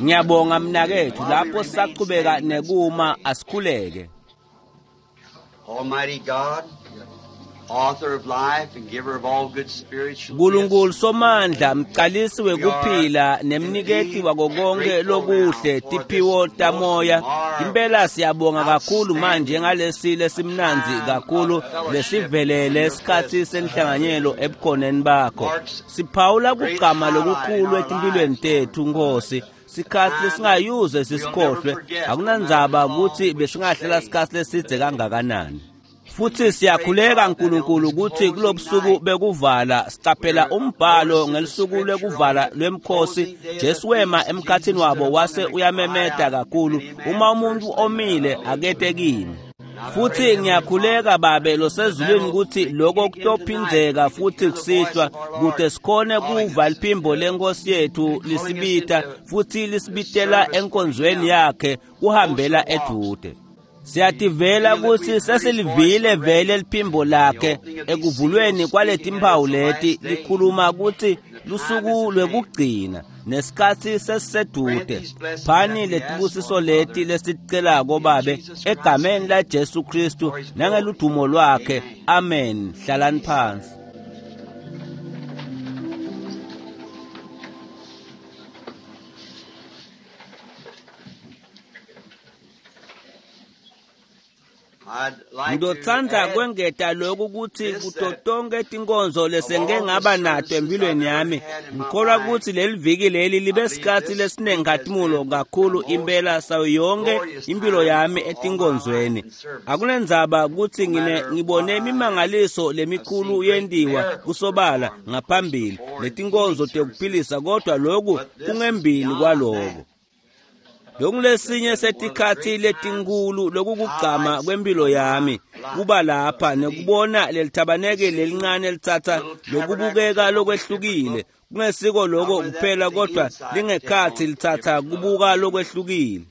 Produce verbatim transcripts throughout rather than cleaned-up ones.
Ngiyabonga mnakethu lapho sisaqhubeka nekuma asikhuleke. Almighty God, author of life and giver of all good spiritual Nkulunkulu gifts, somandla mcalisi wekuphila nemniketi wako konke lokuhle tiphiwo tamoya impela siyabonga kakhulu manje ngalesi lesimnandzi kakhulu lesivelele isikhatsi senhlanganyelo ebukhoneni bakho. Siphawula kugcama lokukhulu etimphilweni tethu Nkosi, sikhatsi lesingayuze sisikhohlwe. Akunandzaba ukuthi besingahlela sikhatsi lesidze kangakanani. Futhi siyakhuleka Nkulunkulu ukuthi kulobusuku bekuvala sicaphela umbhalo ngelisuku lwekuvala lwemkhosi. Jesu wema emkhathini wabo wase uyamemeta kakhulu, uma umuntu omile akete kimi. Futhi ngiyakhuleka Babe losezulwini ukuthi lokho kutophindzeka futhi kusihlwa kute sikhone kuva liphimbo lenkosi yethu lisibita futhi lisibitela enkonzweni yakhe kuhambela edude. Siyativela ukuthi sesilivile vele liphimbo lakhe ekuvulweni kwaletimphawu leti likhuluma ukuthi lusuku lwekugcina nesikhatsi sesisedude. Phani letibusiso leti lesiticelako Babe egameni la Jesu Kristu nangeludumo lwakhe. Amen. Hlalani phansi. Ngizotsandza kwengeta lokhu ukuthi kuto tonke tinkonzo lesengike ngaba nato empilweni yami, ngikholwa ukuthi leli viki leli libe sikhatsi lesinenkhatimulo kakhulu impela sayo yonke impilo yami etinkonzweni. Akunendzaba ukuthi ngine ngibone imimangaliso lemikhulu yentiwa kusobala ngaphambili letinkonzo tekuphilisa, kodwa lokhu kungembili kwaloko. Lokulesinye setikhatsi letinkulu lokukugcama kwempilo yami kuba lapha nekubona lelithabaneke lelincane litsatsa lokubukeka lokwehlukile. Kungesiko lokho kuphela kodwa lingekhatsi litsatsa kubuka lokwehlukile.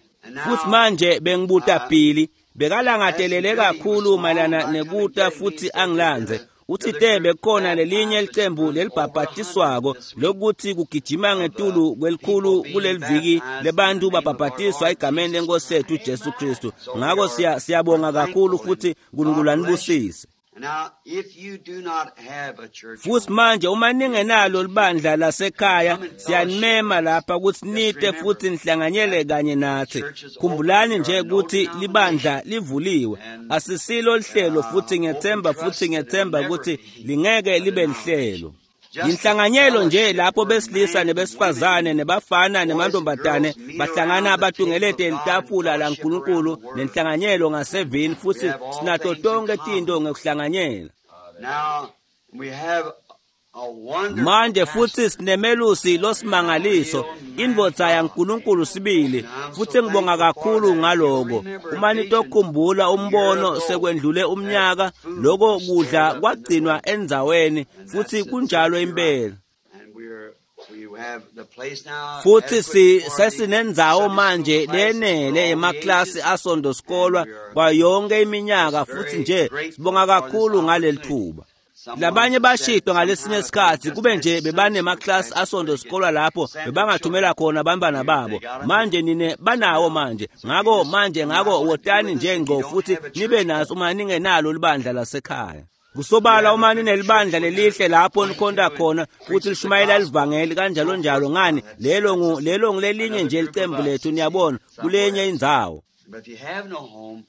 Futhi manje bengibuta Billy bekalangatelele kakhulu mayelana nekuta futhi angilandze. Uthi te bekhona lelinye licembu lelibhabhatiswako lokuthi kugijima ngetulu kwelikhulu kuleliviki lebantu babhabhatiswa egameni lenkosi yethu Jesu Kristu. Ngako siya siyabonga kakhulu futhi Nkulunkulu anibusise. Now, if you do not have a church, Futhi manje uma ningenalo libandla lasekhaya siyanimema lapha ukuthi nite futhi nihlanganyele kanye nathi. Khumbulani nje ukuthi libandla livuliwe, asisilo lihlelo, futhi ngiyethemba futhi ngiyethemba ukuthi lingeke libe lihlelo. Inhlanganyelo nje lapho besilisa nebesifazane nebafana nemantombazane bahlangana batungelete litafula laNkulunkulu nenhlanganyelo ngasevini, futhi sinato tonke tinto ngekuhlanganyela. Now we have a wonderful Manje futhi sinemelusi losimangaliso, indvodza yaNkulunkulu sibili, futhi ngibonga kakhulu ngaloko. Uma nitokhumbula umbono sekwendlule umnyaka, lokho kudla kwagcinwa endzaweni, futhi kunjalo impela. And we're we have the place now Futhi si adequate for the sesinendzawo Sunday school manje classes for lenele all the emaklasi ages. asonto sikolwa kwa yonke iminyaka, futhi nje sibonga kakhulu ngaleli thuba. Labanye bashidwa ngalesinye isikhathi kube nje bebanemaklasi asonto sikolwa lapho bebangathumela khona abantwana babo. Manje nine banawo manje. Ngako manje ngako wotani nje ngqo futhi nibe naso uma ningenalo libandla lasekhaya. Kusobala uma ninelibandla lelihle lapho nikhonta khona futhi lishumayela livangeli kanjalo njalo, ngani lelo ngu lelo ngilelinye nje licembu lethu, niyabona, kulenye indzawo. But if you have no home,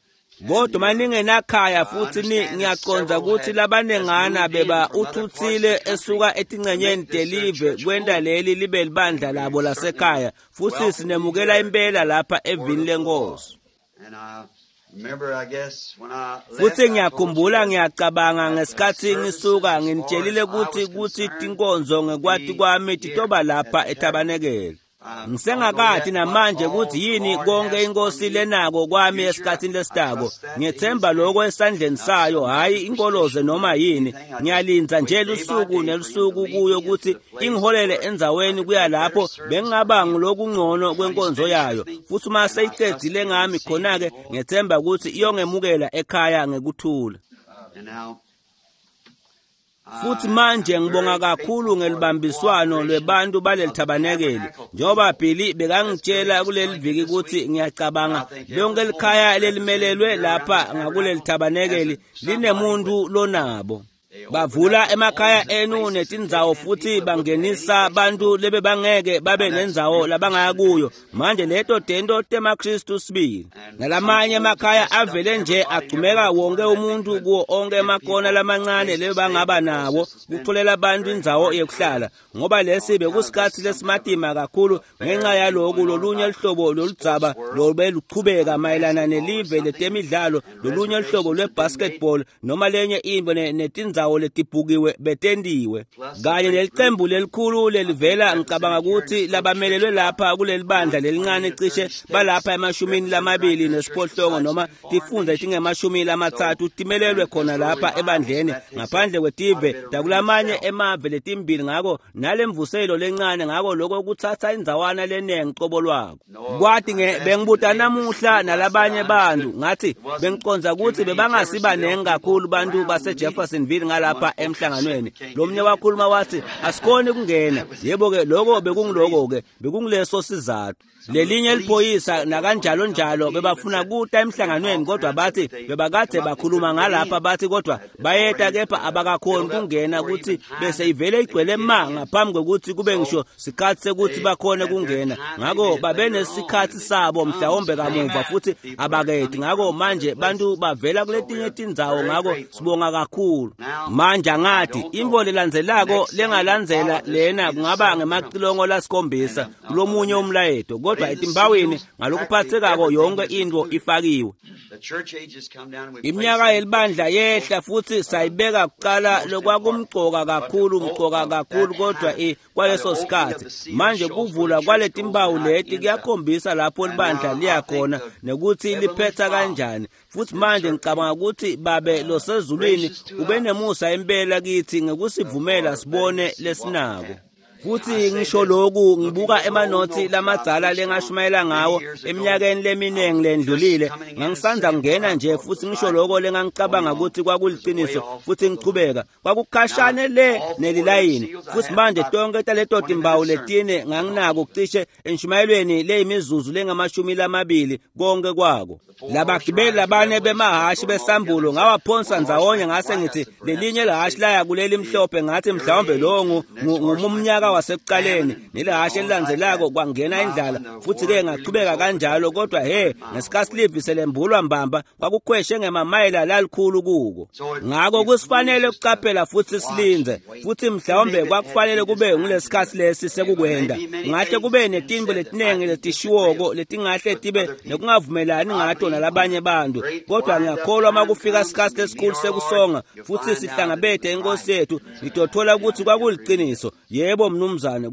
Kodwa uma ningenakhaya futhi ni ngiyaqonda ukuthi labanengana beba uthuthile esuka etingcenyeni telive kwenta leli libe libandla labo lasekhaya, futhi sinemukela impela lapha evini lenkosi. And I remember, I guess, when I left, Futhi I told you ngiyakhumbula that ngiyacabanga ngesikhathi ngisuka nginitshelile ukuthi kuthi tinkonzo ngekwati kwami titoba lapha ethabanekele. Ngisengakathi namanje ukuthi yini konke inkosi lenako kwami esikhathini lesitako. Ngiyethemba lokho esandleni sayo, hhayi inkoloze noma yini. Ngiyalinda nje lusuku nelusuku kuyo ukuthi ingiholele endzaweni kuya lapho bengingaba ngilokungcono kwenkonzo yayo. Futhi uma seyicedzile ngami khona-ke ngiyethemba ukuthi iyongemukela ekhaya ngekuthula. And now, Futhi manje ngibonga kakhulu ngelibambiswano lwebantu baleli thabanekeli. Njengoba Billy bekangitshela kuleli viki ukuthi ngiyacabanga lonke likhaya lelimelelwe lapha ngakuleli thabanekeli linemuntu lonabo. Bavula emakhaya enu netindzawo futhi bangenisa bantu lebe bangeke babe nendzawo labangaya kuyo. Manje leto tento temaKristu sibili. Nalamanye emakhaya avele nje agcumeka wonke umuntu kuwo onke emakona lamancane lebe bangaba nawo kutholela abantu indzawo yekuhlala, ngoba lesi bekusikhathi lesimatima kakhulu ngenxa yaloku lolunye luhlobo loludzaba lobeluchubeka mayelana nelive letemidlalo, lolunye luhlobo lwebasketball noma lenye into netindzawo letibhukiwe betendiwe kanye nelicembu lelikhulu lelivela ngicabanga ukuthi labamelelwe lapha kuleli bandla lelincane cishe balapha emashumini lamabili nesiphohlongo noma tifundza letingemashumi lamatsatfu timelelwe khona lapha ebandleni ngaphandle kwetive takulamanye emave letimbili. Ngako nalemvuselo lencane, ngako lokho kutsatsa indzawana lenengi qobo lwako. Kwathi bengibuta namuhla nalabanye bantu ngathi bengiconza ukuthi bebangasibanengi kakhulu bantu base Jeffersonville ngalapha emhlanganweni. Lomnye wakhuluma wathi asikhoni kungena. Yebo ke lokho bekungiloko ke bekungileso sizathu. Lelinye liphoyisa nakanjalo njalo bebafuna kuta emhlanganweni, kodwa bathi bebakade bakhuluma ngalapha bathi kodwa bayeta kepha abakakhoni kungena ukuthi bese ivele igcwele ma ngaphambi kokuthi kube ngisho sikhathi sekuthi bakhone kungena. Ngako babenesikhathi sabo mhlawumbe kamuva futhi abaketi. Ngako manje bantu bavela kuletinye tindzawo, ngako sibonga kakhulu. Manje angathi imvo lelandzelako lengalandzela lena kungaba ngemacilongo lasikhombisa kulomunye umlayeto, kodwa etimbawini ngalokuphathekako yonke into ifakiwe. Iminyaka yelibandla yehla futhi sayibeka kuqala lokwakumcoka kakhulu mcoka kakhulu, kodwa kwaleso sikhathi manje kuvula kwaletimbawu leti kuyakhombisa lapho libandla liyakhona nekuthi liphetha kanjani. Futhi manje ngicabanga ukuthi babe losezulwini ube nemusa impela kithi ngekusivumela sibone lesinako. Futhi ngisho lokhu ngibuka emanothi lamadzala lengashumayela ngawo eminyakeni leminingi lendlulile, ngangisanza kungena nje futhi ngisho lokho lengangicabanga ukuthi kwakuliqiniso futhi ngichubeka kwakukhashane le nelilayini. Futhi manje tonke taleto timbawu letine nganginako cishe enshumayelweni leyimizuzu lengamashumi lamabili konke kwako. Labagibeli labane bemahashi besambulo ngawaphonsa ndzawonye ngase ngithi lelinye lahashi laya kuleli mhlophe, ngathi mhlawumbe lo ngumnyaka wasekuqaleni, nelahashe elilandzelako kwangena indlala futhi ke ngachubeka kanjalo. Kodwa he ngesikhathi livi selembulwa mbamba kwakukhweshe ngemamayela lalikhulu kuko. Ngako kusifanele ukuqaphela futhi silinze, futhi mhlawumbe kwakufanele kube ngulesikhathi lesi sekukwenda. Ngahle kube netimbo letinengi letishiwoko letingahle tibe nekungavumelani ngato nalabanye bantu, kodwa ngiyakholwa makufika isikhathi lesikhulu sekusonga futhi sihlangabethe inkosi yethu ngitothola ukuthi kwakuliqiniso. Yebo mnumzane,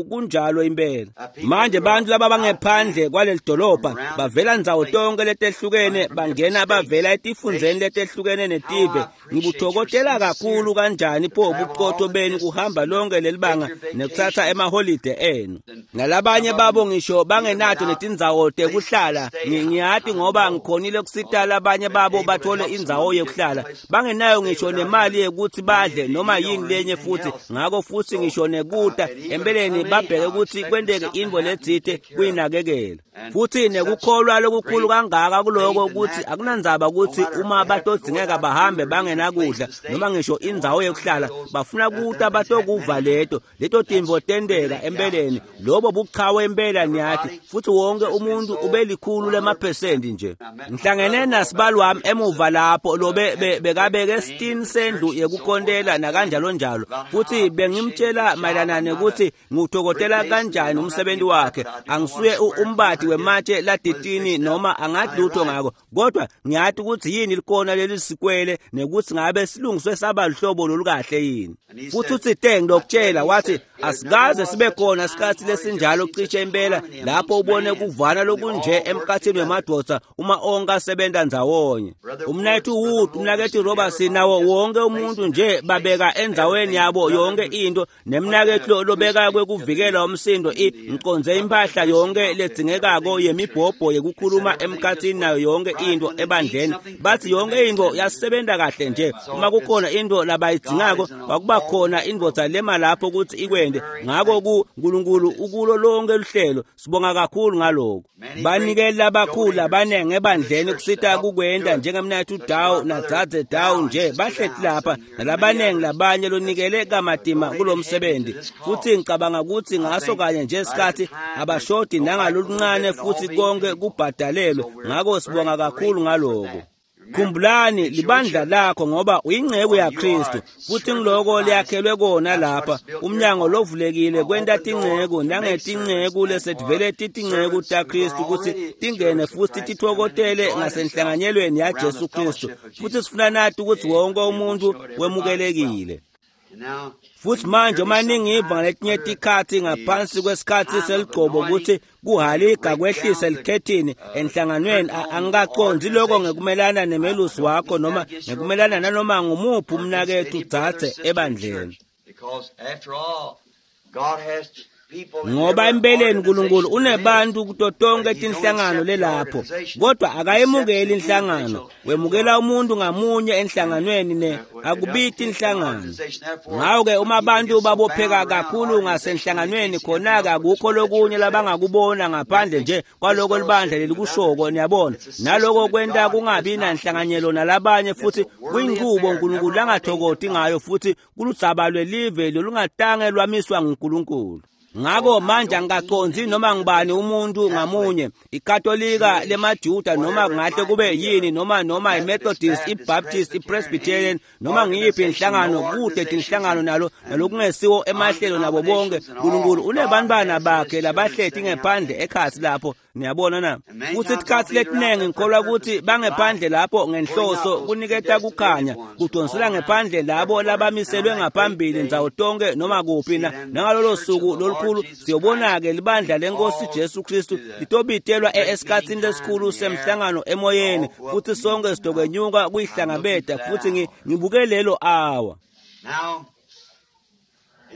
kunjalo impela. Manje bantu laba bangephandle kwaleli dolobha bavela ndzawo tonke letehlukene, bangena bavela etifundzeni letehlukene netive. Ngibuthokozela kakhulu kanjani pho ubuqotho benu kuhamba lonke lelibanga nekuthatha emaholide enu. Nalabanye babo ngisho bangenato netindzawo tekuhlala. Ngiyati ngoba ngikhonile kusita labanye babo bathole indzawo yekuhlala, bangenayo ngisho nemali yekuthi badle noma yini lenye futhi. Ngako futhi ngisho nekuta empeleni babheke ukuthi kwenteke intfo letsite kuyinakekela. Futhi nekukholwa lokukhulu kangaka kuloko ukuthi akunandzaba ukuthi uma batodzingeka bahambe bangenakudla noma ngisho indzawo yekuhlala, bafuna kuta batokuva leto leto tintfo tenteka empeleni. Lobo buchawe impela niyathi, futhi wonke umuntu ubelikhulu lemaphesenti nje. Ngihlangene nasibali wami emuva lapho lobe bekabeke sitini sendlu yekukhontela nakanjalo njalo, futhi bengimtshela mayelana nekuthi nguthokozela kanjani umsebenzi wakhe. Angisuye umbati wematshe laditini noma angathi lutho ngako, kodwa ngiyathi ukuthi yini likona leli sikwele nekuthi ngabe silungiswe saba luhlobo lolukahle yini. Futhi uthi te ngilokutshela wathi Asikaze sibe khona isikhatsi lesinjalo cishe impela lapho ubone kuvana lokunje emkhatsini wemadvodza uma onke asebenta ndzawonye. Umnaketfu Wood, umnaketfu Robertson nawo wonke umuntu nje babeka endzaweni yabo yonke into, nemnaketfu lobeka kwekuvikela umsindo ngiqondze impahla yonke ledzingekako yemibhobho yekukhuluma emkhatsini nayo yonke into ebandleni. Bathi yonke into yasebenta kahle nje. Uma kukhona into labayidzingako kwakuba khona indvodza lema lapho ukuthi ikwende. Ngako ku uNkulunkulu ukulo lonke luhlelo. Sibonga kakhulu ngaloko. Banikeli labakhulu abaningi ebandleni kusita kukwenda njengemnaketfu Dow nadzadze Dow nje bahleti lapha nalabanengi labanye lonikele kamatima kulomsebenzi. Futhi ngicabanga ukuthi ngaso kanye nje isikhathi abashodi nangaloluncane futhi konke kubhadalelwe. Ngako sibonga kakhulu ngaloko. Khumbulani libandla lakho ngoba uyingceku yaKristu, futhi ngiloko liyakhelwe kona lapha. Umnyango lovulekile kwenta tinceku nangetinceku lesetivele titinceku taKristu ukuthi tingene futhi titfokotele ngasenhlanganyelweni yaJesu Kristu. Futhi sifuna nathi ukuthi wonke umuntu wemukelekile. Futhi manje uma ningiva ngaletinye tikhatsi ngaphansi kwesikhatsi seligcobo ukuthi kuhaliga kwehlise likhethini enhlanganweni, angikacondzi lokho ngekumelana nemelusi wakho noma ngekumelana nanoma ngumuphi umnaketfu dzadze ebandleni. Ngoba empeleni uNkulunkulu unebantu kuto tonke tinhlangano lelapho, kodwa akayemukeli inhlangano, wemukela umuntu ngamunye enhlanganweni ne akubiti inhlangano. Ngako-ke uma abantu babopheka kakhulu ngasenhlanganweni khona-ke akukho lokunye labangakubona ngaphandle nje kwaloko libandla lelikushoko, niyabona. Naloko kwenta kungabi nanhlanganyelo nalabanye, futhi kuyinqubo uNkulunkulu langathokoti ngayo, futhi kuludzaba lwelive lolungatange lwamiswa nguNkulunkulu. Ngako manje angikacondzi noma ngibani umuntu ngamunye, iKatolika lemaJuda noma kungahle kube yini, noma noma iMethodist, iBaptist, iPresbyterian, noma ngiyiphi inhlangano, kude tinhlangano nalo nalokungesiwo emahlelo nabo bonke. uNkulunkulu unebantwana bakhe labahleti ngephandle ekhatsi lapho, niyabona na. Futhi tikhatsi letinengi ngikholwa ukuthi bangephandle lapho ngenhloso kuniketa kukhanya, kudonsela ngephandle labo labamiselwe ngaphambili ndzawo tonke noma kuphi na. Nangalolo suku lolukhulu siyobona-ke libandla lenkosi Jesu Kristu litobitelwa esikhatsini lesikhulu semhlangano emoyeni, futhi sonke sidokwenyuka kuyihlangabeta. Futhi ngibuke lelo awa.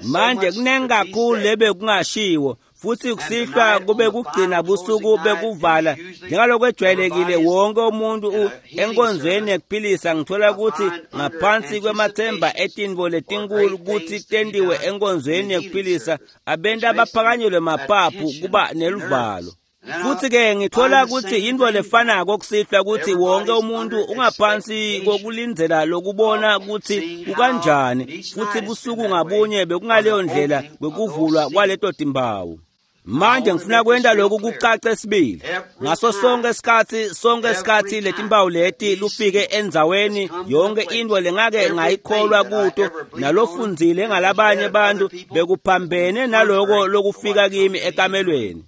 Manje kunengi kakhulu lebe kungashiwo, futhi kusihlwa kube kugcina busuku bekuvala njengalokwejwayelekile. Wonke umuntu enkonzweni yekuphilisa ngithola ukuthi ngaphansi kwemathemba etintfo letinkulu kutsi tentiwe enkonzweni yekuphilisa, abantu abaphakanyelwe maphaphu kuba neluvalo. Futhi-ke ngithola ukuthi yintfo lefanako kusihlwa ukuthi wonke umuntu ungaphansi kokulindzela lokubona ukuthi kukanjani, futhi busuku ngabunye bekungaleyo ndlela kwekuvulwa kwaleto timpawu. Manje ngifuna kwenta lokhu kucace sibili. Ngaso sonke isikhatsi, sonke isikhatsi letimpawu leti lufike endzaweni yonke into lengake ngayikholwa kuto nalofundzile ngalabanye bantu bekuphambene naloko lokufika kimi ekamelweni.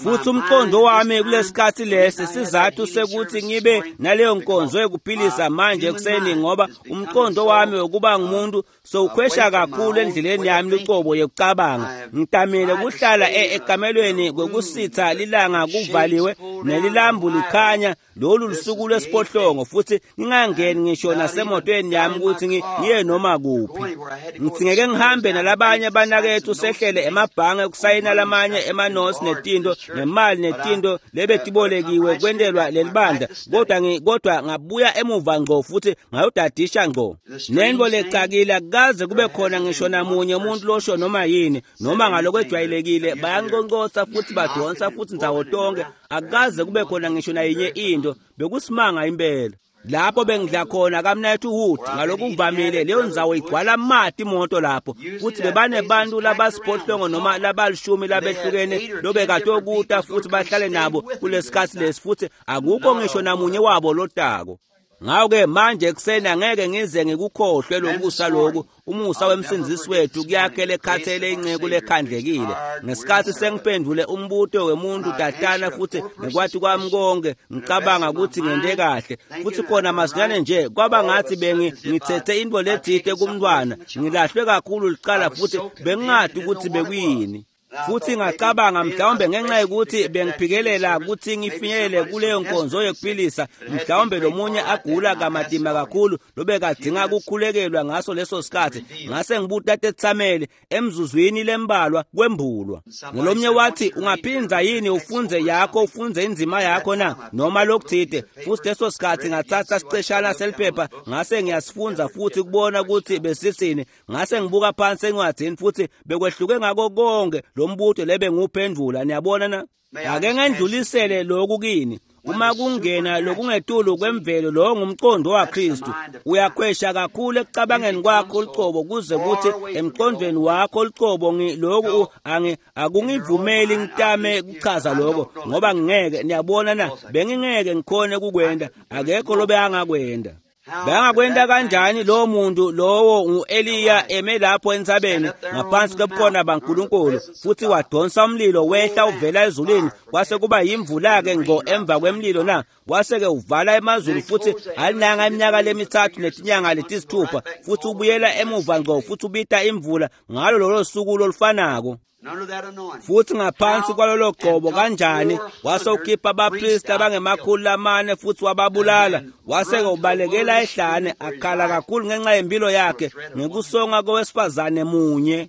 Futhi umqondo wami kulesikhatsi lesi sizathu sekuthi ngibe naleyo nkonzo yokuphilisa manje ekuseni, ngoba umqondo wami wokuba ngumuntu sowukhwesha kakhulu endleleni yami lucobo yokucabanga. Ngitamile kuhlala ekamelweni kwekusitha lilanga kuvaliwe nelilambu likhanya, lolu lusuku lwesiphohlongo, futhi ngingangeni ngisho nasemotweni yami ukuthi ngiye noma kuphi. Ngitsingeke ngihambe nalabanye banakethu sehlele emabhange kusayina lamanye emanosi netinto nemali netinto lebetibolekiwe kwentelwa lelibandla, kodwa kodwa ngabuya emuva ngqo futhi ngayodadisha ngqo. Nento lecakile akaze kube khona ngisho namunye umuntu losho noma yini noma ngalokwejwayelekile, bayanqonqosa futhi badonsa futhi ndzawo tonke, akaze kube khona ngisho nayinye into. Bekusimanga impela. Lapho bengidla khona kamnaketfu Wood ngalokuvamile leyo ndzawo igcwala amati imoto lapho, futhi bebanebantu labasiphohlongo noma labalishumi labehlukene lobekatokuta futhi bahlale nabo kulesikhatsi lesi, futhi akukho ngisho namunye wabo lotako. Ngakho-ke manje ekuseni angeke ngize ngikukhohlwe lokusa lokhu, umusa wemsindzisi wethu kuyakhele ekhathele inceku lekhandlekile. Ngesikhathi sengiphendvule umbuto wemuntu tatana futhi ngekwati kwami konke ngicabanga ukuthi ngente kahle, futhi khona masinyane nje kwaba ngathi bengi ngithethe into lethite kumntwana, ngilahlwe kakhulu licala futhi bengingadi ukuthi bekuyini. Futhi ngacabanga mhlawumbe ngenxa yokuthi bengiphikelela ukuthi ngifinyelele kuleyo nkonzo yokuphilisa, mhlawumbe lomunye agula kamatima kakhulu lobekadinga ukukhulekelwa ngaso leso sikhathi. Ngase ngibuta Tetsameli emzuzwini lembalwa kwembulwa. Nolomnye wathi, ungaphinza yini ufunze yakho ufunze inzima yakho na noma lokuthite. Futhi leso sikhathi ngathatha siceshana seliphepha ngase ngiyasifunza futhi kubona ukuthi besithini. Ngase ngibuka phansi encwadini futhi bekwehluke ngako konke lombuto lebe nguphendvula. Niyabona na? Ake ngendlulisele lokhu kini. Uma kungena lokungetulu kwemvelo, lo ngumqondo waKristu. Uyakhwesha kakhulu ekucabangeni kwakho lucobo kuze kuthi emqondweni wakho lucobo lokhu angi akungivumeli ngitame kuchaza lokho ngoba ngingeke. Niyabona na? Bengingeke ngikhone kukwenda, akekho lobe angakwenda. Bengakwenda kanjani lo muntu lowo ngu-Eliya eme lapho entsabeni ngaphansi kobukhona baNkulunkulu, futhi wadonsa umlilo wehla uvela ezulwini, kwase kuba yimvula-ke ngqo emva kwemlilo na? Wase-ke uvala emazulu futhi alinanga iminyaka lemithathu netinyanga letisithupha, futhi ubuyela emuva ngqo futhi ubita imvula ngalo lolo suku lolufanako. Futhi ngaphansi kwalolo gcobo kanjani wase ukhipha abapristi abangemakhulu lamane futhi wababulala, wase-ke ubalekela ehlane akhala kakhulu ngenxa yempilo yakhe ngekusonga kowesifazane munye.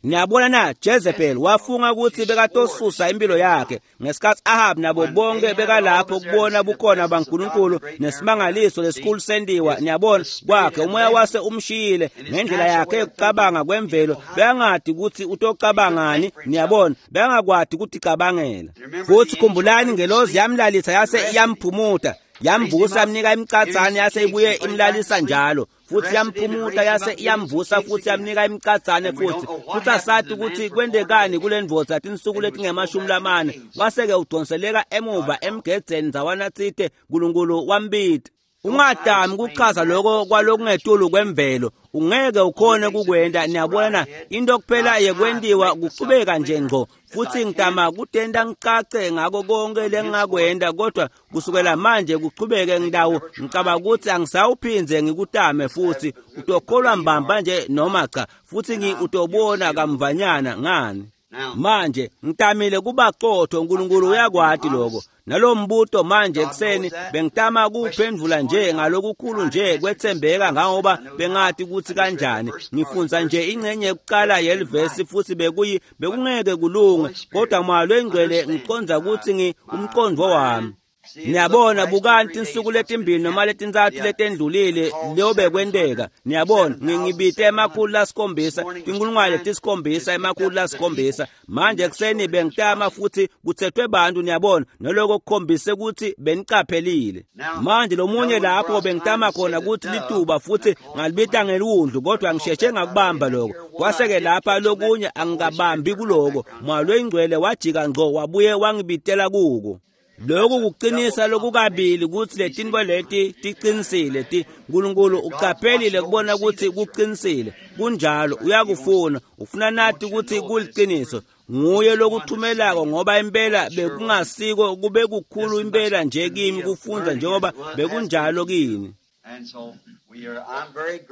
Niyabona na? Jezebel wafunga ukuthi bekatosusa impilo yakhe ngesikhathi Ahab nabo bonke bekalapho kubona bukhona baNkulunkulu nesimangaliso lesikhulu sendiwa. Niyabona kwakhe umoya wase umshiyile ngendlela yakhe yokucabanga kwemvelo, bengadi ukuthi utocabangani. Niyabona, bengakwadi ukuthi cabangela. Futhi khumbulani, ngelozi yamlalisa yase iyamphumuta, yamvusa yamnika imicatsane yase ibuye imlalisa njalo, futhi yamphumuta yase iyamvusa futhi yamnika imicatsane futhi. Futhi asathi ukuthi kwendekani kule ndvodza tinsuku letingemashumi lamane, wase-ke udonseleka emuva emgedzeni ndzawana tsite, Nkulunkulu wambita. Ungadami kuchaza lokho kwalokungetulu kwemvelo, ungeke ukhone kukwenda. Niyabona na? Into kuphela yekwentiwa kuchubeka nje ngqo. Futhi ngitama kutenta ngicace ngako konke lengingakwenda, kodwa kusukela manje kuchubeke ngidawo ngicabanga ukuthi angisawuphindze ngikutame futhi. Utokholwa mbamba nje noma cha, futhi ngi utobona kamvanyana ngani. Manje ngitamile kuba qotho, uNkulunkulu uyakwati lokho. Nalo mbuto manje ekuseni bengitama kuphendvula nje ngalokukhulu nje kwethembeka ngoba bengathi ukuthi kanjani. Ngifunza nje ingcenye yokuqala yelivesi futhi bekuyi bekungeke kulunge, kodwa Moya loyiNgcwele ngiqonda ukuthi ngi umqondo wami. Niyabona, bukani tinsuku letimbili noma letintsatfu letendlulile leyo bekwenteka. Niyabona, ngibite emakhulu lasikhombisa, tinkulungwane letisikhombisa, emakhulu lasikhombisa. Manje ekuseni bengitama futhi kuthethwe bantu, niyabona, naloko kukhombise ukuthi benicaphelile. Manje lomunye lapho bengitama khona ukuthi lituba futhi ngalibita ngeliwundlu, kodwa ngisheshe ngakubamba lokho. Kwase-ke lapha lokunye angikabambi kuloko. Moya loyiNgcwele wajika ngqo wabuye wangibitela kuko. Lokhu kuqinisa lokukabili ukuthi letinto leti tiqinisile. Ti uNkulunkulu uqaphelile kubona ukuthi kuqinisile. Kunjalo, uyakufuna, ufuna nathi ukuthi kuliqiniso. Nguye lokuthumelako ngoba impela bekungasiko kube kukhulu impela nje kimi kufunza njengoba bekunjalo kini.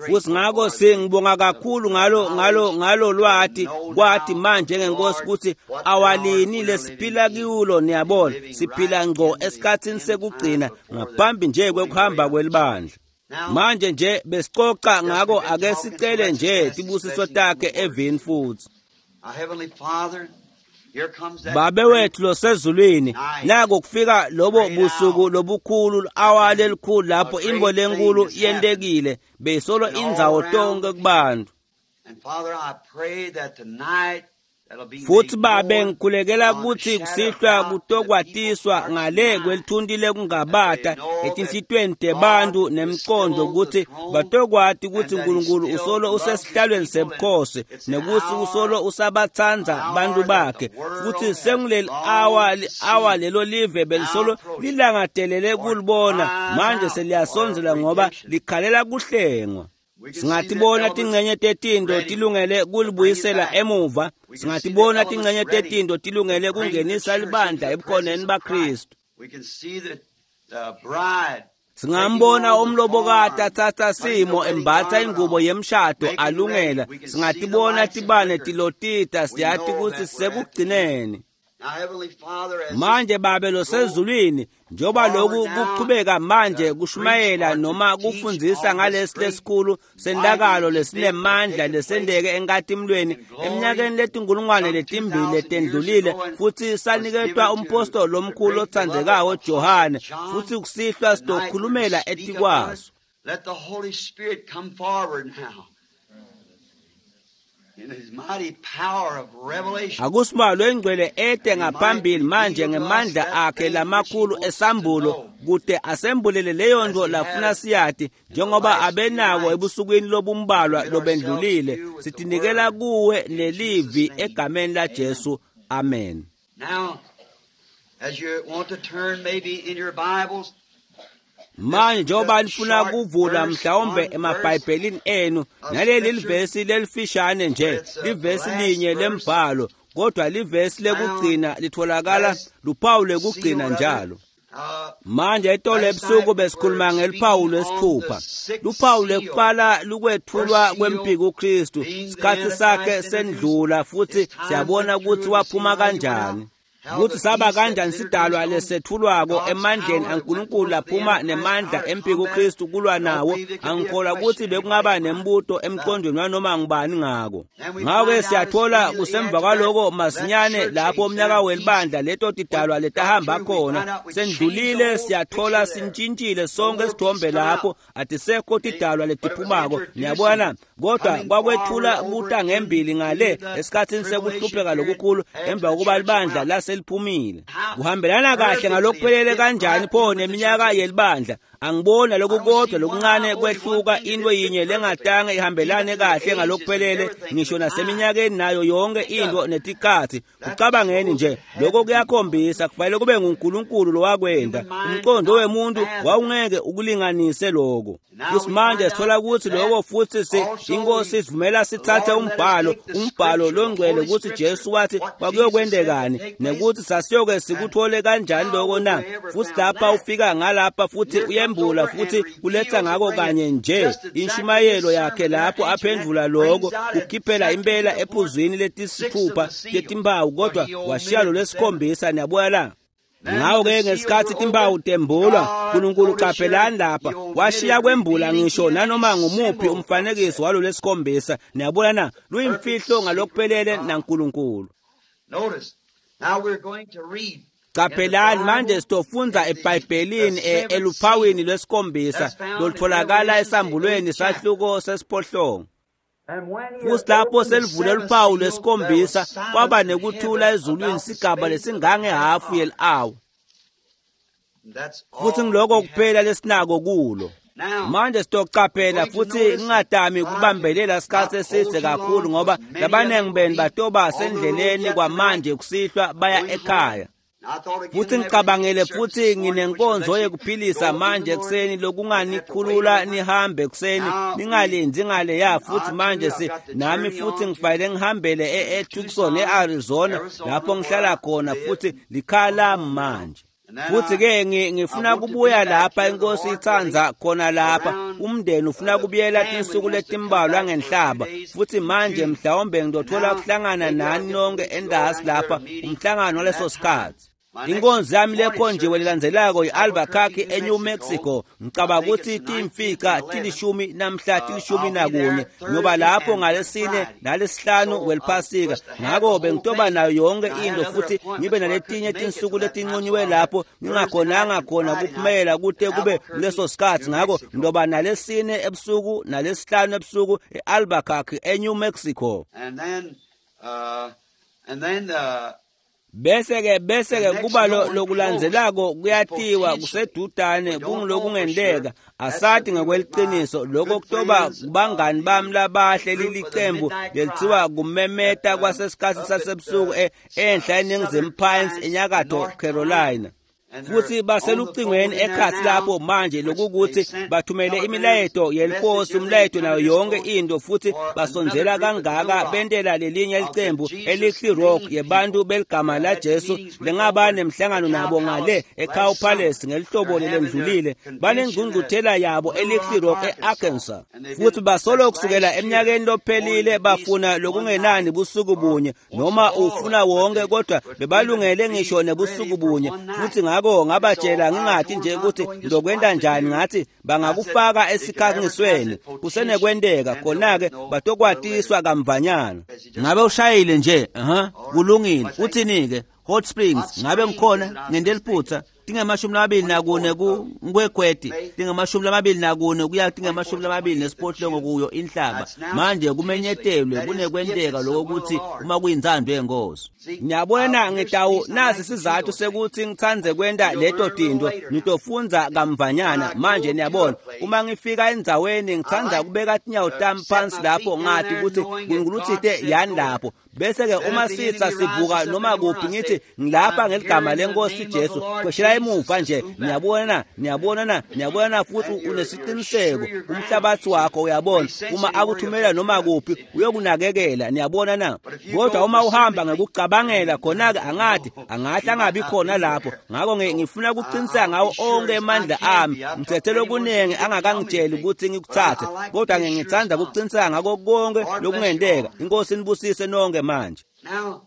Futhi ngakho singibonga kakhulu ngalo ngalo ngalo lwati kwathi manje ngenkosi ukuthi awalini lesiphila kulo. Niyabona, siphila ngqo esikhathini sekugcina ngaphambi nje kwekuhamba kwelibandla. Manje nje besicoca ngako, ake sicele nje tibusiso takhe evini futhi. Babe wethu losezulwini, nako kufika lobo busuku lobukhulu, awa lelikhulu lapho imbo lenkulu yentekile beyisolo indzawo tonke kubantu. Futsi babe ngikhulekela kutsi kusihlwa kutokwatiswa ngale kwelithunti lekungabata etinhlitiyweni tebantfu nemcondo kutsi batokwati kutsi Nkulunkulu usolo usesihlalweni sebukhosi nekutsi usolo usabatsandza bantfu bakhe. Futsi senguleli awa awa lelo live belisolo lilangatelele kulibona manje seliyasondzela ngoba likhalela kuhlengwa. Singatibona tincenye tetinto tilungele kulibuyisela emuva, singatibona tincenye tetinto tilungele kungenisa libandla ebukhoneni baKristu. Singambona umlobokati atsatsa simo embatsa ingubo yemshado alungela. Singatibona tibane tilotita, siyati kutsi sekugcineni. Manje Babe losezulwini, njengoba lokhu kuchubeka manje kushumayela noma kufundzisa ngalesi lesikhulu sentakalo lesinemandla lesenteke enkatimulweni eminyakeni letinkulungwane letimbili letendlulile, futsi saniketwa umpostoli lomkhulu lotsandzekako Johane, futsi kusihlwa sitokhulumela etikwaso. Let the Holy Spirit come forward now in his mighty power of revelation. Akusimalo engcwele ete ngaphambili manje ngemandla akhe lamakhulu esambulo kute asembulele leyo nto lafuna siyati njengoba abenako ebusukwini lobumbalwa lobendlulile. Sitinikela kuwe nelivi egameni la Jesu. Amen. Now, as you want to turn maybe in your Bibles, manje njengoba nifuna kuvula mhlawumbe emabhayibhelini enu naleli livesi lelifishane nje, livesi linye lembhalo, kodwa livesi lekugcina litholakala luphawu lekugcina njalo. Manje itolo ebusuku besikhuluma ngeluphawu lwesithupha. Luphawu lekuqala lukwethulwa kwempiko uKristu, isikhathi sakhe sendlula futhi siyabona ukuthi waphuma kanjani, kutsi saba kanjani sidalwa lesethulwako emandleni aNkulunkulu laphuma nemandla empiko uKristu kulwa nawo. Angikholwa kutsi bekungaba nembuto emqondweni wanoma ngubani ngako. Ngako-ke siyathola kusemva kwaloko masinyane lapho umnyaka welibandla leto tidalwa letahamba khona sendlulile, siyathola sintshintshile sonke isithombe lapho atisekho tidalwa letiphumako. Niyabona, kodwa kwakwethula kuta ngembili ngale esikhatsini sekuhlupheka lokukhulu emva kokuba libandla laseliphumile. Kuhambelana kahle ngalokuphelele kanjani pho neminyaka yelibandla? Angibona lokukodwa lokuncane kwehluka, into yinye lengatange ihambelane kahle ngalokuphelele ngisho naseminyakeni nayo yonke into netikhatsi. Kucabangeni nje lokho kuyakhombisa kufanele kube nguNkulunkulu lowakwenda. Umqondo wemuntu wawungeke ukulinganise lokho. Futhi manje sithola ukuthi lokho futhi si inkosi isivumela sithathe umbhalo, umbhalo longcwele ukuthi Jesu wathi kwakuyokwendekani nekuthi sasiyoke sikuthole kanjani lokho na. Futhi lapha ufika ngalapha futhi uyembula futhi uletha ngako kanye nje inshumayelo yakhe lapho aphendvula lokho kukhiphela impela ephuzwini letisithupha letimpawu, kodwa washiya lo lesikhombisa. Niyabuya la. Ngawo-ke ngesikhathi timpawu tembulwa, Nkulunkulu qaphelani lapha washiya kwembula ngisho nanoma ngumuphi umfanekiso walo lesikhombisa. Niyabona na, luyimfihlo ngalokuphelele naNkulunkulu. Qaphelani manje sitofundza eBhayibhelini eluphawini lwesikhombisa lolutholakala esambulweni sahluko sesiphohlongo. Futhi lapho selivule luphawu lwesikhombisa kwaba nekuthula ezulwini sigaba lesingangehafu yeli-awa. Futhi ngiloko kuphela lesinako kulo. Manje sitocaphela futhi ngingadami kubambelela isikhathi eside kakhulu ngoba labaningi benu batoba sendleleni kwamanje kusihlwa baya ekhaya. Futhi ngicabangele futhi nginenkonzo yekuphilisa manje ekuseni lokunganikhulula nihambe ekuseni ningalindzi ngaleya. Futhi manje si nami futhi ngifanele ngihambele eTucson eArizona lapho ngihlala khona, futhi likhaya lami manje. Futhi ke ngifuna kubuya lapha inkosi itsandza khona lapha umndeni ufuna kubuyela tinsuku letimbalwa ngenhlaba. Futhi manje mhlawumbe ngitothola kuhlangana nani nonke endasi lapha umhlangano waleso sikhathi. Inkonzo yami lekhonjiwe lelandzelako yi-Albuquerque eNew Mexico. Ngicabanga ukuthi timfica tilishumi namhla tilishumi nakunye ngoba lapho ngalesine nalesihlanu weliphasika. Ngako bengitoba nayo yonke into futhi ngibe naletinye tinsuku letinqunyiwe lapho ngingakhonanga khona kuphumela kute kube kuleso sikhathi. Ngako ngizoba nalesine ebusuku nalesihlanu ebusuku e-Albuquerque eNew Mexico. And then uh And then the Bese-ke bese-ke kuba lokulandzelako kuyatiwa kusedudane kungilokungenteka asati ngekweliciniso lokho kutoba kubangani bami labahle lilicembu lelithiwa kumemeta kwasesikhatsi sasebusuku enhla eNingizimu Pines eNyakatfo Carolina. Futhi baselucingweni ekhatsi lapho manje lokukuthi bathumele imilayeto yeliposi umlayeto nayo yonke into futhi basondzela kangaka bentela lelinye licembu elithi Rock yebantu beligama la Jesu lengaba nemhlangano nabo ngale eCow Palace ngelihlobo lelendlulile banengcungcuthela yabo elithi Rock eArkansas futhi basolo kusukela eminyakeni lophelile bafuna lokungenani busuku bunye noma ufuna wonke kodwa bebalungele ngisho nebusuku bunye futhi ngako ngabatshela ngingathi nje ukuthi ngizokwenta njani ngathi bangakufaka esikhangisweni kusenekwenteka khona-ke batokwatiswa kamvanyana. Ngabe ushayile nje? Aha, kulungile. Uthini-ke? Hot Springs ngabe ngikhona ngente liphutha tingemashumi lamabili nakune ku-Nkwekweti tingemashumi lamabili nakune kuya tingemashumi lamabili nesiphohlongo kuyo inhlaba. Manje kumenyetelwe kunekwenteka lokho ukuthi uma kuyintsandvo yenkosi. Ngiyabona ngitawu nasi sizathu sekuthi ngitsandze kwenta leto tinto ngitofundza kamvanyana. Manje niyabona uma ngifika endzaweni ngitsandza kubeka tinyawo tami phansi lapho ngathi ukuthi uNkulunkulu utsite yani lapho bese-ke uma sitsa sivuka noma kuphi ngithi ngilapha ngeligama lenkosi Jesu kweshela emuva nje. Niyabona niyabona na niyabona futhi unesiqiniseko umhlabathi wakho uyabona uma akuthumela noma kuphi uyokunakekela. Niyabona na? Kodwa uma uhamba ngekucabangela khona-ke angathi angahle angabi khona lapho. Ngakho ngifuna ukuqiniseka ngawo onke emandla ami ngithethe lokuningi angakangitsheli ukuthi ngikuthathe kodwa ngithanda ukuqiniseka ngako konke lokungenteka. Inkosi inibusise nonke manje. Now,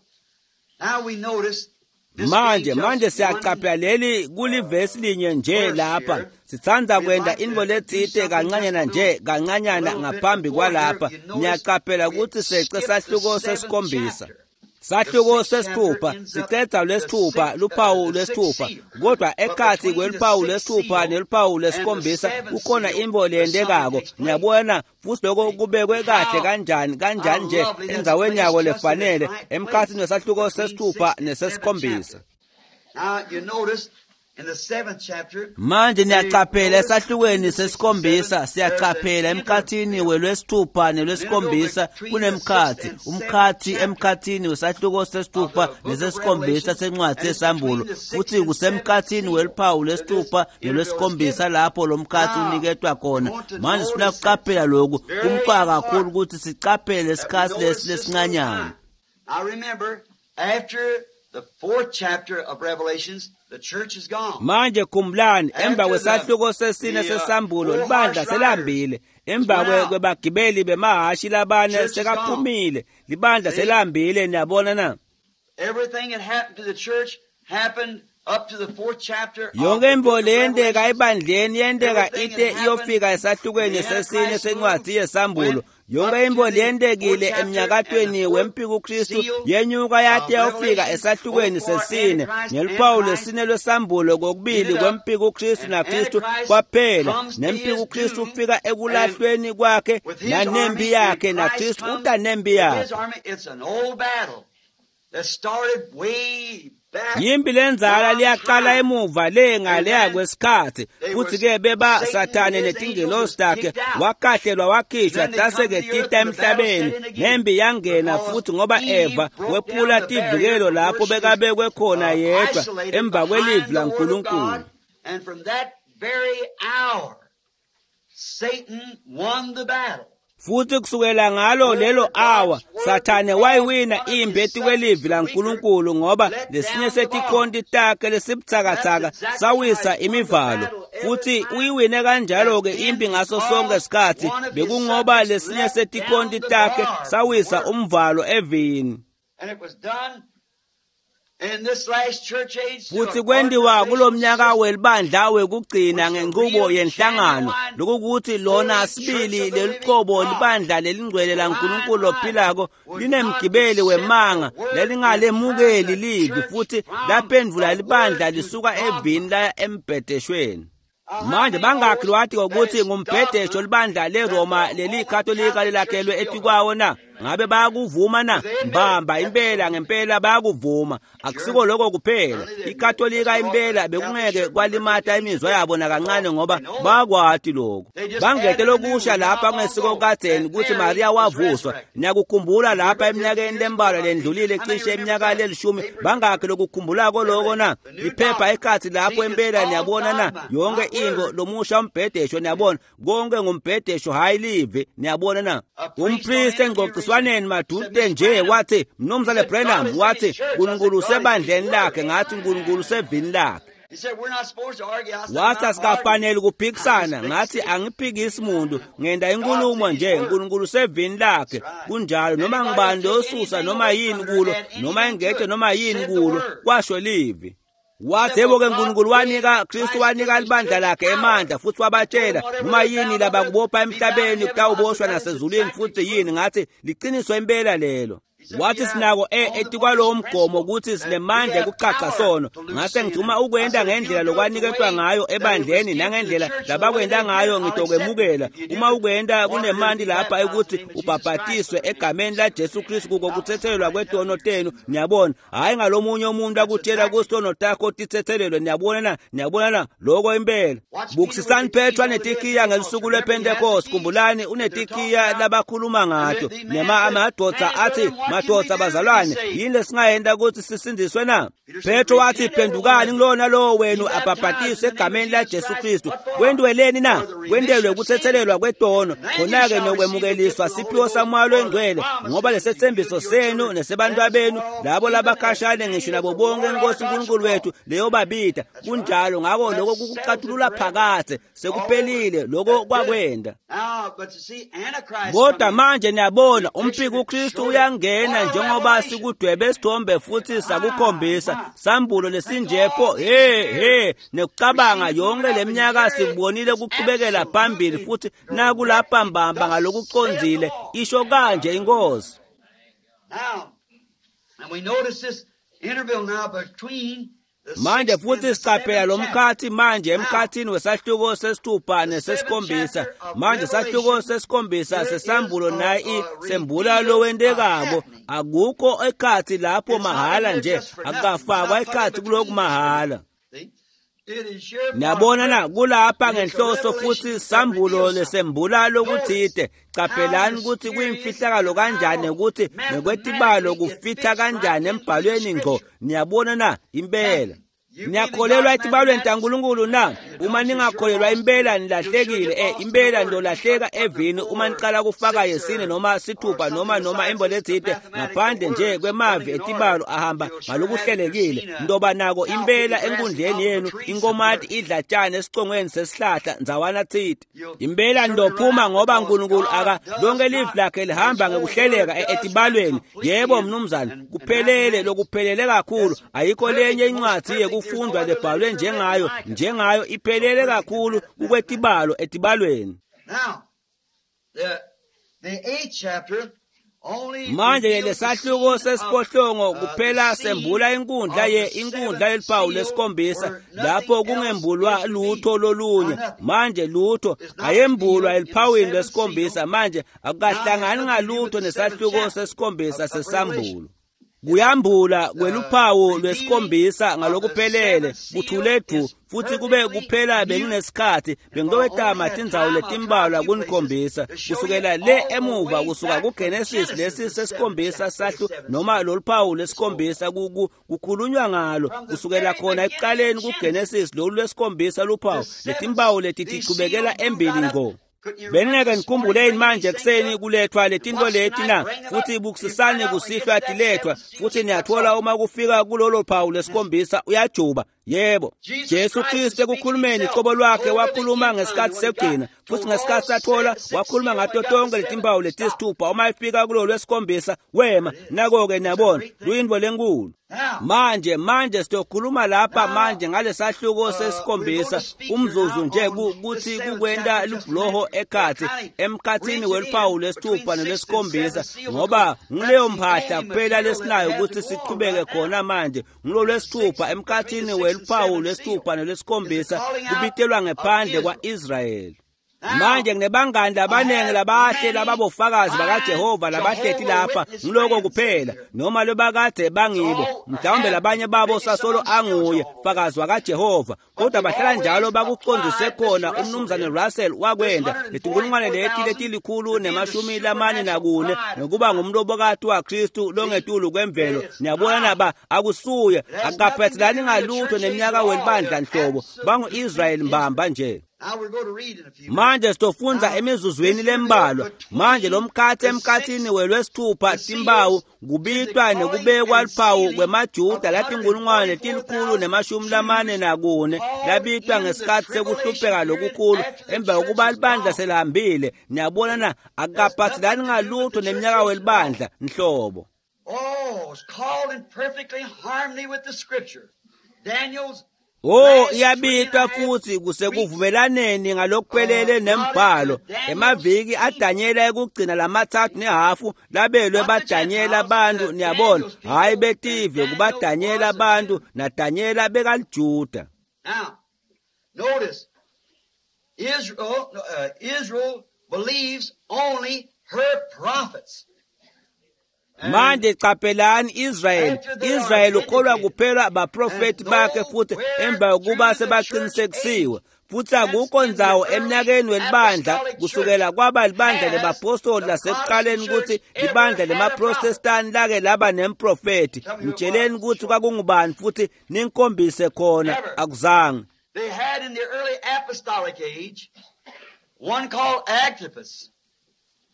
now we notice Manje manje siyaqaphela leli kulivesi linye nje lapha sithanda kwenta intfo letsite kancanyana nje kancanyana ngaphambi kwalapha. Niyaqaphela ukuthi sece sahluko sesikhombisa sahluko sesithupha sicedza lwesithupha luphawu lwesithupha kodwa ekhatsi kweluphawu lwesithupha neluphawu lwesikhombisa kukhona intfo leyentekako. Niyabona futhi lokho kubekwe kahle kanjani kanjani nje endzaweni yako lefanele emkhatsini wesahluko sesithupha nesesikhombisa. Now you notice in the seventh chapter Manje niyaqaphela esahlukweni sesikhombisa siyaqaphela emkhathini welwesithupha nelwesikhombisa kunemkhathi umkhathi emkhathini wesahluko sesithupha nesesikhombisa sencwadi yesambulo futhi kusemkhathini weluphawu lwesithupha nelwesikhombisa lapho lo mkhathi uniketwa khona. Manje sifuna ukuqaphela lokhu kumqoka kakhulu ukuthi siqaphele isikhathi lesi lesincanyana. I remember after the fourth chapter of Revelations the church is gone. Manje khumbulani emva kwesahluko sesine sesambulo libandla selambile emva kwebagibeli bemahashi labane sekaphumile libandla selambile. Niyabona na? Everything that happened to the church happened up to the fourth chapter. Yonke intfo leyenteka ebandleni yenteka ite iyofika esahlukweni sesine sencwadi yesambulo. Yonke intfo leyentekile emnyakatweni wempiko Kristu yenyuka yate yawufika esahlukweni sesine ngeluphawu lwesine lwesambulo kokubili kwempiko Kristu naKristu kwaphela. Nempiko Kristu ufika ekulahlweni kwakhe nanempi yakhe naKristu uta nempi yakhe. Yimpi lenzala liyaqala emuva le ngaleya kwesikhathi futhi-ke beba Sathane netingelosi takhe wakahlelwa wakhishwa tase-ke tita emhlabeni nempi yangena futhi ngoba Eva wephula tivikelo lapho bekabekwe khona yedwa emva kwelivi laNkulunkulu. And from that very hour Satan won the battle. Futhi kusukela ngalo lelo awa Sathane wayiwina impi etikwelivi laNkulunkulu ngoba lesinye setikhonti takhe lesibutsakatsaka sawisa imivalo futhi uyiwine kanjalo-ke impi ngaso sonke isikhathi bekungoba lesinye setikhonti takhe sawisa umvalo evini. And it was done in this last church age Futhi kwentiwa kulomnyaka welibandla wekugcina ngenqubo yenhlangano lokukuthi lona sibili leliqobo libandla lelingcwele laNkulunkulu lophilako linemgibeli wemanga lelingalemukeli livi futhi laphendvula libandla lisuka evini laya embhedeshweni. Manje bangakhi lwati ukuthi ngumbhedesho libandla leRoma leliKatolika lelakhelwe etikwawo na? Ngabe bayakuvuma na? Mbamba impela ngempela bayakuvuma. Akusiko lokho kuphela, iKatolika impela bekungeke kwalimata imizwa yabo nakancane ngoba bakwati lokho. Bangete lokusha lapha kungesiko kadzeni ukuthi Maria wavuswa. Niyakukhumbula lapha eminyakeni lembalwa lendlulile, cishe iminyaka lelishumi, bangakhi lokukhumbulako lokho na? Iphepha ekhathi lapho impela, niyabona na? Yonke into lomusha umbhedesho, niyabona, konke ngumbhedesho hayi live, niyabona na? Umpriest engxoxiswaneni madude nje wathi, Mnumzane Branham, wathi uNkulunkulu usebandleni lakhe, ngathi uNkulunkulu usevini lakhe. He said, we're not supposed to argue. I said, Wathi I'm not asikafanele ukuphikisana, arguing. ngathi angiphikisi muntu, ngenda inkulumo nje, uNkulunkulu usevini lakhe. Kunjalo, noma ngibani losusa noma yini kulo, noma engete noma yini kulo, kwasho livi. Wathi yebo ke uNkulunkulu wanika Kristu wanika libandla lakhe emandla futhi wabatshela noma yini labakubopha emhlabeni kutawuboshwa nasezulwini futhi yini. Ngathi liqiniso impela lelo. Wathi sinako e etikwalowo mgomo ukuthi sinemandla ekucaca sono. Ngase ngithi uma ukwenda ngendlela lokwaniketwa ngayo ebandleni nangendlela labakwenda ngayo ngitokwemukela. Uma ukwenda kunemandi lapha ukuthi ubhabhatiswe egameni la Jesu Kristu kuko kuthethelelwa kwetono tenu, niyabona. Hayi ngalomunye umuntu akutshela kusono takho tithethelelwe, niyabona na? Niyabona na? Lokho impela. Bukisisani Petro anetikiya ngelusuku lwePentecost. Khumbulani unetikiya labakhuluma ngato. Nema amadoda athi, madoda bazalwane, yini lesingayenda ukuthi sisindiswe na? Petro wathi, phendukani kulona lowo wenu abhabhatiswe egameni la Jesu Kristu. Kwendweleni na? Kwendelwe ukuthethelelwa kwetono. Khona-ke nokwemukeliswa siphiwo saMoya loNgcwele, ngoba lesethembiso senu nesebantwabenu labo labakhashane ngisho nabo bonke iNkosi uNkulunkulu wethu leyobabida. Kunjalo, ngakho lokho kukucathulula phakathe sekuphelile lokho kwakwenda. Now, but you see, Antichrist Kodwa coming. manje niyabona umphiki uKristu uyangena njengoba sikudwebe isithombe futhi sakukhombisa sambulo lesinjepho he he nekucabanga yonke leminyaka sikubonile kuqhubekela phambili futhi nakulapha mbamba ngalokucondzile isho kanje inkosi. Now, and we notice this interval now between the Manje sixth and futhi the siqaphela seventh lo chapter. mkhathi manje emkhathini wesahluko sesithupha nesesikhombisa. Manje sahluko sesikhombisa sesambulo nayi sembula lowentekako. Akukho ekhathi lapho mahala nje, akafakwa ekhathi kulokhu mahala. See? It is here for Niyabona na, kulapha It is a ngenhloso futhi revelation sambulo that reveals lesembula lokuthide. Qaphelani ukuthi kuyimfihlakalo kanjani ukuthi nekwetibalo kufitha kanjani embhalweni ngqo. Niyabona na, impela. Niyakholelwa etibalweni taNkulunkulu na? Uma ningakholelwa impela nilahlekile. Eh, impela nilolahleka evini uma niqala kufaka yesine noma sithupha noma noma imbo lethide ngaphandle nje kwemavi etibalo ahamba ngalokuhlelekile. Ndoba nako impela enkundleni yenu inkomati idla tshani esicongweni sesihlahla ndzawana thide. Impela ndophuma ngoba uNkulunkulu aka lonke livi lakhe lihamba ngekuhleleka e- etibalweni. Yebo mnumzane, kuphelele lokuphelele kakhulu. Ayikho lenye incwadi yekufundwa lebhalwe njengayo, njengayo iphelele kakhulu kukwetibalo etibalweni. Now, the, the eighth chapter only Manje reveals the lesahluko scene of, sesiphohlongo uh, kuphela the scene sembula inkundla of ye the inkundla seventh yeliphawu seal lesikhombisa where nothing lapho else kungembulwa is lutho revealed. lolunye. Or nothing. Manje lutho Is not ayembulwa revealed in the eliphawini seventh lesikhombisa. seal. Manje Now has akukahlangani nothing to do ngalutho with the seventh nesahluko chapter sesikhombisa of, of Revelation. sesambulo. Kuyambula kweluphawu The lwesikhombisa revealing of the ngalokuphelele seventh seal kuthule du is futhi kube perfectly kuphela mute. benginesikhathi If I only bengitowetama had tindzawo time, I'll try a letimbalwa few places kunikhombisa to show you kusukela le all the emuva way kusuka back from kuGenesis Genesis, lesi the seventh sesikhombisa chapter, the sahlu seventh noma seal lolu phawu is spoken. lesikhombisa ku- ku- kukhulunywa ngalo From the kusukela very khona beginning ekuqaleni of Genesis, kuGenesis lolu lwesikhombisa luphawu the seventh, letimpawu leti these tichubekela seals moved embili out of. ngqo. Couldn't you remember Beningeke this morning nikhumbuleni bringing manje these things ekuseni up? kulethwa And letinto watch leti tonight, na bring them up. futhi You find bukusisani out when it gets kusihlwa to that tilethwa seventh seal, futhi he cuts niyathola off. uma kufika kulolo phawu lesikhombisa uyajuba. Yebo, Jesus Jesu Christ Kristu is speaking ekukhulumeni himself qobo lwakhe told of the wakhuluma end times ngesikhathi when he got sekugcina futhi told all ngesikhathi sathola se- six wakhuluma seal when ngato he got the tonke seventh letimpawu stop. letisithupha uma efika kulolo lwesikhombisa wema. There it is. Nako-ke It's a niyabona great thing. luyintfo lenkulu. Now, Manje manje siyokhuluma lapha now, manje ngalesahluko uh, we're going sesikhombisa to speak here umzuzu now nje on ku- this kuthi seventh kukwenta chapter just a lubhuloho minute. We're ekhathi kind of emkhathini reaching weluphawu in between lesithupha sixth and nelwesikhombisa seventh seal ngoba because that's nguleyo the mphahla only kuphela material that we lesinayo have to ukuthi go on sichubeke right now. khona manje ngulo The lwesithupha sixth, between the emkhathini sixth and weluphawu seventh seal lwesithupha is the nelwesikhombisa calling out kubitelwa of ngephandle Israel. kwa-Israyeli. Manje nginebangani labanengi labahle lababofakazi bakaJehova labahleti lapha, ngiloko kuphela noma lobakade bangibo, mhlawumbe labanye babo sasolo anguye fakazi wakaJehova, kodwa bahlala njalo bakucondzise khona. Umnumzane Russell wakwenda letinkulungwane leti letilikhulu nemashumi lamane nakune nokuba ngumlobokati waKristu longetulu kwemvelo. Niyabona naba akusuye, akaphathelani ngalutho neminyaka welibandla nhlobo, bangu-Israyeli mbamba nje. Manje sitofundza emizuzwini lembalwa. Manje lomkhathi emkhathini welwesithupha timbawu kubitwa nekubekwa luphawu kwemaJuda latinkulungwane letilikhulu nemashumi lamane nakune labitwa ngesikhathi sekuhlupheka lokukhulu emva kokuba libandla selihambile. Niyabona na, akaphathelani ngalutho neminyaka welibandla nhlobo. Oh, it's called in perfectly harmony with the scripture. Daniel's Oh, iyabitwa futhi kusekuvumelaneni ngalokuphelele nembhalo. Emaviki aDanyela ekugcina lamathathu nehafu labelwe baDanyela abantu, niyabona, hayi betive, kubaDanyela abantu, naDanyela bekaliJuda. Now, notice, Israel, uh, Israel believes only her prophets. Manje qaphelani Israel, Israel ukholwa kuphela baprofeti bakhe futhi emva kokuba sebaqinisekisiwe. Futhi akukho ndzawo eminyakeni welibandla kusukela kwaba libandla lebapostoli lasekuqaleni ukuthi libandla lemaprotestani lake laba nemprofeti. Ngitsheleni ukuthi kwakungubani futhi ninkhombise khona, akuzange. They had in the early apostolic age one called Agabus,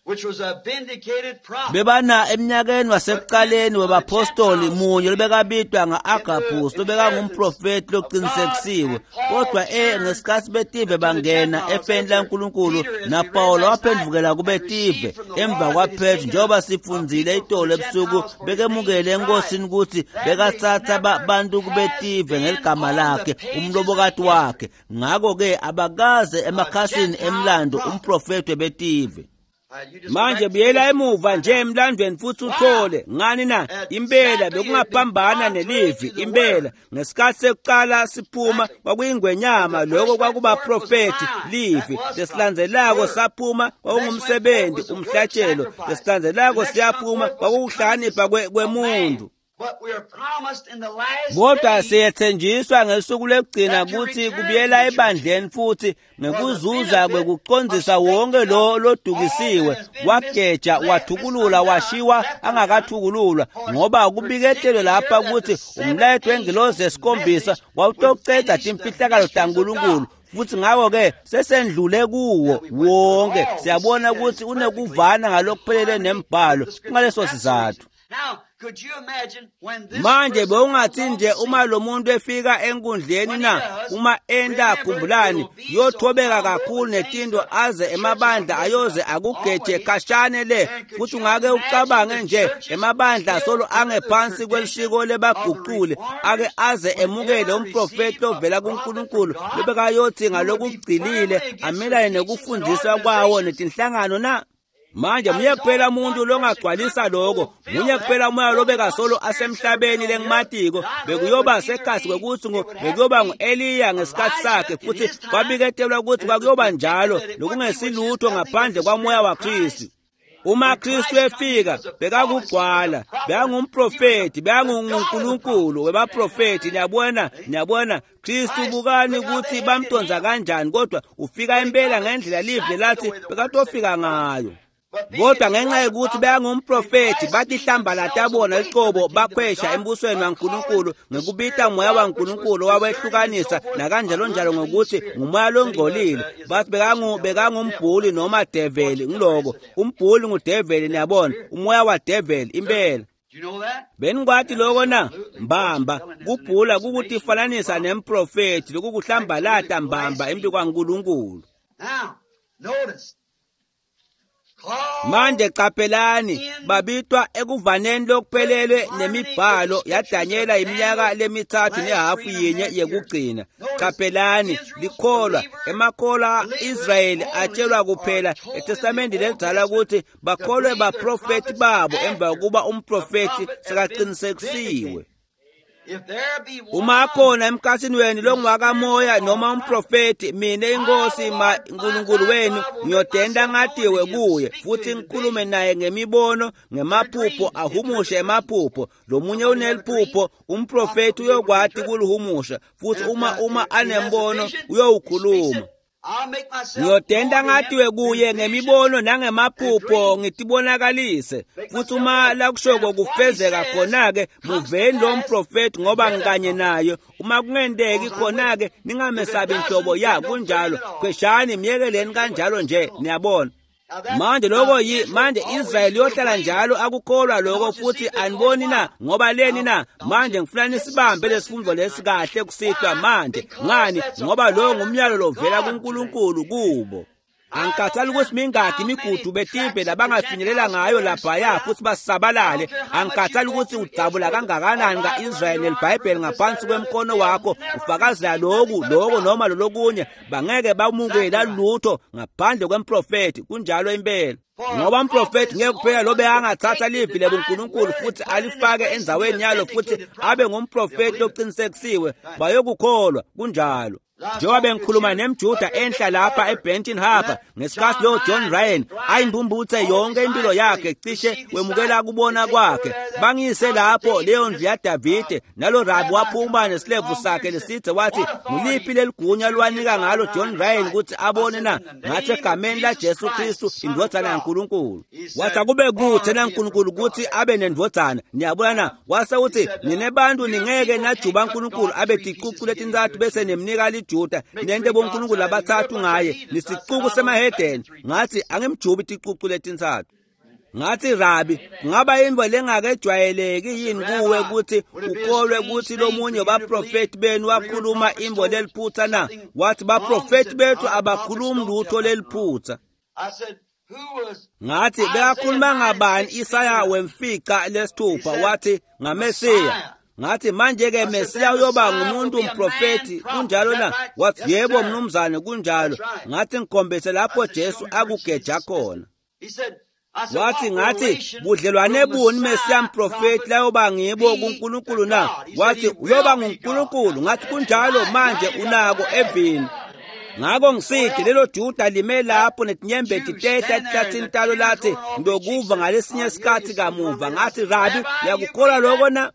which was a vindicated prophet. Bebana eminyakeni wasekuqaleni webapostoli munye lobekabitwa nga-Agabus lobekangumprofeti loqinisekisiwe, kodwa e ngesikhathi betive bangena efeni laNkulunkulu naPawulo waphendvukela kubetive emva kwaPetru, njengoba sifundzile itolo ebusuku, bekemukele enkosini ukuthi bekatsatsa bantu kubetive ngeligama lakhe umlobokati wakhe. Ngakho-ke abakaze emakhasini emlando umprofeti webetive. Manje buyela emuva nje emlandweni futhi uthole ngani na impela bekungaphambana nelivi. Impela ngesikhathi sekuqala siphuma kwakuyingwenyama, lokho kwakubaprofeti livi. Lesilandzelako saphuma kwakungumsebenzi umhlatshelo, lesilandzelako siyaphuma kwakukuhlakanipha kwemuntu. Kodwa siyethenjiswa ngesuku lokugcina ukuthi kubuyela ebandleni futhi ngekuzuza kwekucondzisa wonke lo lodukisiwe, wageja, wathukulula, washiwa angakathukululwa, ngoba kubiketelwe lapha ukuthi umlayeto wengilozi yesikhombisa wawutocedza timfihlakalo taNkulunkulu. Futhi ngakho-ke sesendlule kuwo wonke, siyabona ukuthi unekuvana ngalokuphelele nembhalo kungaleso sizathu. Manje bewungathi nje uma lo muntu efika enkundleni na, uma enta khumbulani uyothobeka kakhulu netinto aze emabandla ayoze akugeje khashane le, futhi ungake ucabange nje emabandla solo angephansi kwelisiko lebaguqule ake aze emukele umprofeti ovela kuNkulunkulu lobekayothi ngalokugcilile amelane nekufundiswa kwawo netinhlangano na. Manje muye kuphela umuntu longagcwalisa lokho, munye kuphela umoya lobekasolo asemhlabeni lengimatiko, bekuyoba sekhasi kwekuthi bekuyoba ngu-Eliya ngesikhathi sakhe, futhi kwabiketelwa ukuthi kwakuyoba njalo lokungesilutho ngaphandle kwamoya waKristu. Uma Kristu efika bekakugcwala, bekangumprofeti, bekanguNkulunkulu webaprofeti. Niyabona, niyabona Kristu bukani ukuthi bamtonza kanjani, kodwa ufika impela ngendlela live lathi bekatofika ngayo. Kodwa ngenxa yokuthi bekangumprofeti batihlambalata bona licobo bakhwesha embusweni waNkulunkulu ngekubita moya waNkulunkulu wawehlukanisa nakanjalo njalo ngokuthi ngumoya longcolile. Bathi bekangu bekangumbhuli noma develi, ngiloko umbhuli ngudeveli, niyabona, umoya wadeveli impela. Benikwati lokho na mbamba kubhula kukutifananisa nemprofeti lokukuhlambalata mbamba embi kwaNkulunkulu. Manje qaphelani babitwa ekuvaneni lokuphelele nemibhalo yaDanyela iminyaka lemithathu nehafu yinye yekugcina. Qaphelani likholwa emakholwa Israyeli atshelwa kuphela eTestamende lelidala ukuthi bakholwe baprofeti babo emva kokuba umprofeti sekaqinisekisiwe. Uma khona emkhatsini wenu longwakamoya noma umprofeti, mina inkosi uNkulunkulu wenu ngiyodenda ngatiwe kuye futhi ngikhulume naye ngemibono, ngemaphupho, ahumushe emaphupho. Lomunye uneliphupho, umprofeti uyokwati kuluhumusha, futhi uma uma anembono uyowukhuluma. Ngiyodenda ngatiwe kuye ngemibono nangemaphupho ngitibonakalise, futhi uma lakushoko kufezeka khona-ke muveni lo mprofeti ngoba ngikanye naye. Uma kungenteki khona-ke ningamesabi nhlobo. Ya, kunjalo, khweshani miyekeleni kanjalo nje, niyabona. Manje lokho yi manje Israyeli yohlala njalo akukholwa lokho, futhi aniboni na ngoba leni na? Manje ngifuna nisibambe lesifundo lesi kahle kusihlwa manje. Ngani? Ngoba lo ngumyalo lovela kuNkulunkulu kubo. Angikhathali ukuthi mingaki imigudu betive labangafinyelela ngayo laphaya futhi basabalale. Angikhathali ukuthi udzabula kangakanani ka-Israyeli neliBhayibheli ngaphansi kwemkono wakho ufakazela lokhu lokho noma lolokunye, bangeke bamukela lutho ngaphandle kwemprofeti. Kunjalo impela, ngoba umprofeti ngeke kuphela lobe angathatha livi lebuNkulunkulu futhi alifake endzaweni yalo futhi abe ngumprofeti oqinisekisiwe, bayokukholwa. Kunjalo. Njengoba bengikhuluma nemJuda enhla lapha eBenton Harbor ngesikhathi lo John Ryan ayimbumbuthe yonke impilo yakhe cishe wemukela kubona kwakhe, bangiyise lapho leyo ndlu yaDavide, nalo rabi waphuma nesilevu sakhe lesithe wathi, nguliphi leligunya lwanika ngalo John Ryan ukuthi abone na? Ngathi, egameni laJesu Kristu indvodzana yaNkulunkulu. Wathi akube kude naNkulunkulu ukuthi abe nendvodzana. Niyabona na? Wase uthi, nine bantu ningeke najuba uNkulunkulu abe ticucu letintsatfu bese nemnika liJuda nente boNkulunkulu labathathu ngaye, nisicuku semahedeni. Ngathi angimjubi ticucu letintsatfu. Ngathi, Rabi, kungaba yintfo lengakejwayeleki yini kuwe ukuthi ukholwe ukuthi lomunye wabaprofeti benu wakhuluma intfo leliphutsa na? Wathi baprofeti bethu abakhulumi lutho leliphutsa. Ngathi bekakhuluma ngabani Isaya wemfica lesithupha? Wathi ngaMesiya. Ngathi manje-ke Mesiya uyoba ngumuntu umprofeti, kunjalo na? Wathi yebo mnumzane, kunjalo. Ngathi ngikhombise lapho Jesu akugeja khona. Wathi ngathi budlelwane buni Mesiya mprofeti layoba ngibo kuNkulunkulu na? Wathi uyoba nguNkulunkulu. Ngathi kunjalo, manje unako evini. Ngako ngisithi lelo Juda lime lapho netinyembeti tehla etihlathini talo lathi ngiyokuva ngalesinye isikhathi kamuva. Ngathi Rabi, uyakukholwa lokho na?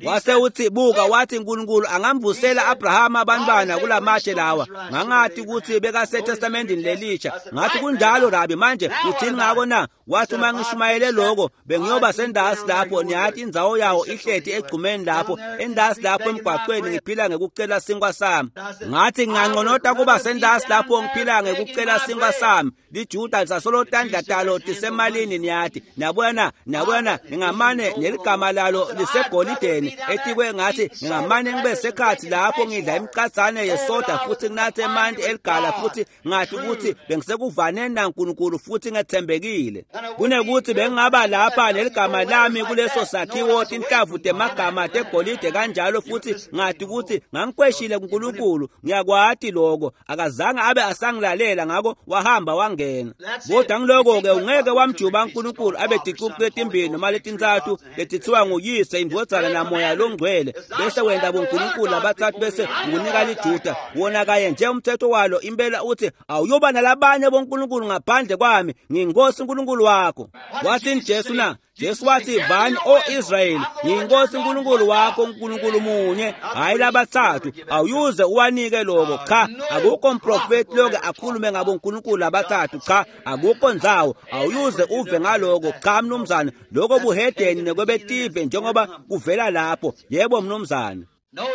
Wase uthi buka, wathi uNkulunkulu angamvusela Abrahama abantwana kulamatshe lawa. Ngangathi ukuthi bekaseTestamentini lelisha. Ngathi kunjalo Rabi, manje uthini ngako na? Wathi uma ngishumayele lokho bengiyoba sendasi lapho, niyathi indzawo yawo ihleti egcumeni lapho, endasi lapho emgwaqweni ngiphila ngekucela sinkwa sami. Ngathi nginganconota kuba sendasi lapho ngiphila ngekucela sinkwa sami. LiJuda lisasolo tandla talo tisemalini, niyathi. Niyabona na? Niyabona na? Ngingamane neligama lalo lisegolideni etikwe. Ngathi ngingamane ngibe sekhathi lapho ngidla imicatsane yesoda futhi nginathe emanti eligala futhi ngathi ukuthi bengisekuvaneni naNkulunkulu futhi ngethembekile, kunekuthi bengingaba lapha neligama lami kuleso sakhiwo tinhlavu temagama tegolide kanjalo, futhi ngathi ukuthi ngangikweshile kuNkulunkulu. Ngiyakwati lokho, akazange abe asangilalela, ngako wahamba wangena. Kodwa ngiloko-ke ungeke wamjuba uNkulunkulu abe ticucu letimbili noma letintsatfu letithiwa nguyise, indvodzana namoya longcwele, bese wenta boNkulunkulu labathathu bese ukunika liJuda. Wona kaye nje umthetho walo impela uthi awuyoba nalabanye boNkulunkulu ngaphandle kwami, ngiyinkosi uNkulunkulu wakho. Wathini Jesu na? Jesu wathi vani o Israyeli, ngiyinkosi uNkulunkulu wakho, uNkulunkulu munye, hayi labathathu. Awuyuze uwanike lokho. Cha, akukho mprofeti loke akhulume ngabo uNkulunkulu labathathu. Cha, akukho ndzawo, awuyuze uve ngaloko. Cha mnumzane, lokho buhedeni nekwebetive njengoba kuvela lapho. Yebo mnumzane.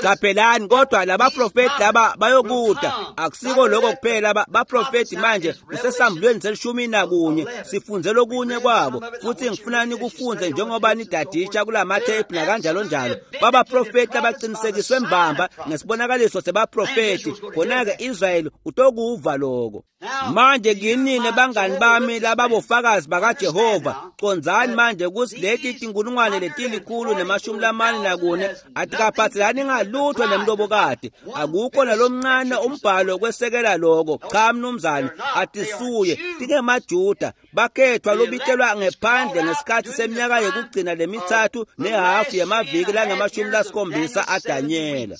Qaphelani, kodwa labaprofeti laba bayokuda. Akusiko lokho kuphela, baprofeti manje kusesambulweni selishumi nakunye, sifunze lokunye kwabo futhi ngifuna nikufunze njengoba nidadisha kulamathephu nakanjalo njalo. Babaprofeti abaqinisekiswe mbamba ngesibonakaliso sebaprofeti, khona-ke Israyeli utokuva lokho. Manje kinini bangani bami lababofakazi bakaJehova, condzani manje ukuthi leti tinkulungwane letilikhulu nemashumi lamane nakune atikaphathelani Abahlangani ngalutho nemlobokati. Akukho nalomncane umbhalo kwesekela lokho. Cha mnumzane, atisuye tingemaJuda bakhethwa lobitelwa ngephandle ngesikhathi seminyaka yokugcina lemithathu nehafu yamaviki langamashumi lasikhombisa aDanyela.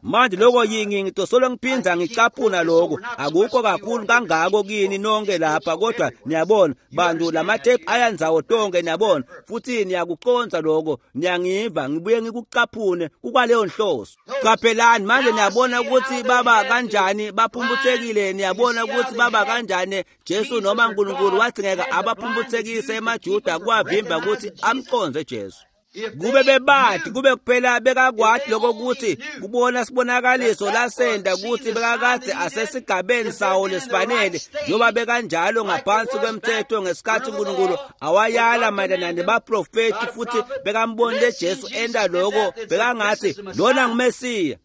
Manje lokho yingi ngitosolo ngiphinza ngicaphuna lokho. Akukho kakhulu kangako kini nonke lapha, kodwa niyabona bantu lamatepu ayandzawo tonke, niyabona, futhi niyakuconza lokho, niyangiva ngibuye ngikucaphune kukwaleyo nhloso. Qaphelani manje, niyabona ukuthi baba kanjani baphumputhekile, niyabona ukuthi baba kanjani Jesu noma uNkulunkulu wathi ngeke abaphumputhekise emaJuda kwavimba ukuthi amconze Jesu. Kube bebathi kube kuphela bekakwati lokho ukuthi kubona sibonakaliso lasenda ukuthi bekakade asesigabeni sawo lesifanele, njengoba bekanjalo ngaphansi kwemthetho ngesikhathi uNkulunkulu awayala mayelana nebaprofeti, futhi bekambonile Jesu enda lokho, bekangathi lona nguMesiya.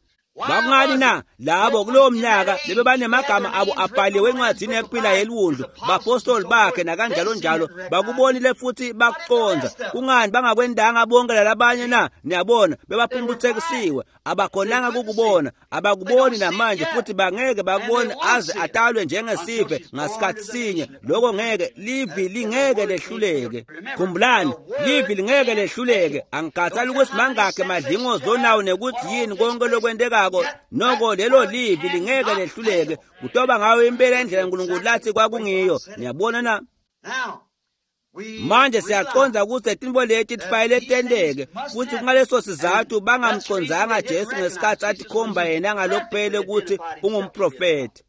Bakungani na labo kulowo mnyaka lebebanemagama abo abhaliwe encwadini yekuphila yeliwundlu, bapostoli bakhe nakanjalo njalo, bakubonile futhi bakuconza. Kungani bangakwendanga bonke lalabanye na? Niyabona, bebaphumputhekisiwe, abakhonanga kukubona, abakuboni namanje, futhi bangeke bakubone aze atalwe njengesive ngasikhathi sinye. Lokho ngeke, livi lingeke lehluleke. Khumbulani, livi lingeke lehluleke. Angikhathali ukuthi mangakhe madlingozi onawo nekuthi yini konke lokwendekako, noko lelo livi lingeke lehluleke. Kutoba ngayo impela indlela uNkulunkulu lathi kwakungiyo. Niyabona na? Manje siyaconza ukuthi tintfo leti tifanele tenteke, futhi kungaleso sizathu bangamconzanga Jesu ngesikhathi athi khomba yena ngalokuphele ukuthi ungumprofeti.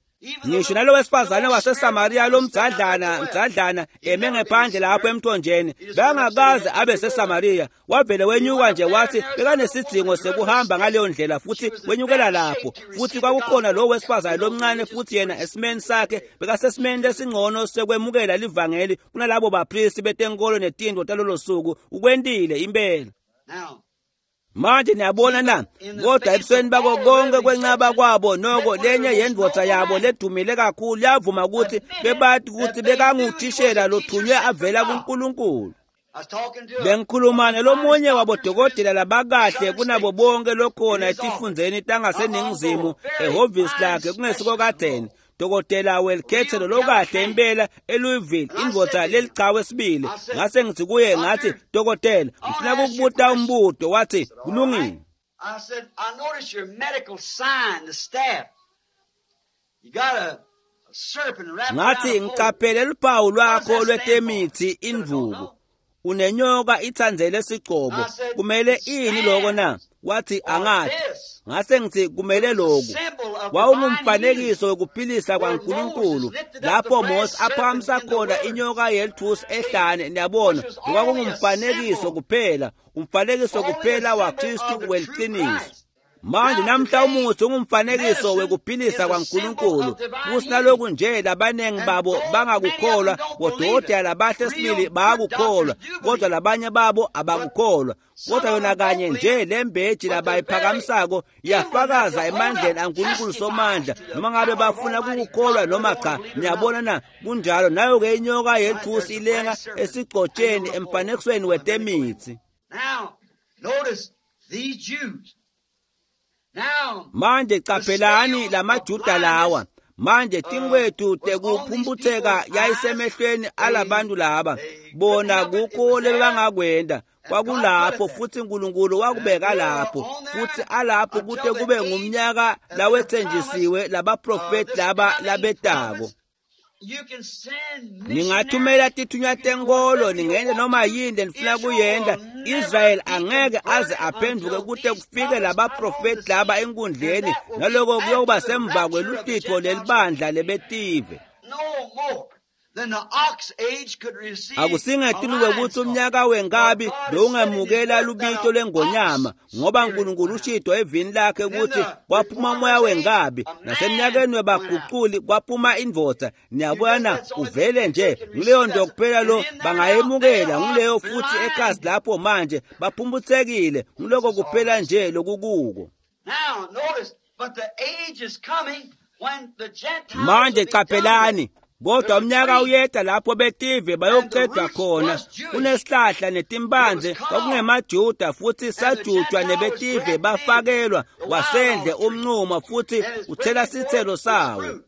Ngisho nalo wesifazane waseSamariya lomdzadlana mdzadlana eme ngephandle lapho emthonjeni, bengakaze abe seSamariya, wavele wenyuka nje wathi bekanesidingo sekuhamba ngaleyo ndlela, futhi wenyukela lapho. Futhi kwakukhona lo wesifazane lomncane, futhi yena esimeni sakhe bekasesimeni lesingcono sekwemukela livangeli kunalabo bapristi betenkolo netintfo talolo suku. Ukwentile impela. Manje niyabona na, kodwa ebusweni bako konke kwenqaba kwabo, noko lenye yendvodza yabo ledumile kakhulu yavuma ukuthi bebathi ukuthi bekanguthishela lothunywe avela kuNkulunkulu. Bengikhuluma nalomunye wabodokotela labakahle kunabo bonke lokhona etifundzeni tangaseningizimu ehhovisi lakhe kungesiko kadzeni, Dokotela Welkhethelo lokahle impela eLouisville, indvodza lelichawe sibili. Ngase ngithi kuye, ngathi, dokotela, ngifuna ukukubuta umbuto. Wathi, kulungile. I said, I noticed your medical sign, the staff. You got a, a serpent wrapped around Ngathi, a pole. ngiqaphele luphawu lwakho lwetemithi indvuku, unenyoka ithandzele sigcobo, kumele ini lokho na? Wathi, angathi. Ngase ngithi, kumele lokhu. Wawungumfanekiso wekuphilisa kwaNkulunkulu lapho Mose aphakamisa khona inyoka yelithusi ehlane. Niyabona, kwakungumfanekiso kuphela, umfanekiso kuphela waKristu weliciniso. Manje namhla umuthi ungumfanekiso wekuphilisa kwaNkulunkulu, futhi naloku nje labaningi babo bangakukholwa, bodokotela labahle sibili bayakukholwa, kodwa labanye babo abakukholwa. Kodwa yona kanye nje lembeji labayiphakamisako iyafakaza emandleni aNkulunkulu somandla, noma ngabe bafuna ukukholwa noma cha. Niyabona na? Kunjalo. Nayo-ke inyoka yelithusi ilenga esigcotsheni emfanekisweni wetemithi. Now, notice these Jews. Now, Manje qaphelani lamaJuda lawa. Manje tinkwethu tekuphumputheka yayisemehlweni alabantu laba. Bona kukho lebangakwenda kwakulapho, futhi uNkulunkulu wakubeka lapho, futhi alapho kute kube ngumnyaka lawethenjisiwe labaprofeti laba labetako. you can send Ningathumela tithunywa tenkolo, ningenta noma yini lenifuna kuyenta. Israel angeke aze aphenduke kute kufike labaprofeti laba enkundleni, naloko kuyoba semva kweluhlitfo lelibandla lebetive. no more than the ox age could receive. Akusingetuluke a ukuthi lion's umnyaka wenkabi bewungemukela lubito lwengonyama, ngoba uNkulunkulu ushito evini lakhe ukuthi kwaphuma umoya wenkabi, nasemnyakeni webaguculi kwaphuma indvodza. Niyabona, uvele nje ngileyo nto kuphela lo bangayemukela, ngileyo futhi ekhasi lapho manje baphumputhekile, ngiloko kuphela nje lokukuko. Now, notice, but the age is coming when the Gentiles Manje will be done with. qaphelani, Kodwa umnyaka uyeta lapho betive bayoqedwa khona. Kunesihlahla netimphandze kwakungemaJuda futhi sajutshwa nebetive bafakelwa wasendle umnqumo futhi uthela sithelo sawo.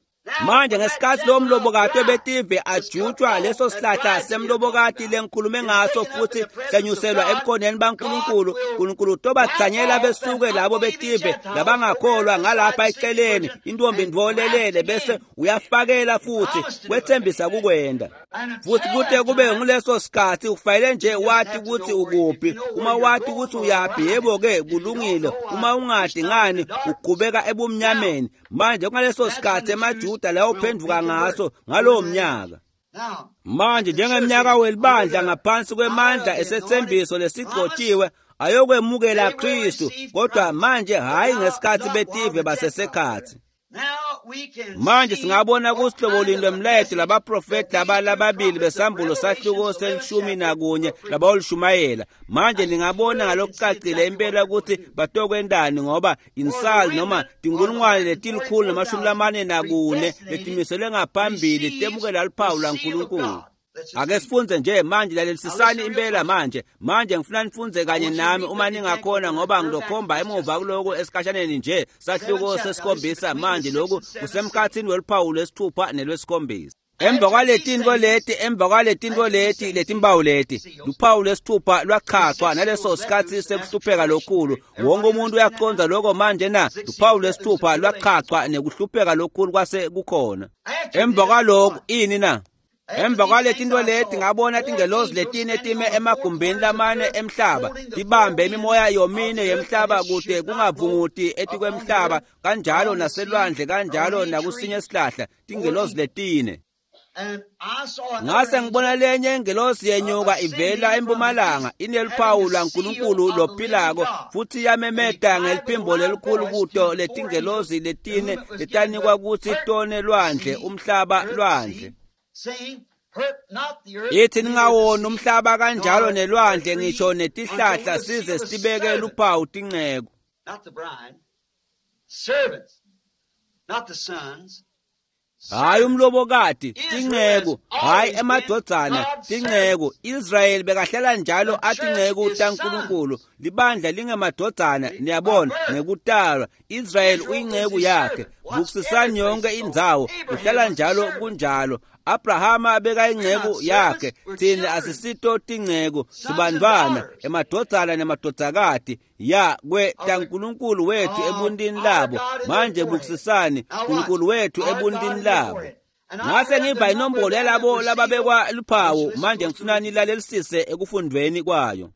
Manje ngesikhathi lo mlobokati betive ajutshwa leso sihlahla semlobokati lengikhulume ngaso futhi senyuselwa ebukhoneni baNkulunkulu, uNkulunkulu utobathanyela besuke labo betive labangakholwa ngalapha eceleni intombi ndvolelele bese uyafakela futhi kwethembisa kukwenda. Futhi kute kube nguleso sikhathi ufanele nje wathi ukuthi ukuphi. Uma wathi ukuthi uyaphi, yebo ke kulungile. Uma ungadi ngani uqhubeka ebumnyameni. Manje kungaleso sikhathi emaJuda lawo phenduka ngaso ngalowo mnyaka. Manje njengeminyaka welibandla ngaphansi kwemandla esethembiso lesigcotshiwe ayokwemukela Kristu, kodwa manje hayi ngesikhathi betive basesekhathi. Manje singabona kusihlobo lwemlayeto labaprofeti laba lababili besambulo sahluko selishumi nakunye labawolishumayela. Manje ningabona ngalokucacile impela ukuthi batokwendani, ngoba insali noma tinkulungwane letilikhulu namashumi lamane nakune letimiselwe ngaphambili temukela luphawu lwaNkulunkulu. Ake sifunze nje manje, lalelisisani impela manje. Manje ngifuna nifunze kanye nami uma ningakhona, ngoba ngizokhomba emuva kuloko esikhashaneni nje. Sahluko sesikhombisa manje, lokhu kusemkhathini weluphawu lwesithupha nelwesikhombisa. Emva kwaletinto leti, emva kwaletinto leti letimpawu leti, luphawu lwesithupha lwachachwa naleso sikhathi sekuhlupheka lokhulu. Wonke umuntu uyaqonda lokho manje na? Luphawu lwesithupha lwachachwa nekuhlupheka lokhulu kwase kukhona. Emva kwalokho ini na? Emva kwaletinto leti ngabona tingelozi letine time emagumbini lamane emhlaba, tibambe imimoya yomine yemhlaba kude kungavunguti etikwemhlaba, kanjalo naselwandle, kanjalo nakusinye isihlahla, tingelozi letine. Ngase ngibona lenye ingelosi yenyuka ivela empumalanga ineluphawu lwaNkulunkulu lophilako, futhi yamemeta ngeliphimbo lelikhulu kuto letingelozi letine letanikwa kutsi tone lwandle umhlaba lwandle. Ithi ningawoni umhlaba kanjalo nelwandle ngisho netihlahla size sibeke luphawu tinceku. Hayi umlobokati, tinceku, hayi emadvodzana, tinceku. Israyeli bekahlala njalo atinceku taNkulunkulu. Libandla lingemadvodzana, niyabona, ngekutalwa. Israyeli uyinceku yakhe. Bukisisani yonke indzawo, kuhlala njalo kunjalo. Abrahama bekayinceku yakhe, thina asisito tinceku, sibantwana, emadvodzana nemadvodzakati ya kwe taNkulunkulu wethu ebuntini labo. Manje bukisisani, uNkulunkulu wethu ebuntini labo. Ngase ngiva inombolo yalabo lababekwa luphawu. Manje ngifuna nilalelisise ekufundweni kwayo.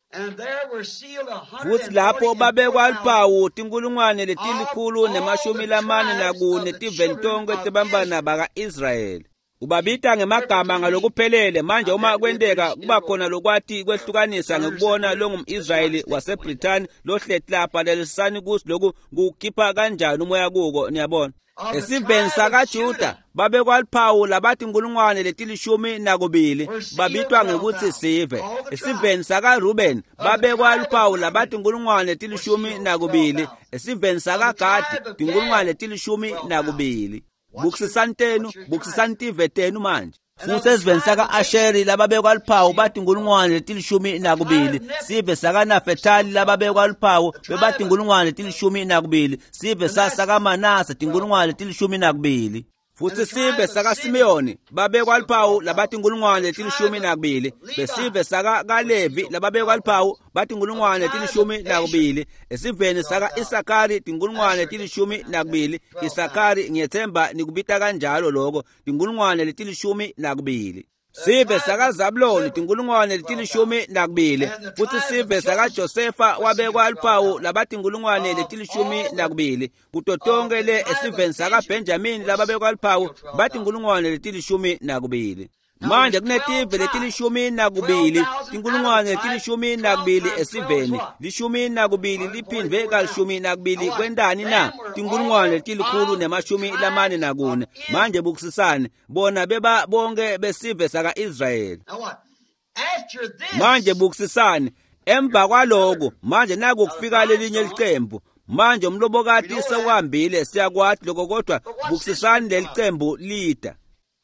Futhi lapho babekwa luphawu tinkulungwane letilikhulu nemashumi lamane nakune tiveni tonkhe tebantfwana baka-Israyeli. Ubabita ngemagama ngalokuphelele. Manje uma kwenteka kuba khona lokwati kwehlukanisa ngekubona longumIsrayeli waseBrithani lohleti lapha, lalelisani kusi lokhu kukhipha kanjani umoya kuko, niyabona. Esiveni sakaJuda babekwa luphawu labathi inkulungwane letilishumi nakubili, babitwa ngekutsi sive. Esiveni sakaRuben babekwa luphawu labathi inkulungwane letilishumi nakubili. Esiveni sakaGadi tinkulungwane letilishumi nakubili. Bukisisani tenu, bukisisani tive tenu manje. Futhi esiveni saka-Asheri lababekwa luphawu bathi inkulungwane letilishumi nakubili. Sive sakaNafetali lababekwa luphawu bebathi inkulungwane letilishumi nakubili. Sive sakaManase tinkulungwane letilishumi nakubili. Futhi sive sakaSimeyoni babekwa luphawu labathi inkulungwane letilishumi nakubili. Besive sakaKalevi lababekwa luphawu bathi inkulungwane letilishumi nakubili. Esiveni saka-Isakari tinkulungwane letilishumi nakubili. Isakari, ngiyethemba nikubita kanjalo lokho, tinkulungwane letilishumi nakubili. Sive sakaZabuloni tinkulungwane letilishumi nakubili. Futhi sive sakaJosefa wabekwa luphawu labathi inkulungwane letilishumi nakubili. Kuto tonke le esiveni sakaBenjamini lababekwa luphawu bathi inkulungwane letilishumi nakubili. Manje kunetive letilishumi nakubili, tinkulungwane letilishumi nakubili esiveni, lishumi nakubili liphindwe kalishumi nakubili kwentani na? Tinkulungwane letilikhulu nemashumi lamane nakune. Manje bukisisani, bona beba bonke besive saka-Israyeli. Manje bukisisani, emva kwaloko manje naku kufika lelinye licembu. Manje umlobokati sewuhambile, siyakwati lokho, kodwa bukisisani lelicembu lida.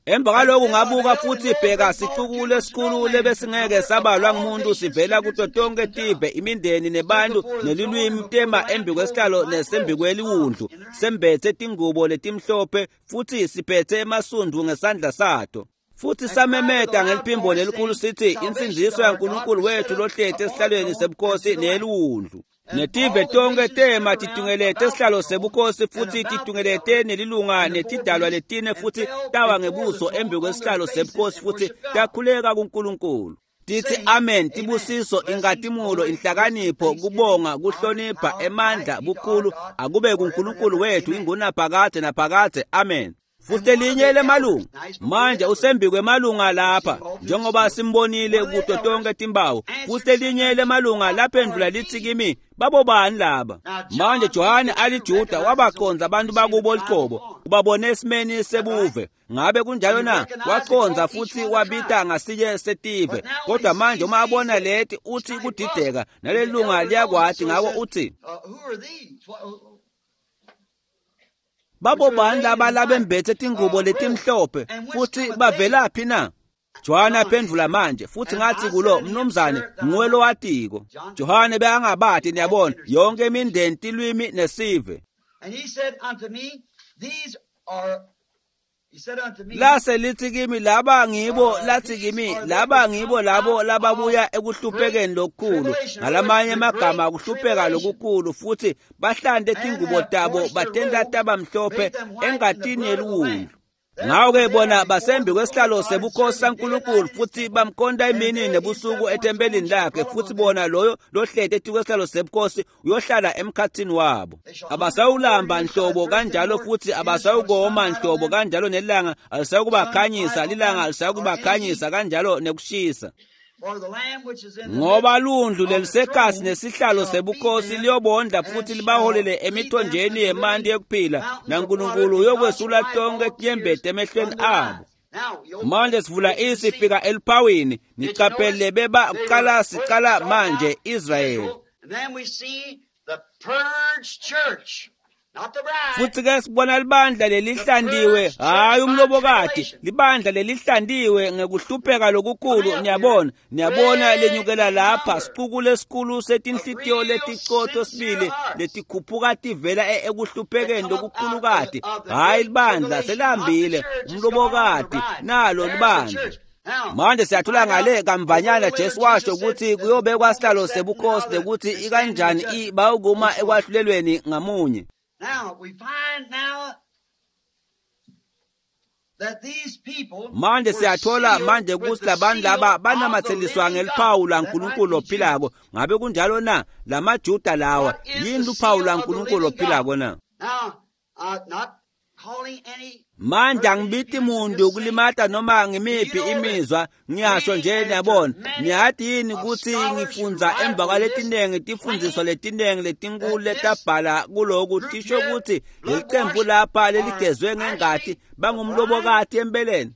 Emva kwalokhu ngabuka futhi bheka sixuku lesikhulu lebesingeke sabalwa ngumuntu sivela kuto tonke tive imindeni nebantu nelulwimi tema embi kwesihlalo nesembi kweliwundlu sembethe tingubo letimhlophe futhi siphethe emasundu ngesandla sato. Futhi samemeta ngeliphimbo lelikhulu sithi insindziso yaNkulunkulu wethu lohleti esihlalweni sebukhosi neliwundlu. Netive tonke tema titungelete esihlalo sebukhosi futhi titungelete nelilunga netidalwa letine futhi tawa ngebuso embi kwesihlalo sebukhosi futhi takhuleka kuNkulunkulu. Tithi amen, tibusiso, inkatimulo, inhlakanipho, kubonga, kuhlonipha, emandla, bukhulu akube kuNkulunkulu wethu ingunaphakade naphakade. Amen. Futhi elinye lemalunga manje usembi kwemalunga lapha njengoba simbonile kuto tonke timbawu. Futhi elinye lemalunga laphendvula lithi kimi, babobani laba? Manje Johane aliJuda wabaconza abantu bakubo liqobo, ubabone esimeni sebuve. Ngabe kunjalo na? Waconza futhi wabita ngasinye setive. Kodwa manje uma abona leti uthi kudideka, nalelunga liyakwati ngako uthi babobani laba labembethe tingubo letimhlophe futhi bavelaphi na? Johane aphendvula manje futhi ngathi kulo, mnumzane nguwe lowatiko. Johane bekangabati, niyabona, yonke imindeni, tilwimi nesive. And he said unto me, these are Lase lithi kimi laba ngibo, lathi kimi laba ngibo labo lababuya ekuhluphekeni lokukhulu, ngalamanye amagama kuhlupheka lokukhulu, futhi bahlante tingubo tabo batenta taba mhlophe engatini yeliwundlu. Ngako-ke bona basembi kwesihlalo sebukhosi saNkulunkulu futhi bamkhonta imini nebusuku ethempelini lakhe, futhi bona loyo lohleti etikwesihlalo sebukhosi uyohlala emkhathini wabo. Abasawulamba nhlobo kanjalo futhi abasawukoma nhlobo kanjalo, nelanga alisayukubakhanyisa, lilanga alisayukubakhanyisa kanjalo nekushisa. Ngoba lundlu lelisekhasi nesihlalo sebukhosi liyobondla futhi libaholele emithonjeni yemanti yekuphila, naNkulunkulu uyokwesula tonke tinyembeti emehlweni abo. Manje sivula isifika eliphawini, nicaphele beba kuqala siqala manje Israyeli. Futhi ke sibona libandla lelihlandiwe, hayi umlobokati, libandla lelihlandiwe ngekuhlupheka lokukhulu. Niyabona, niyabona lenyukela lapha sicuku lesikhulu setinhlitiyo leticotho sibili letikhuphuka tivela ekuhluphekeni lokukhulukati. Hayi libandla selihambile, umlobokati nalo libandla. Manje siyathola ngale kamvanyana Jesu washo ukuthi kuyobekwa sihlalo sebukhosi nekuthi ikanjani bayokuma ekwahlulelweni ngamunye. Now we find now that these people manje siyathola manje ukuthi labantu laba banamatseliswa ngeliphawu laNkulunkulu ophilako. Ngabe kunjalo na? LamaJuda lawa yini luphawu laNkulunkulu ophilako na? Now, uh, not calling any Manje angibiti muntu kulimata noma ngimiphi imizwa, ngiyasho nje niyabona. Niyati yini ukuthi ngifundza emva kwaletinengi tifundziswa letinengi letinkulu letabhala kuloku tisho ukuthi lelicembu lapha leligezwe ngengati bangumlobokati empeleni.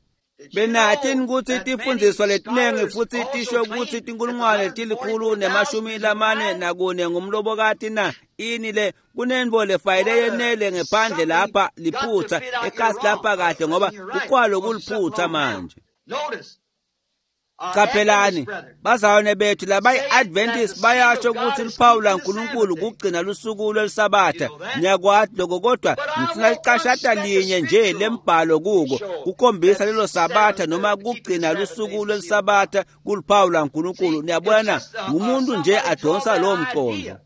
Benathi ukuthi tifundziswa letinengi futhi tisho ukuthi tinkulungwane tilikhulu nemashumi lamane nakune ngumlobokati na? Ini le kunentfo lefayele yenele ngephandle lapha liphutsa ekhasi lapha kahle ngoba kukwalo kuliphutsa manje. Caphelani bazalwane bethu labayi-Adventist bayasho ukuthi luphawu laNkulunkulu kugcina lusuku lwelisabatha. Niyakwati lokho, kodwa ngifuna licashata linye nje lembhalo kuko kukhombisa lelo sabatha noma kugcina lusuku lwelisabatha kuluphawu laNkulunkulu. Niyabona, ngumuntu nje adonsa lowo mqondo.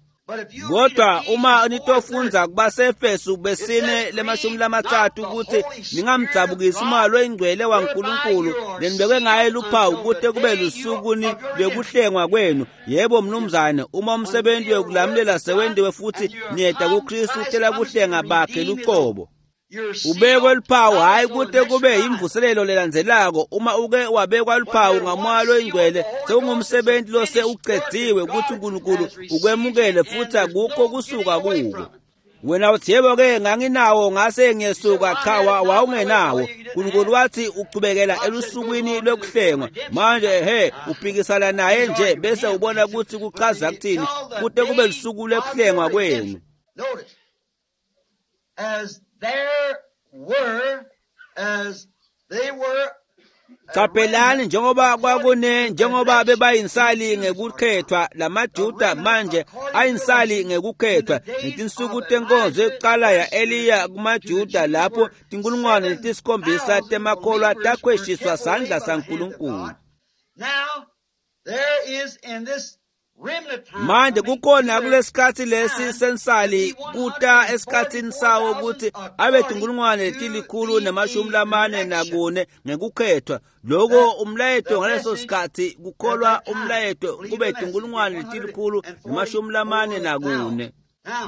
Kodwa uma nitofundza kubaseEfesu besine lemashumi lamatsatfu ukuthi ningamdzabukisi umoya loyingcwele waNkulunkulu lenibekwe ngaye luphawu kute kube lusukuni lwekuhlengwa kwenu. Yebo mnumzane, uma umsebenzi wekulamulela sewentiwe futhi niyeta kuKristu utela kuhlenga bakhe lucobo. Ubekwe luphawu hayi kute kube imvuselelo lelandzelako. Uma uke wabekwa luphawu ngamoya loyingcwele sekungumsebenzi lose ucedziwe ukuthi uNkulunkulu ukwemukele futhi akukho kusuka kuko. Wena uthi yebo ke nganginawo ngase ngiyesuka. Cha, wawungenawo. uNkulunkulu wathi uchubekela elusukwini lwekuhlengwa. Manje he uphikisana naye nje bese ubona ukuthi kuchaza kuthini kute kube lusuku lwekuhlengwa kwenu. As there were, as they were Qaphelani njengoba kwakune njengoba bebayinsali ngekukhethwa lamaJuda manje ayinsali ngekukhethwa ngetinsuku tenkonzo yokuqala ya-Eliya kumaJuda lapho tinkulungwane letisikhombisa temakholwa takhweshiswa sandla saNkulunkulu. Manje kukhona kulesikhatsi lesi sensali kuta esikhatsini sawo ukuthi abe tinkulungwane letilikhulu nemashumi lamane nakune ngekukhethwa. Loko umlayeto ngaleso sikhatsi kukholwa umlayeto kube tinkulungwane letilikhulu nemashumi lamane nakune.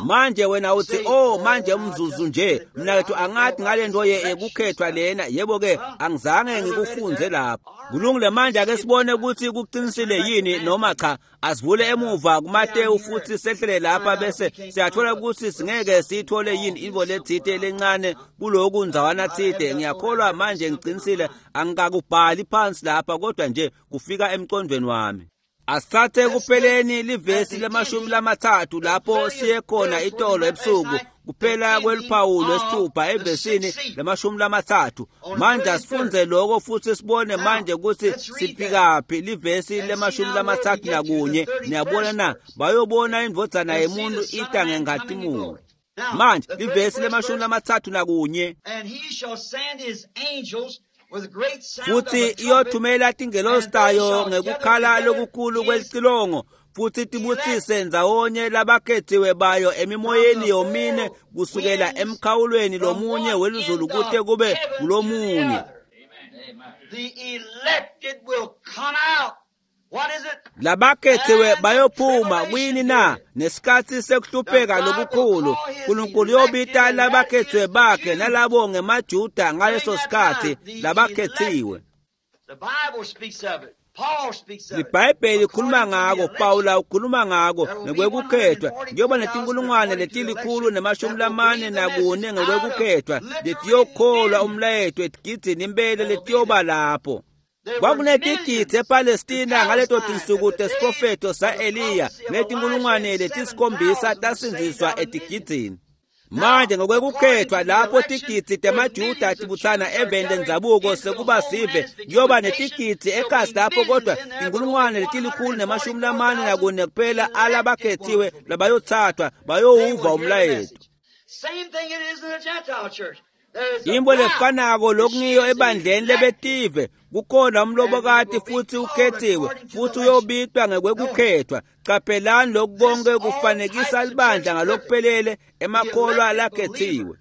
Manje wena uthi oh manje umzuzu nje mnakethu angathi ngale nto yekukhethwa lena. Yebo ke angizange ngikufunze lapho. Kulungile, manje ake sibone ukuthi kuqinisile yini noma cha. Asivule emuva kuMateyu futhi sehlele lapha bese siyathola ukuthi singeke siyithole yini invo lethite lencane kuloku ndzawana thite. Ngiyakholwa manje ngiqinisile angikakubhali phansi lapha kodwa nje kufika emqondweni wami. Asithathe kupheleni livesi lemashumi lamathathu lapho siye khona itolo ebusuku kuphela kweliphawu lwesithupha evesini lemashumi lamathathu. Manje asifunze lokho futhi sibone manje ukuthi sifikaphi. Livesi lemashumi lamathathu nakunye. Niyabona na? Bayobona indvodzana yemuntu ita ngenkhatimulo. Manje livesi lemashumi lamathathu nakunye. Futhi iyothumela tingelosi tayo ngekukhala lokukhulu kwelicilongo futhi tibutsise ndzawonye labakhethiwe bayo emimoyeni yomine kusukela emkhawulweni lomunye welizulu kute kube kulomunye. Labakhethiwe bayophuma kwini na? Nesikhatsi sekuhlupheka lokukhulu. Nkulunkulu uyobita labakhethiwe bakhe nalabo ngemaJuda ngaleso sikhatsi labakhethiwe. LiBhayibheli likhuluma ngako, Pawula ukhuluma ngako ngekwekukhethwa. Kuyoba netinkulungwane letilikhulu nemashumi lamane nakune ngekwekukhethwa letiyokholwa umlayeto etigidzini impela letiyoba lapho. Kwakunetigidzi ePalestina ngaleto tinsuku tesiprofetho sa-Eliya letinkulungwane letisikhombisa tasindziswa etigidzini. Manje ngokwekukhethwa lapho tigidzi temaJuda tibutsana eveni lendzabuko sekuba sive kuyoba netigidzi ekasi lapho kodwa tinkulungwane letilikhulu nemashumi lamane nakune kuphela alabakhethiwe labayothathwa bayowuva umlayeto. Imbo lefanako lokungiyo ebandleni lebetive kukhona umlobokati futhi ukhethiwe futhi uyobitwa ngekwekukhethwa. Qaphelani lokhu konke kufanekisa libandla ngalokuphelele emakholwa lakhethiwe.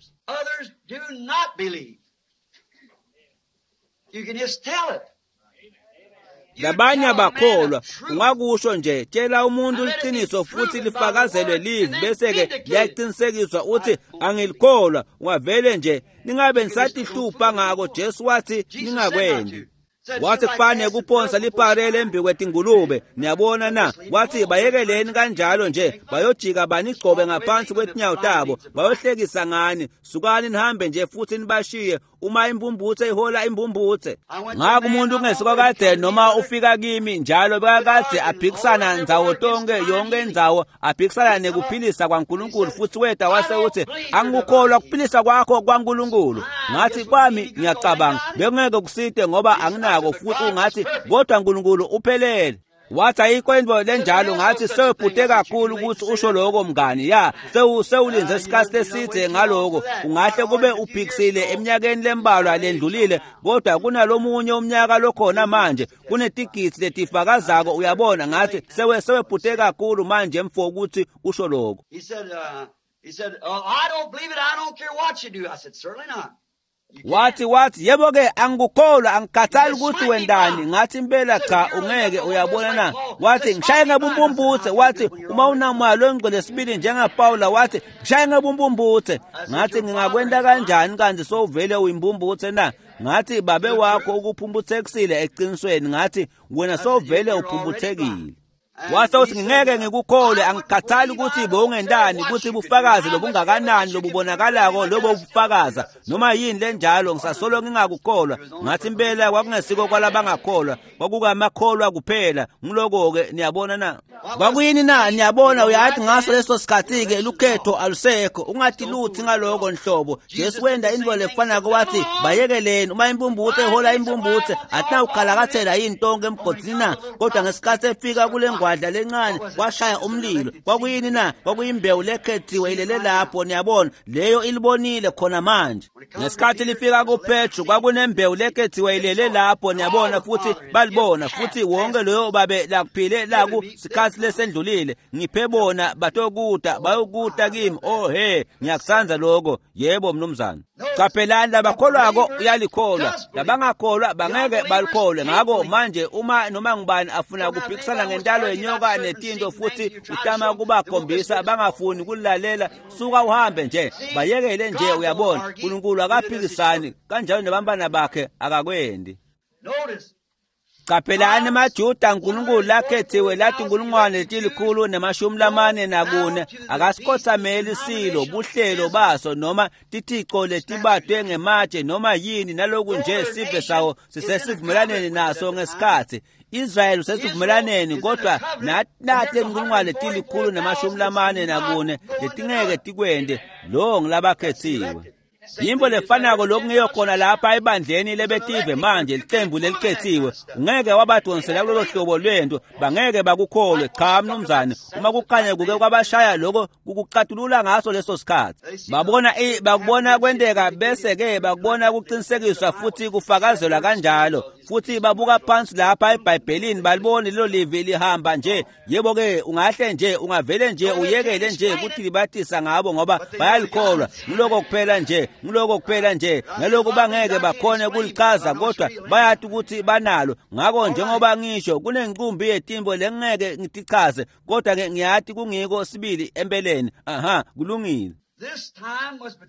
Labanye abakholwa ungakusho nje tshela umuntu liqiniso futhi lifakazelwe livi bese-ke liyaqinisekiswa uthi angilikholwa. Ungavele nje ningabe nisatihlupha ngako. Jesu wathi ningakwendi. Wathi kufane kuphonsa liparele embi kwetingulube. Niyabona na? Wathi bayekeleni kanjalo nje bayojika banigcobe ngaphansi kwetinyawo tabo bayohlekisa ngani. Sukani nihambe nje futhi nibashiye. Uma imbumbuthe ihola imbumbuthe. Ngako umuntu ungesuka kade noma ufika kimi njalo bekakade aphikisana ndzawo tonke yonke indzawo aphikisana nekuphilisa kwaNkulunkulu futhi weta wase uthi angikukholwa kuphilisa kwakho kwaNkulunkulu. Ngathi kwami ngiyacabanga bekungeke kusite ngoba anginako futhi ungathi kodwa uNkulunkulu uphelele. Wathi ayikho into lenjalo. Ngathi sewubhude kakhulu ukuthi usho lokho mngani. Ya sewulinze isikhathi leside ngaloko. Ungahle kube uphikisile eminyakeni lembalwa lendlulile kodwa kunalomunye umnyaka lokhona manje kunetigidzi letifakazako. Uyabona? Ngathi sewe sewebhude kakhulu manje mfo ukuthi usho lokho. Wathi wathi yebo ke angikukholwa angikhathali ukuthi wendani. Ngathi impela cha ungeke. Uyabona na? Wathi ngishaye ngebumbumbuthe. Wathi uma unamoya longcwele sibili njengaPawula wathi ngishaye ngebumbumbuthe. Ngathi ngingakwenta kanjani kanti sowuvele uyimbumbuthe na? Ngathi babe wakho ukuphumbuthekisile eqinisweni. Ngathi wena sowuvele uphumbuthekile. Wase uthi ngingeke ngikukholwe, angikhathali ukuthi bowungendani, ukuthi bufakazi lobungakanani lobubonakalako lobo bufakaza noma yini lenjalo, ngisasolo ngingakukholwa. Ngathi impela kwakungesiko kwalabangakholwa, kwakukamakholwa kuphela. Ngiloko-ke, niyabona na? Kwakuyini na? Niyabona, uyathi ngaso leso sikhathi-ke lukhetho alusekho, ungathi lutho ngaloko nhlobo. Jesu wenda into lefanako, wathi bayekeleni, uma impumputhe ihola impumputhe atinawukhalakathela yini tonke emgodini na? Kodwa ngesikhathi efika kule ngwadla lencane kwashaya umlilo. Kwakuyini na? Kwakuyimbewu lekhethiwe ilele lapho, niyabona, leyo ilibonile khona manje. Ngesikhathi lifika kuPetru kwakunembewu lekhethiwe ilele lapho, niyabona, futhi balibona, futhi wonke loyo babe lakuphile laku sikhathi lesendlulile. Ngiphe bona batokuta bayokuta kimi. Oh he, ngiyakutsandza lokho. Yebo mnumzane. Qaphelani, labakholwako uyalikholwa, labangakholwa bangeke balikholwe. Ngako manje uma noma ngubani afuna kuphikisana ngentalo yenyoka netinto futhi utama kubakhombisa bangafuni kulalela, suka uhambe nje, bayekele nje. Uyabona, uNkulunkulu akaphikisani kanjalo nabantwana bakhe akakwendi. Qaphelani emaJuda uNkulunkulu lakhethiwe lathi inkulungwane letilikhulu nemashumi lamane nakune akasikhothameli silo buhlelo baso noma tithico letibadwe ngematshe noma yini naloku nje sive sawo sisesivumelaneni naso ngesikhathi. Israel usesivumelaneni, kodwa nathi lenkulungwane letilikhulu nemashumi lamane nakune letingeke tikwende lo ngilabakhethiwe. Yimbo lefanako lokungiyo khona lapha ebandleni lebetive manje, licembu lelikhethiwe. Ungeke wabadonsela kulolo hlobo lwento, bangeke bakukholwe. Cha mnumzane, uma kukhanya kuke kwabashaya lokho kukucatulula ngaso leso sikhathi. Babona bakubona kwenteka, bese ke bakubona kuqinisekiswa futhi kufakazelwa kanjalo. Futhi babuka phansi lapha eBhayibhelini balibone lelo livi lihamba nje. Yebo ke, ungahle nje ungavele nje uyekele nje ukuthi libathisa ngabo ngoba bayalikholwa. Ngiloko kuphela nje, ngiloko kuphela nje. Ngalokho bangeke bakhone kulichaza, kodwa bayathi ukuthi banalo. Ngakho njengoba ngisho kunenqumbi yetimbo lengeke ngitichaze, kodwa ke ngiyathi kungiko sibili empeleni. Aha, kulungile.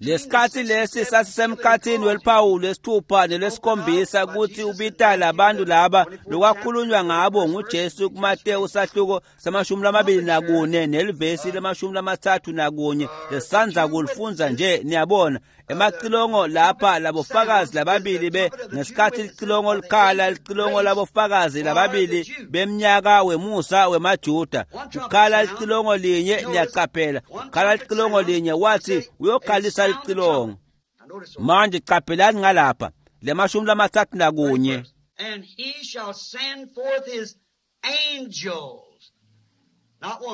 Lesikhathi lesi sasisemkhathini weliphawu lesithupha nelesikhombisa kuthi ubita labantu laba lokwakhulunywa ngabo nguJesu kuMateyu sahluko samashumi lamabili nakune nelivesi lemashumi lamathathu nakunye lesandza kulifunza nje. Niyabona emacilongo lapha labofakazi lababili be ngesikhathi licilongo likhala, licilongo labofakazi lababili bemnyaka wemusa wemaJuda. Kukhala licilongo linye, niyaqaphela, kukhala licilongo linye, wathi uyokhalisa licilongo. Manje qaphelani ngalapha lemashumi lamathathu nakunye. And he shall send forth his angels.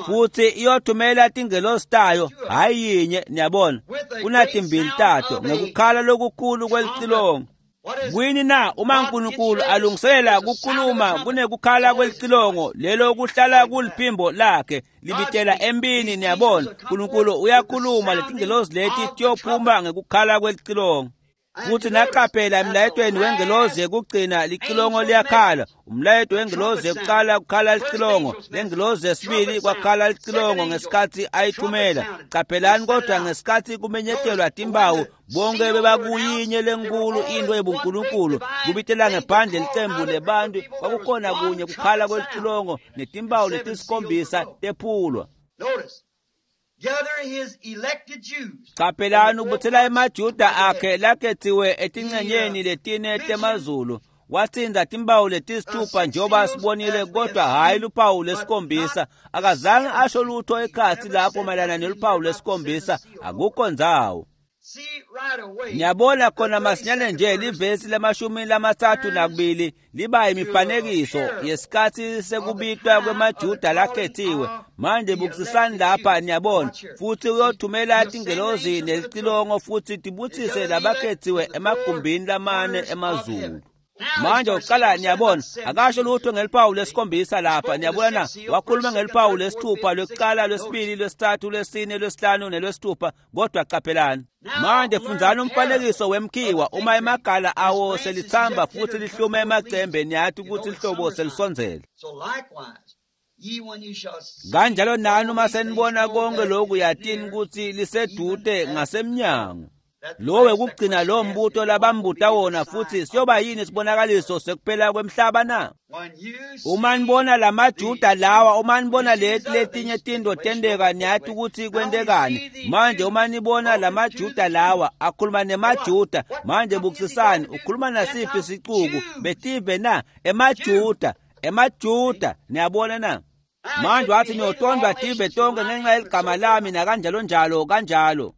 Futhi iyothumela tingelosi tayo, hayi yinye, niyabona, kunatimbili tato ngekukhala lokukhulu kwelicilongo. Kuyini na? Uma uNkulunkulu alungiselela kukhuluma kunekukhala kwelicilongo lelo kuhlala kuliphimbo lakhe libitela empini. Niyabona, uNkulunkulu uyakhuluma, letingelosi leti tiyophuma ngekukhala kwelicilongo. Futhi naqaphela emlayetweni wengelozi yekugcina licilongo liyakhala. Umlayeto wengelozi yekuqala kukhala licilongo, lengelozi yesibili kwakhala licilongo ngesikhathi ayithumela. Qaphelani kodwa ngesikhathi kumenyetelwa timbawu bonke bebakuyinye lenkulu into yebunkulunkulu kubitela ngephandle licembu lebantu, kwakukhona kunye kukhala kwelicilongo netimbawu letisikhombisa tephulwa. Qaphelani ubuthela emaJuda akhe lakhethiwe etincenyeni letine temazulu. Watsinza timbawu letisithupha njengoba sibonile, kodwa hhayi luphawu lesikhombisa. Akazange asho lutho ekhatsi lapho mayelana neluphawu lesikhombisa, akukho ndzawo. Ngiyabona khona masinyane nje livesi lamashumi lamathathu nakubili liba imifanekiso yesikhathi sekubitwa kwemaJuda lakhethiwe. Manje bukisisani lapha, niyabona, futhi uyothumela tingelozi nelicilongo futhi tibutsise labakhethiwe emagumbini lamane emazulu. Manje uqala, niyabona, akasho lutho ngeliphawu lesikhombisa lapha. Niyabona na? Wakhuluma ngeliphawu lesithupha, lwekuqala, lwesibili, lwesithathu, lwesine, lwesihlanu nelwesithupha, kodwa qaphelani. Manje fundzani umfanekiso wemkhiwa, uma emagala awo selithamba futhi lihlume emacembe, niyathi ukuthi lihlobo selisondzele. Kanjalo nani uma senibona konke lokhu, yatini ukuthi lisedude ngasemnyango. Lo wekugcina lo mbuto labambuta wona futhi siyoba yini sibonakaliso sekuphela kwemhlaba na? Uma nibona lamaJuda lawa, uma nibona leti letinye tintfo tenteka, niyati ukuthi kwentekani. Manje uma nibona lamaJuda lawa akhuluma nemaJuda, manje bukisisani, ukhuluma nasiphi sicuku betive na? EmaJuda, emaJuda, niyabona na? Manje wathi niyotondwa tive tonke ngenxa yeligama lami nakanjalo njalo kanjalo.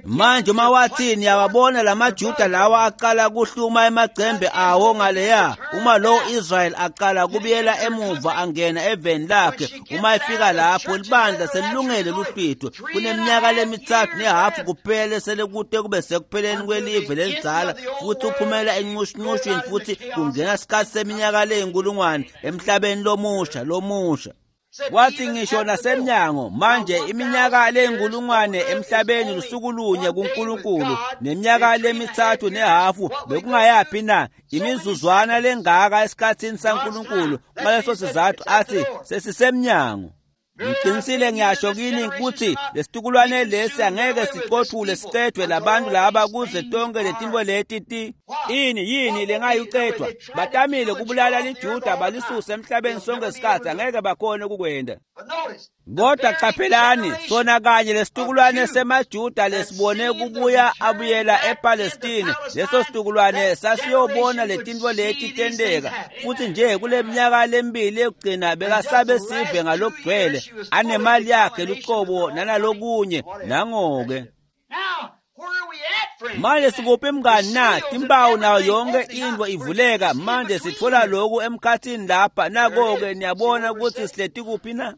Manje uma wathi niyawabona lamaJuda lawa aqala kuhluma emacembe awo ngaleya, uma lo Israel aqala kubuyela emuva angena eveni lakhe, uma efika lapho libandla selilungele luhlwitho. Kuneminyaka lemithathu nehafu kuphela selekute kube sekupheleni kwelive lelidzala, futhi uphumela encushuncushwini futhi kungena isikhathi seminyaka leyinkulungwane emhlabeni lomusha lomusha. Wathi ngisho nasemnyango manje iminyaka leyinkulungwane emhlabeni lusuku lunye kuNkulunkulu neminyaka lemithathu nehafu bekungayaphi na? Imizuzwana lengaka esikhathini saNkulunkulu. Ngaleso sizathu athi sesisemnyango. Ngiqinisile ngiyasho kini ukuthi lesitukulwane lesi angeke siqothule sicedwe labantu laba kuze tonke letinto leti ti ini yini lengayicedwa. Batamile kubulala liJuda balisuse emhlabeni sonke isikhathi, angeke bakhone ukukwenda. Kodwa qaphelani, sona kanye lesitukulwane semaJuda lesibone kubuya abuyela ePalestine, leso situkulwane sasiyobona letinto leti tenteka. Futhi nje kule minyaka lemibili yokugcina bekasabe sive ngalokugcwele, anemali yakhe luqobo nanalokunye nangoke. Manje sikuphi mngani na? Timpawu nayo yonke into ivuleka. Manje sithola lokhu emkhathini lapha. Nako-ke niyabona ukuthi sihleti kuphi na?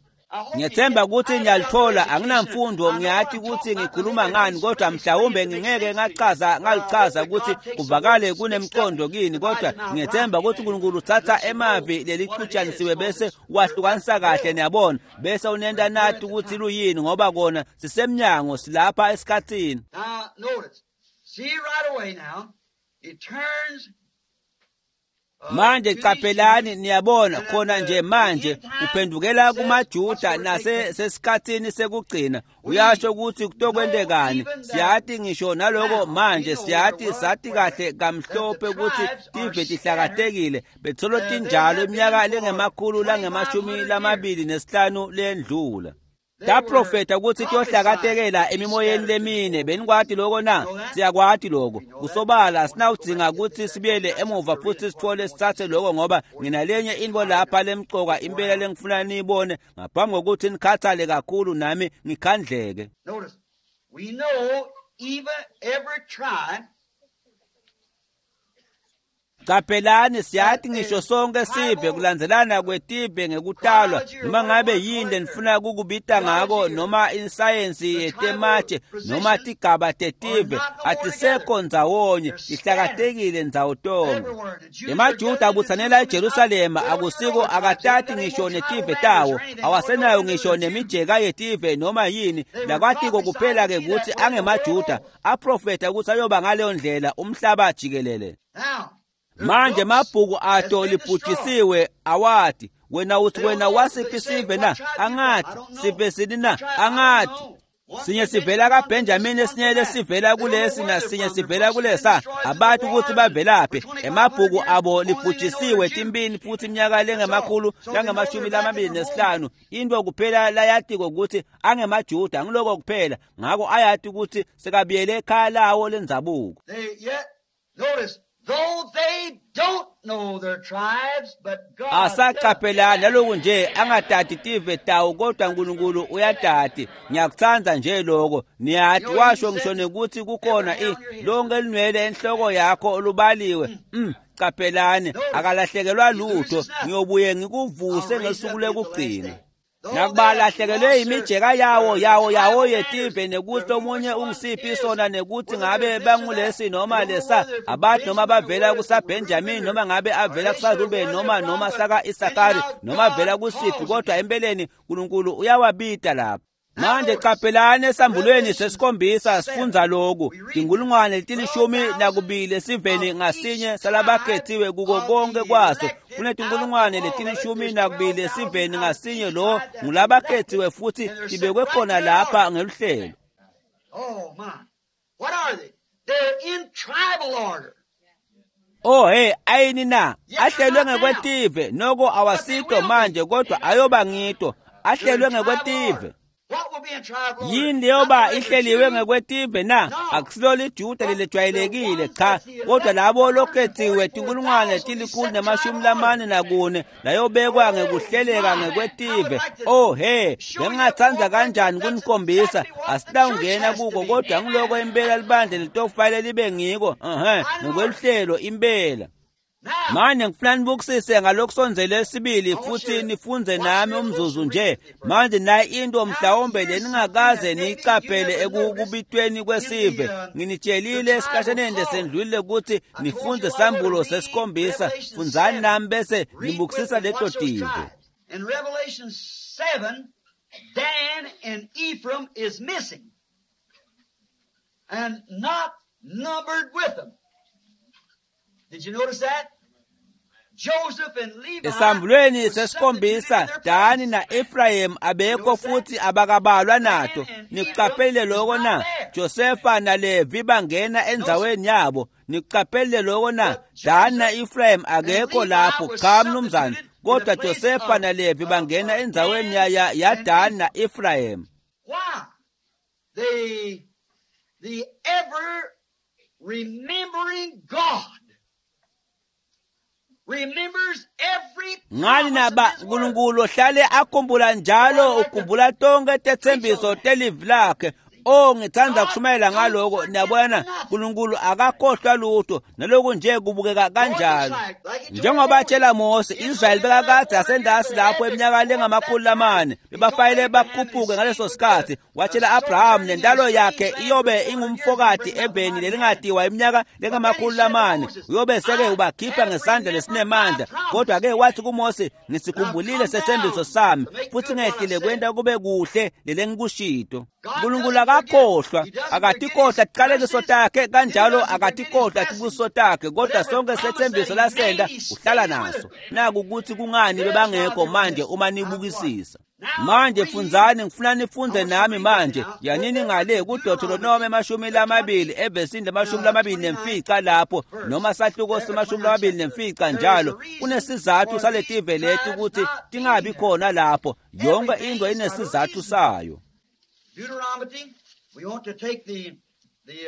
Ngiyethemba ukuthi ngiyalithola, anginamfundo, ngiyathi ukuthi ngikhuluma ngani, kodwa mhlawumbe ngingeke ngachaza ngalichaza ukuthi kuvakale kunemqondo kini, kodwa ngiyethemba ukuthi uNkulunkulu uthatha emavi lelichutshanisiwe bese wahlukanisa kahle, niyabona, bese unenta nathi ukuthi luyini, ngoba kona sisemnyango, silapha esikhathini. Now notice, see right away now, it turns. Manje qaphelani, niyabona khona nje manje uphendukela kumaJuda nase sesikhathini sekugcina. Uyasho ukuthi kutokwentekani. Siyati ngisho naloko manje, siyati sathi kahle kamhlophe ukuthi tive tihlakatekile betholo tinjalo iminyaka lengemakhulu langemashumi lamabili nesihlanu lendlula. Taprofeta ukuthi tiyohlakatekela emimoyeni lemine. Benikwati lokho na? Siyakwati lokho. Kusobala sinawudzinga ukuthi sibuyele emuva futhi sithole sithathe lokho, ngoba nginalenye into lapha lemcoka impela lengifuna niyibone ngaphambi kokuthi nikhathale kakhulu nami ngikhandleke. Notice, we know even every tribe. Qaphelani, siyathi ngisho sonke sive kulandzelana kwetive ngekutalwa, noma ngabe yini lenifuna kukubita ngako, noma insayensi yetematshe noma tigaba tetive, atisekho ndzawonye, tihlakatekile ndzawo tonke. EmaJuda abutsanela eJerusalema, akusiko akatati ngisho netive tawo, awasenayo ngisho nemijeka yetive noma yini. Lakwatiko kuphela ke ukuthi angemaJuda, aprofeta ukuthi ayoba ngaleyo ndlela umhlaba jikelele. Manje mabhuku ato libhujisiwe awati. Wena uthi wena wasiphi sive na? Angathi sive sini na? Angathi sinye sivela kaBenjamin, esinye lesivela kulesi, nasinye sivela kulesa. Abantu ukuthi bavelaphi. Emabhuku abo libhujisiwe timbini futhi iminyaka lengemakhulu langamashumi lamabili nesihlanu. Into kuphela layatiko ukuthi angemaJuda, ngiloko kuphela. Ngako ayati ukuthi sekabuyele ekhaya lawo lendzabuko. Though they don't know their tribes, but God asaqaphelani naloku nje angatati tive tawo, kodwa uNkulunkulu uyatati. Ngiyakuthanda nje lokho. Niyati washo ngisho nekuthi kukhona i lonke linwele enhloko yakho olubaliwe. Mm, qaphelani, akalahlekelwa lutho. Ngiyobuye ngikuvuse ngesuku lekugcina. Nakubalahlekelwe imijeka yawo yawo yawo yetive, nekuthi omunye ungisiphi sona, nekuthi ngabe bangulesi noma lesa, abantu noma bavela kusaBenjamin noma ngabe avela kusaRuben noma noma saka Isakari noma avela kusiphi, kodwa empeleni uNkulunkulu uyawabita lapha. Manje qaphelani esambulweni sesikhombisa sifundza lokhu. Tinkulungwane letilishumi nakubili esiveni ngasinye salabakhethiwe kuko konke kwaso. Kunetinkulungwane letilishumi nakubili esiveni ngasinye, lo ngulabakhethiwe futhi tibekwe khona lapha ngeluhlelo. Oh my. What are they? They're in tribal order. Oh hey, ayini na? Ahlelwe ngekwetive, noko awasito manje kodwa ayoba ngito. Ahlelwe ngekwetive. Yini leyoba ihleliwe ngekwetive na? Akusilo liJuda lelejwayelekile cha, kodwa labo lokhethiwe tinkulungwane tilikhulu nemashumi lamane nakune layobekwa ngekuhleleka ngekwetive. Oh he, bengingatsandza kanjani kunikhombisa, asinawungena kuko kodwa ngiloko impela libandla litokufanele libe ngiko, ehhe, ngokweluhlelo impela. Manje ngifuna nibukisise ngalokusondzele esibili futhi nifunze nami umzuzu nje. Manje nayi into mhlawumbe leningakaze niyicaphele ekubitweni kwesive. Nginitshelile esikhashaneni lesendlulile ukuthi nifunze sambulo sesikhombisa. Fundzani nami bese nibukisisa leto tive. In Revelation seven, Dan and Ephraim is missing and not numbered with them. Did you notice that? Joseph and Levi. Esambulweni sesikhombisa Dani na Ephraim abekho futhi abakabalwa nato. Nikuqaphelile lokho na? Josefa na Levi bangena endzaweni yabo. Nikuqaphelile lokho na? Dani na Ephraim akekho lapho, cha mnumzane. Kodwa Josefa na Levi bangena endzaweni ya ya, ya Dani na Ephraim. Why? The the ever remembering God remembers every ngani naba uNkulunkulu ohlale akhumbula njalo ukhumbula tonke tetsembiso telivi lakhe. Oh, ngithanda kushumayela ngaloko. Niyabona, uNkulunkulu akakhohlwa lutho, naloku nje kubukeka kanjalo. Njengoba atshela Mose, Israyeli bekakade asendasi lapho eminyaka lengamakhulu lamane, bebafanele bakhuphuke ngaleso sikhathi. Watshela Abraham nendalo yakhe iyobe ingumfokati eveni lelingatiwa iminyaka lengamakhulu lamane, uyobe seke ubakhipha ngesandla lesinemandla. Kodwa ke wathi kuMose, ngisikhumbulile setsembiso sami futhi ngehlile kwenta kube kuhle lelengikushito. uNkulunkulu akakhohlwa, akatikhohlwa tiqalekiso takhe, kanjalo akatikhohlwa tibusiso takhe, kodwa sonke setsembiso lasenda uhlala naso. Naku ukuthi kungani bebangekho manje uma nibukisisa. Manje fundzani, ngifuna nifunze nami manje. Yanini ngale kuDeuteronomy emashumi lamabili evesini lamashumi lamabili nemfica lapho, noma sahluko semashumi lamabili nemfica njalo. Kunesizathu saletive leti ukuthi tingabi khona lapho. Yonke into inesizathu sayo. Deuteronomy, we want to take the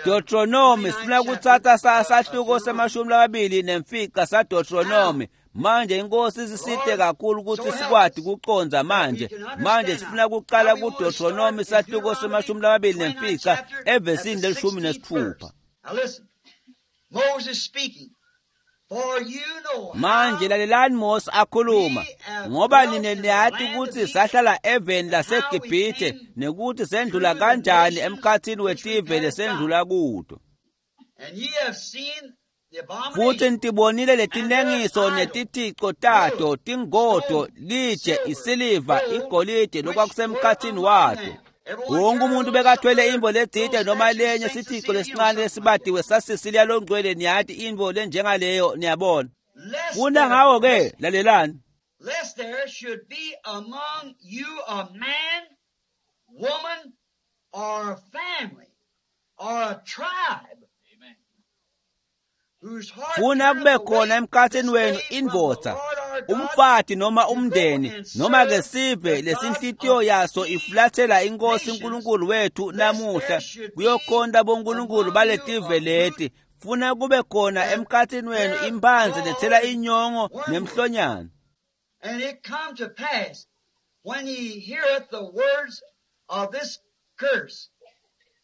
Deuteronomy, sifuna kutsatsa sahluko semashumi lamabili nemfica saDeuteronomy. Manje inkosi isisite kakhulu ukuthi sikwati kucondza manje. Manje sifuna kuqala kuDeuteronomy sahluko semashumi lamabili nemfica evesini lelishumi nesitfupha. Now listen, Moses speaking. For you know Manje lalelani Mose akhuluma, ngoba nine niyati ukuthi sahlala eveni laseGibhithe nekuthi sendlula kanjani emkhathini wetive lesendlula kuto. and ye have seen the Futhi abomination nitibonile letinengiso netithico tato, tingodo, litshe, isiliva, igolide lokwakusemkhathini wato. Wonke umuntu bekathwele imvo letsite noma lenye sithico lesincane lesibatiwe sasisiliya longcwele, niyati imvo lenjengaleyo, niyabona. lest Funa there, ngawo ke, lalelani. lest there should be among you a man, woman, or a family, or a tribe, whose heart Funa turneth kube khona away emkhathini this wenu day from the indvodza, Lord our God umfati noma to go umndeni, and noma ke serve sive the gods lesinhlitiyo of yaso these ifulathela inkosi nations, uNkulunkulu wethu lest namuhla there should be kuyokhonta bonkulunkulu among you baletive a root leti. Funa kube khona that emkhathini wenu beareth imphandze gall lethela and inyongo wormwood. nemhlonyane. And it come to pass, when ye heareth the words of this curse,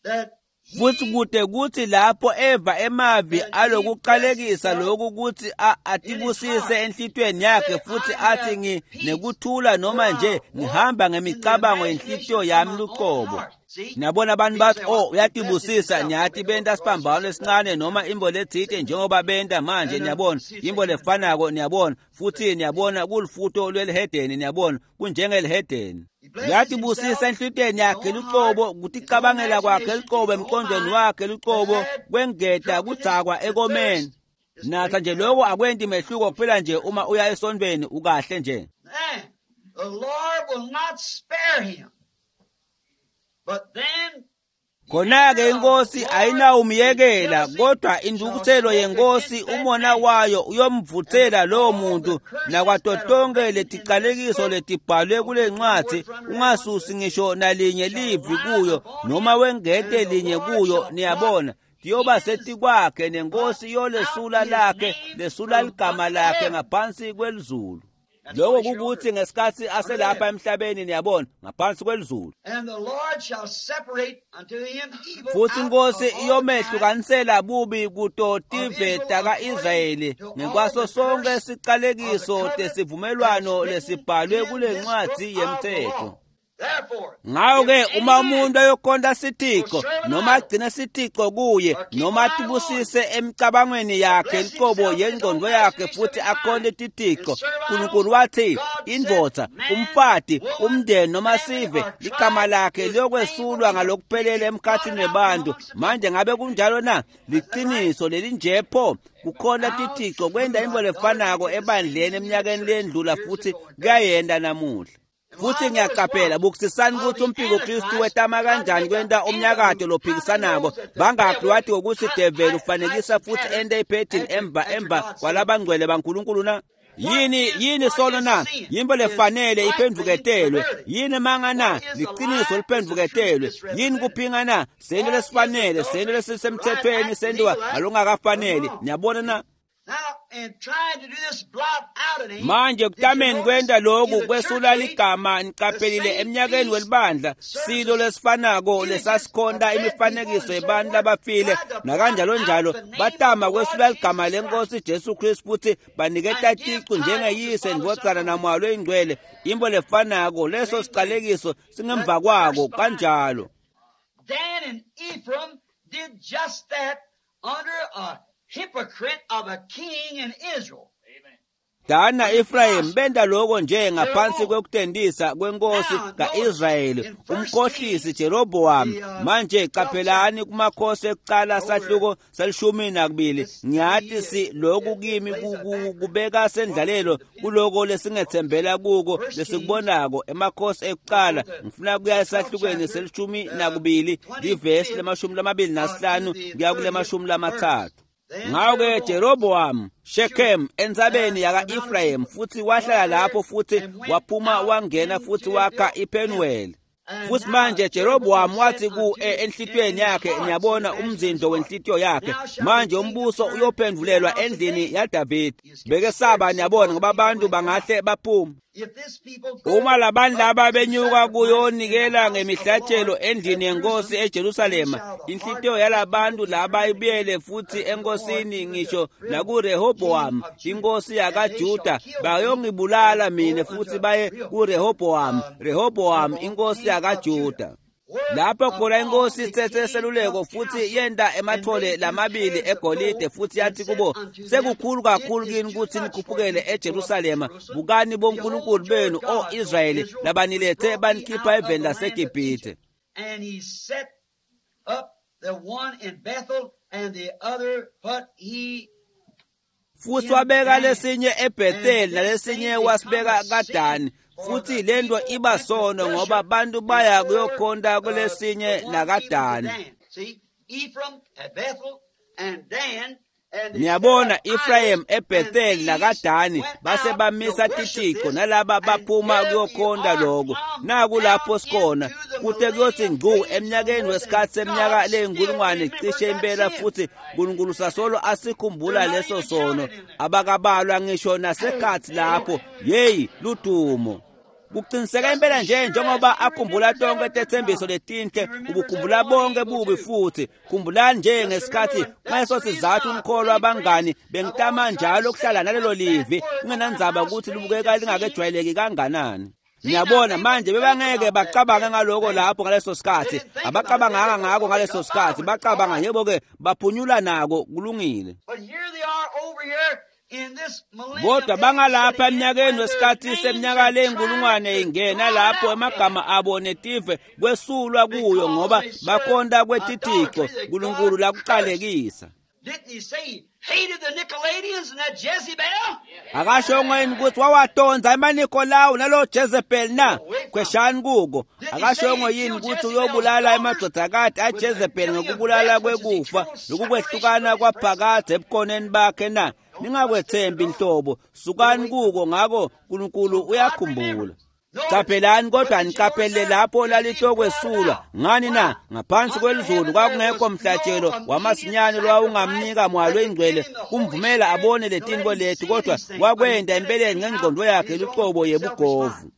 that Futhi he kude kuthi lapho eva emavi that he bless alokuqalekisa himself lokhu kuthi a- in his atibusise heart, enhlitiyweni yakhe say, futhi I athi have ngi peace, nekuthula for noma I nje walk ngihamba in the ngemicabango imagination yenhlitiyo of yami my own luqobo. heart. See? Niyabona abantu People bathi say, oh well, he blesses uyatibusisa, himself. niyati Make a benta little cross siphambano or something. lesincane noma imvo letsite njengoba benta manje, And uh, niyabona see, imvo lefanako, niyabona futhi niyabona kulufuto lwelihedeni, niyabona kunjengelihedeni. He blesses Uyatibusisa himself enhlitiyweni in his yakhe own luqobo, heart, his own kuticabangela kwakhe imagination, luqobo, his own emqondweni mind, wakhe to luqobo, add kwengeta drunkenness kudzakwa to ekomeni. thirst. Just Natha drink nje that. lokho akwenti mehluko kuphela nje uma uya esontweni ukahle nje. Then the Lord will not spare him. But then Khona-ke inkosi ayinawumyekela, kodwa intukuthelo yenkosi umona wayo uyomvuthela lowo muntu nakwato tonke leticalekiso letibhalwe kule ncwadi, ungasusi ngisho nalinye livi kuyo noma wengete linye kuyo. Niyabona, tiyoba setikwakhe nenkosi iyolesula lakhe lesula ligama lakhe ngaphansi kwelizulu. Lokho kukuthi ngesikhathi aselapha emhlabeni, niyabona, ngaphansi kwelizulu. Futhi inkosi iyomehlukanisela bubi kuto tive taka-Israyeli ngekwaso sonke sicalekiso tesivumelwano lesibhalwe kule ncwadi yemthetho. Ngawo-ke uma umuntu ayokhonta sitixo noma agcine sitixo kuye noma atibusise emicabangweni yakhe liqobo yengqondo yakhe futhi akhonte titixo, uNkulunkulu wathi indvodza, umfati, umndeni noma sive ligama lakhe liyokwesulwa ngalokuphelele emkhathini webantu. Manje ngabe kunjalo na? Liqiniso lelinje pho kukhona titixo kwenda into lefanako ebandleni eminyakeni lendlula futhi kuyayenda namuhla. Futhi ngiyaqaphela bukisisani ukuthi umpiko Kristu wetama kanjani kwenta umnyakato lophikisanako. Bangakhi wathi ukuthi devil ufanekisa futhi ente iphethini emva emva kwalabangcwele baNkulunkulu na? Yini yini sono na? Yimbo lefanele iphendvuketelwe. Yini manga na? Liqiniso liphendvuketelwe. Yini kuphinga na? Sento lesifanele, sento lesisemthethweni sentiwa ngalokungakafaneli. Niyabona na? Manje kutameni kwenta lokhu kwesula ligama niqaphelile eminyakeni welibandla silo lesifanako lesasikhonta imifanekiso yebantu labafile nakanjalo njalo batama kwesula ligama lenkosi Jesu Kristu futhi baniketa ticu njengeyise ndvodzana namoya loyingcwele. Imbo lefanako leso sicalekiso singemva kwako kanjalo. Dan and Ephraim did just that under a hypocrite of a king in Israel. Dana Ephraim benda lokho nje ngaphansi kwekutendisa kwenkosi kaIsrayeli umkhohlisi Jeroboam. Manje qaphelani kumakhosi ekuqala sahluko selishumi nakubili. Ngiyathi si lokhu kimi kubeka sendlalelo kuloko lesingethembela kuko lesikubonako emakhosi ekuqala. Ngifuna kuya esahlukweni selishumi nakubili livesi lemashumi lamabili nasihlanu kuya kulemashumi lamathathu. Ngawo-ke Jeroboam Shechem entsabeni yaka-Ephraim futhi wahlala lapho futhi waphuma wangena futhi wakha iPenuel. Futhi manje Jeroboam wathi ku enhlitiyweni yakhe, niyabona umzindo wenhlitiyo yakhe, manje umbuso uyophendvulelwa endlini yaDavid. Bekesaba, niyabona, ngoba abantu bangahle baphume. Uma labantu laba benyuka kuyonikela ngemihlatshelo endlini yenkosi eJerusalema, inhlitiyo yalabantu laba ibuyele futhi enkosini ngisho nakuRehoboam inkosi yakaJuda, bayongibulala mina futhi baye kuRehoboam, Rehoboam inkosi yakaJuda. Lapho khona inkosi ithethe seluleko futhi yenda emathole lamabili egolide futhi yathi kubo, sekukhulu kakhulu kini ukuthi nikhuphukele eJerusalema. Bukani bonkulunkulu benu, o Israyeli, labanilethe banikhipha eveni laseGibhithe. And he set up the one in Bethel and the other put he futhi wabeka lesinye eBethel nalesinye wasibeka kaDani. Futhi lento iba sono ngoba abantu baya kuyokhonta kulesinye nakadani. Niyabona, Ephraim eBethel nakadani base bamisa titixo nalaba baphuma kuyokhonta lokho. Naku lapho sikhona kute kuyothi ngcu eminyakeni wesikhathi seminyaka leyinkulungwane cishe impela futhi uNkulunkulu sasolo asikhumbula leso sono. Abakabalwa ngisho nasekhathi lapho. Yeyi ludumo. Kuqiniseka impela nje njengoba akhumbula tonke tethembiso letinhle, ubukhumbula bonke bubi futhi. Khumbulani nje ngesikhathi ngaleso sizathu umkholwa abangani bengitama njalo ukuhlala nalelo livi kungenandzaba ukuthi libukeka lingakejwayeleki kanganani. Niyabona manje bebangeke bacabange ngaloko lapho ngaleso sikhathi, abacabanganga ngako ngaleso sikhathi, bacabanga yebo ke baphunyula nako kulungile. Kodwa bangalapha eminyakeni wesikhathi seminyaka leyinkulungwane ingena lapho emagama abo netive kwesulwa kuyo ngoba bakhonta kwetitixo uNkulunkulu lakuqalekisa. Didn't he say he hated the Nicolaitans and that Jezebel? Akashongo yini ukuthi wawatonza emaNikolawu nalo Jezebel na? Kweshani kuko. Akashongo yini ukuthi uyobulala emadodakati aJezebel ngokubulala kwekufa lokukwehlukana kwaphakadze ebukhoneni bakhe na? Ningakwethembi inhlobo, sukani kuko. Ngako uNkulunkulu uyakhumbula. Qaphelani kodwa niqaphele lapho lalitokwesulwa ngani na? Ngaphansi kwelizulu kwakungekho mhlatshelo wamasinyane lowawungamnika moya loyingcwele kumvumela abone letinto leti, kodwa wakwenda empeleni ngengqondo yakhe luqobo yebugovu.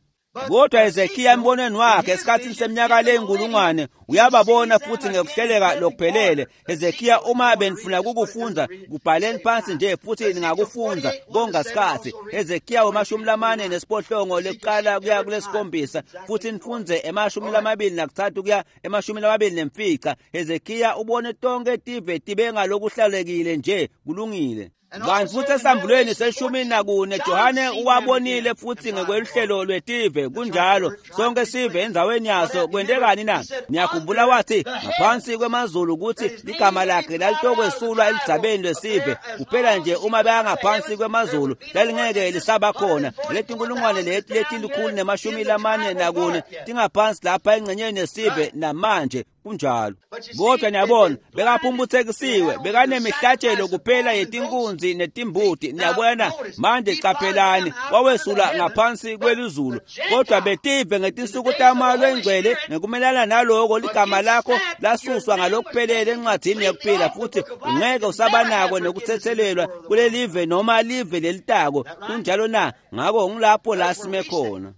Kodwa Hezekiya embonweni wakhe esikhathini seminyaka leyinkulungwane uyababona futhi ngekuhleleka lokuphelele. Hezekiya, uma benifuna kukufundza kubhaleni phansi nje futhi ningakufundza konga sikhathi. Hezekiya wemashumi lamane nesiphohlongo lekuqala kuya kulesikhombisa, futhi nifundze emashumi lamabili nakuthathu kuya emashumi lamabili nemfica. Hezekiya ubone tonke tive tibe ngalokuhlalekile nje, kulungile. Kanti futhi esambulweni seshumi nakune Johane uwabonile futhi ngekweluhlelo lwetive, kunjalo sonke sive endzaweni yaso. Kwentekani na? Niyakhumbula wathi ngaphansi kwemazulu ukuthi ligama lakhe lalitokwesulwa eludzabeni lwesive kuphela nje uma beyangaphansi kwemazulu lalingeke lisaba khona. Letinkulungwane leti letilikhulu nemashumi lamane nakune tingaphansi lapha engxenyeni yesive namanje, kunjalo. Kodwa niyabona bekaphumputhekisiwe, bekanemihlatshelo kuphela yetinkunzi netimbuti. Niyabona manje, qaphelani, wawesula ngaphansi kwelizulu. Kodwa betive ngetinsuku taMoya loyingcwele ngekumelana naloko ligama lakho lasuswa ngalokuphelele encwadzini yekuphila, futhi ungeke usabanako nekuthethelelwa kulelive noma live lelitako. Kunjalo na? Ngako ngilapho la sime khona.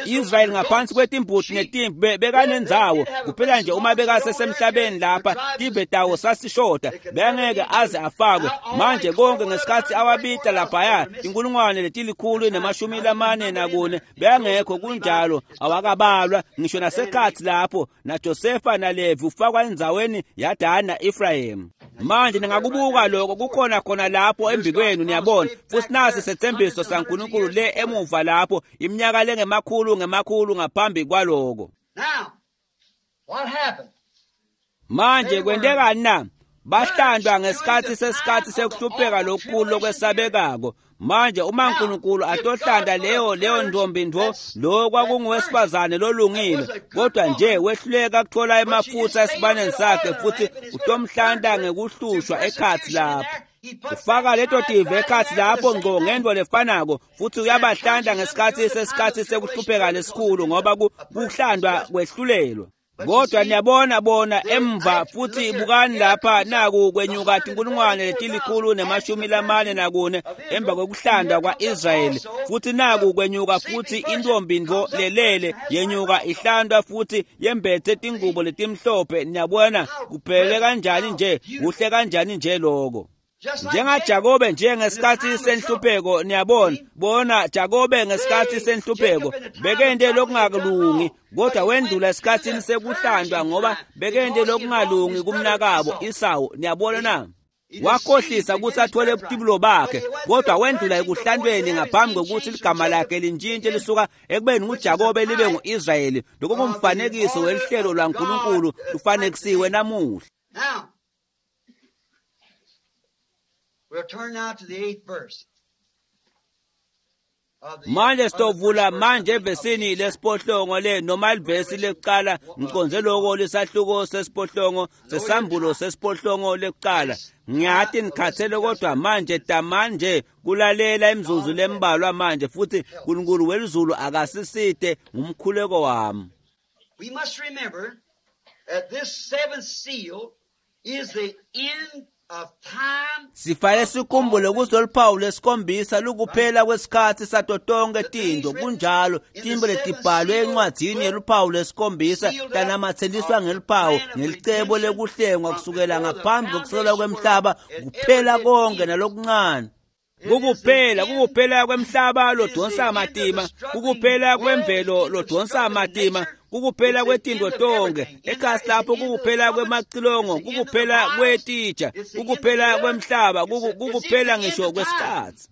Israel ngaphansi kwetimbuti netimvu bekanendzawo kuphela nje uma bekasesemhlabeni lapha tive tawo sasishoda, bengeke aze afakwe. Manje konke ngesikhathi awabita laphaya inkulungwane letilikhulu nemashumi lamane nakune bengekho, kunjalo awakabalwa ngisho nasekhathi lapho naJosefa naLevi ufakwa endzaweni yaDani na-Efrayim. Manje ningakubuka lokho kukhona khona lapho embikwenu, niyabona. Futhi nasi sethembiso saNkulunkulu le emuva lapho iminyaka lengemakhulu ngemakhulu ngaphambi kwaloko. Now, what happened? Manje kwentekani na? Bahlandwa ngesikhathi sesikhathi sekuhlupheka lokukhulu lokwesabekako. Manje uma uNkulunkulu atohlanda leyo leyo ntombi ntfo, lo kwakunguwesifazane lolungile, kodwa nje wehluleka kuthola emafutha esibaneni sakhe, futhi utomhlanda ngekuhlushwa ekhathi lapho. Ufaka leto tive ekhathi lapho ngco ngento lefanako, futhi uyabahlanda ngesikhathi sesikhathi sekuhlupheka lesikhulu, ngoba kuhlandwa kwehlulelwa. Kodwa niyabona bona emva futhi bukani lapha naku kwenyuka tinkulungwane letilikhulu nemashumi lamane nakune emva kwekuhlanda kwa-Israyeli, futhi naku kwenyuka futhi intombi ntfo lelele yenyuka ihlandwa futhi yembethe tingubo letimhlophe. Niyabona kuphele kanjani nje, kuhle kanjani nje lokho. NjengaJakobe nje ngesikhathi senhlupheko, niyabona bona Jakobe ngesikhathi senhlupheko bekente lokungakulungi, kodwa wendlula esikhathini sekuhlandwa ngoba bekente lokungalungi kumnakabo Isawu. Niyabona na? Wakhohlisa ukuthi athole ubutibulo bakhe, kodwa wendlula ekuhlandweni ngaphambi kokuthi ligama lakhe lintshintshe lisuka ekubeni nguJakobe libe ngu-Israyeli. Lokho ngumfanekiso welihlelo lwaNkulunkulu lufanekisiwe namuhla. Now, we'll turn now to the eighth verse. Manje sitovula manje evesini lesiphohlongo le noma livesi lekuqala, ngiconze loko lesahluko sesiphohlongo sesambulo sesiphohlongo lekuqala. Ngiyathi nikhathele, kodwa manje tamanje kulalela imizuzu lembalwa manje, futhi uNkulunkulu welizulu akasiside ngumkhuleko wami. We must remember that this seventh seal is the end of time. Sifanele sikhumbule ukuthi lolu lesikhombisa lukuphela kwesikhathi sato tonke tinto. Kunjalo, tintfo letibhalwe encwadzini yeluphawu lesikhombisa tanamatseliswa ngeluphawu ngelicebo lekuhlengwa kusukela ngaphambi kokusekelwa kwemhlaba, kuphela konke nalokuncane. Kukuphela, kukuphela kwemhlaba lodonsa matima, kukuphela kwemvelo lodonsa matima, kukuphela kwetinto tonke ekhasi lapho, kukuphela kwemacilongo, kukuphela kwetitsha, kukuphela kwemhlaba, kukuphela ngisho kwesikhathi.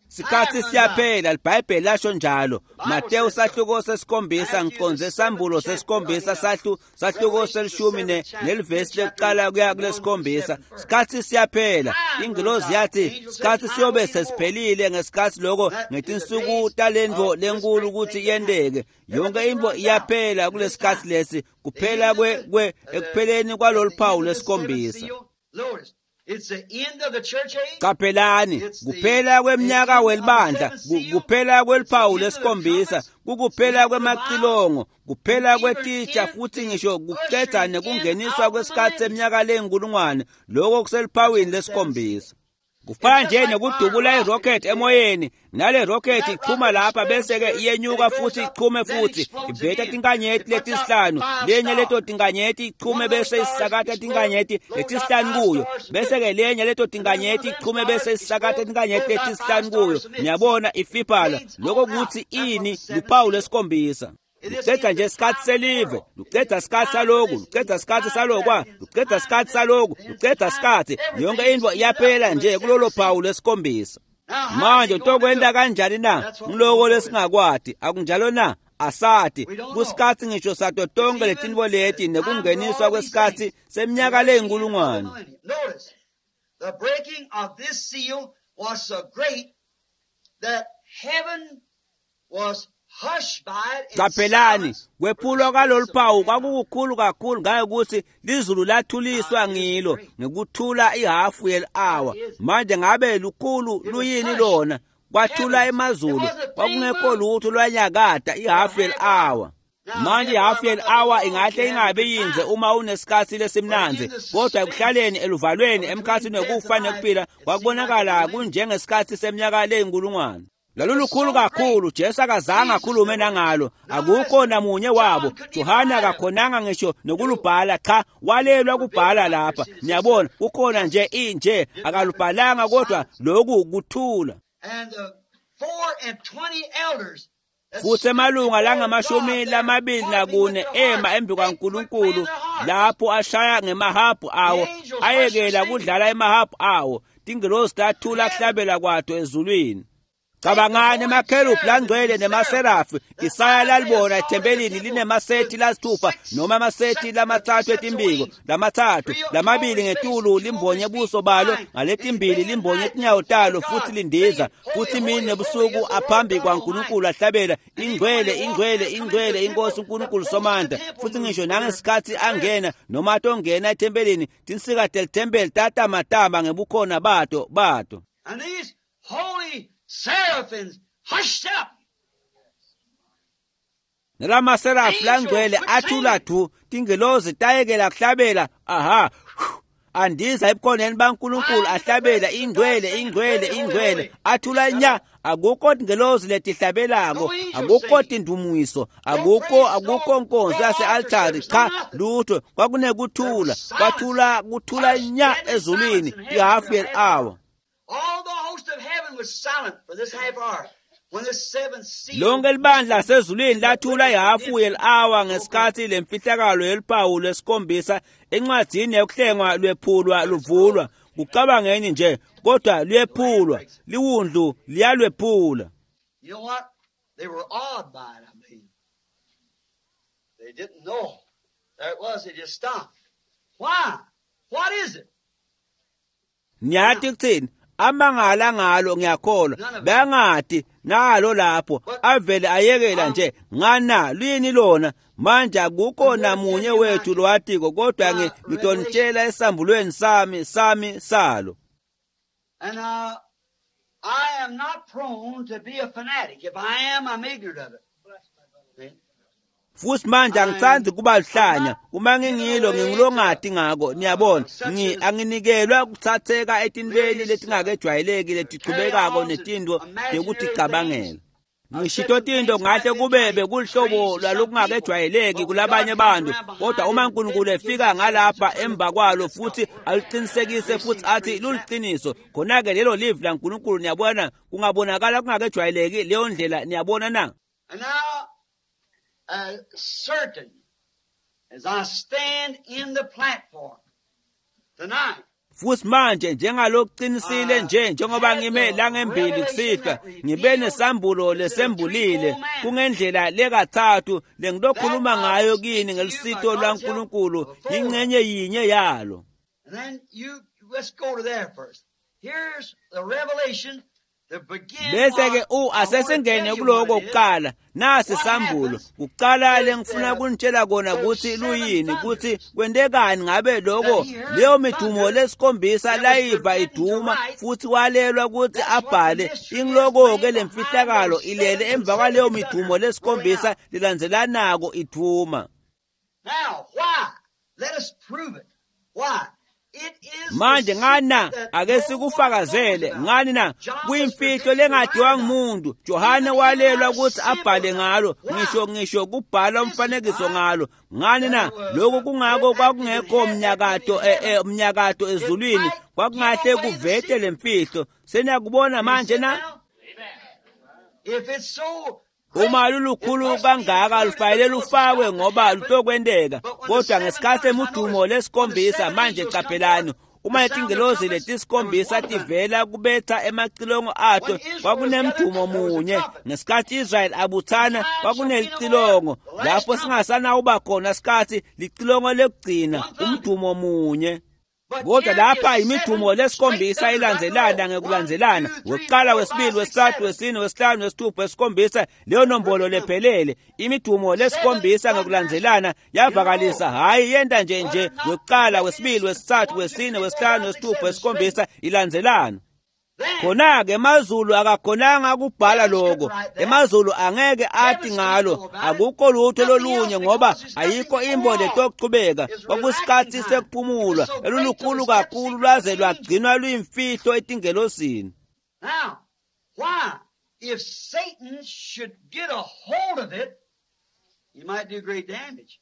Sikhatsi siyaphela, liBhayibheli lasho njalo. Mateyu sahluko sesikhombisa, ngiconze sambulo sesikhombisa sahlu sahluko selishumi ne nelivesi lekuqala kuya kulesikhombisa. Sikhatsi siyaphela. Ingilozi yathi sikhatsi siyobe sesiphelile ngesikhatsi loko ngetinsuku talentfo lenkulu kutsi yenteke. Yonke intfo iyaphela kulesikhatsi lesi, kuphela kwe kwe ekupheleni kwalolu phawu lesikhombisa. Qaphelani, kuphela kweminyaka welibandla, kuphela kweliphawu lesikhombisa, kukuphela kwemacilongo, kuphela kwetitsha futhi ngisho kucedza nekungeniswa kwesikhatsi seminyaka leyinkulungwane, lokho kuseliphawini lesikhombisa. Kufana nje nekudubula irocket emoyeni, nale rocket ichuma lapha bese ke iyenyuka futhi ichume futhi iveta tinkanyeti letisihlanu, lenye leto tinkanyeti ichume bese isakata tinkanyeti letisihlanu kuyo, bese ke lenye leto tinkanyeti ichume bese isakata tinkanyeti letisihlanu kuyo. Niyabona ifiphala lokho kuthi ini luphawu lesikhombisa. Lucedza nje isikhatsi selive, lucedza isikhatsi saloku, lucedza isikhatsi salokwa, lucedza isikhatsi saloku, lucedza isikhatsi. Yonke intfo iyaphela nje kulolo phawu lesikhombisa. Manje utokwenta kanjani na? Ngiloko lesingakwati, akunjalo na? Asati. Kusikhatsi ngisho sato tonkhe letintfo leti nekungeniswa kwesikhatsi seminyaka leyinkulungwane. The breaking of this seal was so great that heaven was Qaphelani, kwephulwa kwalolu phawu kwakukukhulu kakhulu ngayekuthi lizulu lathuliswa ngilo ngekuthula ihafu yeli-awa. Manje ngabe lukhulu luyini lona? Kwathula emazulu, kwakungekho lutho lwanyakada ihafu yeli-awa. Manje ihafu yeli-awa ingahle ingabe yinze uma unesikhatsi lesimnandzi, kodwa ekuhlaleni eluvalweni emkhatsini wekufa nekuphila kwakubonakala kunjengesikhatsi seminyaka leyinkulungwane. Lalulukhulu kakhulu, Jesu akazange akhulume nangalo, akukho namunye wabo. Johana akakhonanga ngisho nokulubhala, cha, walelwa kubhala lapha. Niyabona, kukhona nje inje akalubhalanga, kodwa lokhu kuthula. Futhi emalunga langamashumi lamabili nakune ema embi kwaNkulunkulu lapho ashaya ngemahabhu awo, ayekela kudlala emahabhu awo. Tingilosi tathula kuhlabela kwato ezulwini. Cabangani emakherubhi langcwele nemaserafi. Isaya lalibona ethempelini linemasethi lasithupha noma amasethi lamatsatfu etimbiko, lamatsatfu lamabili ngetulu limbonye buso balo, ngaletimbili limbonye tinyawo talo, futhi lindiza futhi imini nebusuku aphambi kwaNkulunkulu ahlabela ingcwele ingcwele ingcwele inkosi uNkulunkulu Somandla. Futhi ngisho nangesikhatsi angena noma atongena ethempelini, tinsika telithempeli tatamatama ngebukhona bato bato. And these holy seraphims hushed up. Nalamaserafi langcwele athula du, tingelozi tayekela kuhlabela, aha, andiza ebukhoneni baNkulunkulu ahlabela ingcwele ingcwele ingcwele, athula nya. Akukho tingelozi letihlabelako, akukho tindumiso, akukho akukho nkonzo yase-altari, cha lutho. Kwakunekuthula, kwathula kuthula nya ezulwini ihafu yeli-awa. All the host of heaven was silent for this half hour. When the seventh seal Lonke libandla lasezulwini lathula ihafu yeli-awa ngesikhatsi lemfihlakalo yeliphawu lesikhombisa encwadzini yekuhlengwa lwephulwa luvulwa. Kucabangeni nje, kodwa luyephulwa, liwundlu liyalwephula. You know what? They were awed by it, I mean. They didn't know. There it was, they just stopped. Why? What is it? Niyati kutsini? Amangala ngalo ngiyakholwa, bangati nalo lapho avele ayekela nje ngana lini lona. Manje akukho namunye wethu lowatiko, kodwa ngitonitshela esambulweni sami sami salo. And uh, I am not prone to be a fanatic. If I am, I'm ignorant of it. Futhi manje angithandi kuba luhlanya, uma ngingilo ngingilongati ngako, niyabona. Ngi anginikelwa kuthatheka etintweni letingakejwayeleki letichubekako netintfo tekuticabangela. Ngishito tinto ngahle kube bekulihlobo lwalokungakejwayeleki kulabanye abantu, kodwa uma uNkulunkulu efika ngalapha emva kwalo futhi aluqinisekise futhi athi luliqiniso, khona-ke lelo livi laNkulunkulu, niyabona, kungabonakala kungakejwayeleki leyo ndlela, niyabona na? And now, uh, certain as I stand in the platform tonight, Futhi manje njengalokuqinisile nje njengoba ngime la ngembili kusihlwa ngibe nesambulo lesembulile kungendlela lekathathu lengilokhuluma ngayo kini ngelisito lwaNkulunkulu ingcenye yinye yalo. And then you let's go to there first. Here's the revelation. Bese ke u asesingene kuloko kuqala nasi sambulo kuqala lengifuna kunitshela kona ukuthi luyini ukuthi kwentekani ngabe lokho leyo midumo lesikhombisa layiva iduma futhi walelwa ukuthi abhale ingiloko ke lemfihlakalo ilele emva kwaleyo midumo lesikhombisa lilandzelanako iduma. Now why? Let us prove it. Why? Manje ngani ake sikufakazele ngani na kuyimfihlo lengadiwa ngumuntu. Johane walelwa ukuthi abhale ngalo ngisho ngisho kubhala umfanekiso ngalo ngani na lokho kungako kwakungekho umnyakato umnyakato ezulwini kwakungahle kuvete lemfihlo. Seniyakubona manje na? Uma lulukhulu kangaka lufanele lufakwe ngoba lutokwenteka kodwa ngesikhathi emudumo lesikhombisa manje qaphelani uma letingelozi letisikhombisa tivela kubetha emacilongo ato kwakunemdumo munye. Ngesikhathi Israel abuthana kwakunelicilongo lapho singasanawuba khona sikhathi licilongo lekugcina umdumo munye. Kodwa lapha imidumo lesikhombisa ilandzelana ngekulandzelana wokuqala wesibili wesithathu wesine wesihlanu wesithupha wesikhombisa leyo nombolo lephelele imidumo lesikhombisa ngekulandzelana yavakalisa hayi yenta nje nje wokuqala wesibili wesithathu wesine wesihlanu wesithupha wesikhombisa ilandzelana. Khona-ke emazulu akakhonanga ukubhala lokho emazulu angeke athi ngalo akukho lutho lolunye ngoba ayikho imbo letokuchubeka kwakusikhathi sekuphumulwa elulukhulu kakhulu lwaze lwagcinwa luyimfihlo etingelosini. Now why if Satan should get a hold of it he might do great damage.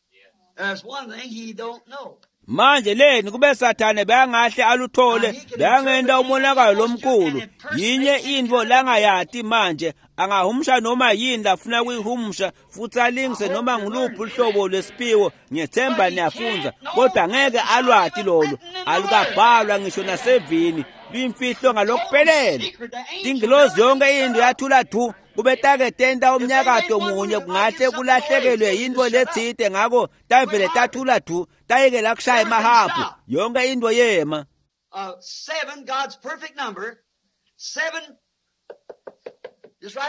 There's one thing he don't know. Manje leni kube Sathane beyangahle aluthole beyangenta umonakalo lomkhulu yinye into langayati manje angahumsha noma yini lafuna kuyihumsha futhi alingise noma nguluphi uhlobo lwesiphiwo. Ngiyethemba niyafunza kodwa ngeke alwati lolo alukabhalwa ngisho nasevini luyimfihlo ngalokuphelele. Tingilozi yonke into yathula du kube take tenta umnyakato munye kungahle kulahlekelwe yinto letsite ngako tavele tathula du tayekela kushaya emahabhu yonke into yema. Uh, seven, God's perfect number. Seven.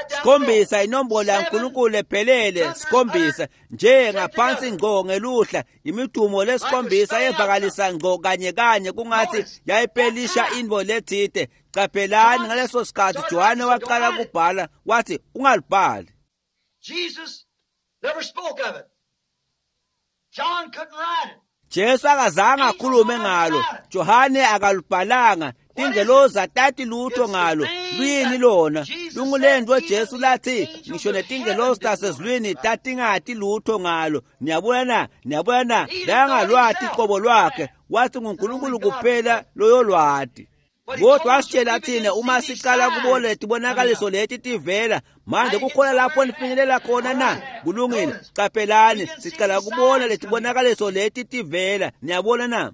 Sikhombisa inombolo yaNkulunkulu ephelele sikhombisa nje ngaphansi ngqo ngeluhla imidumo lesikhombisa yevakalisa ngqo kanye kanye kungathi yayipelisha into letsite. Qaphelani ngaleso sikhathi Johane waqala kubhala wathi ungalibhali. Jesus never spoke of it. John couldn't write it. Jesu akazange akhulume ngalo Johane akalubhalanga tingelozi atati lutho ngalo luyini lona lungulento Jesu lathi ngisho netingelozi tasezulwini tatingati lutho ngalo. Niyabona na niyabona na langalwati iqobo lwakhe wathi nguNkulunkulu kuphela loyolwati. Kodwa wasitshela thina uma siqala kubona letibonakaliso leti tivela manje kukhona lapho nifinyelela khona na kulungile. Qaphelani siqala kubona letibonakaliso leti tivela niyabona na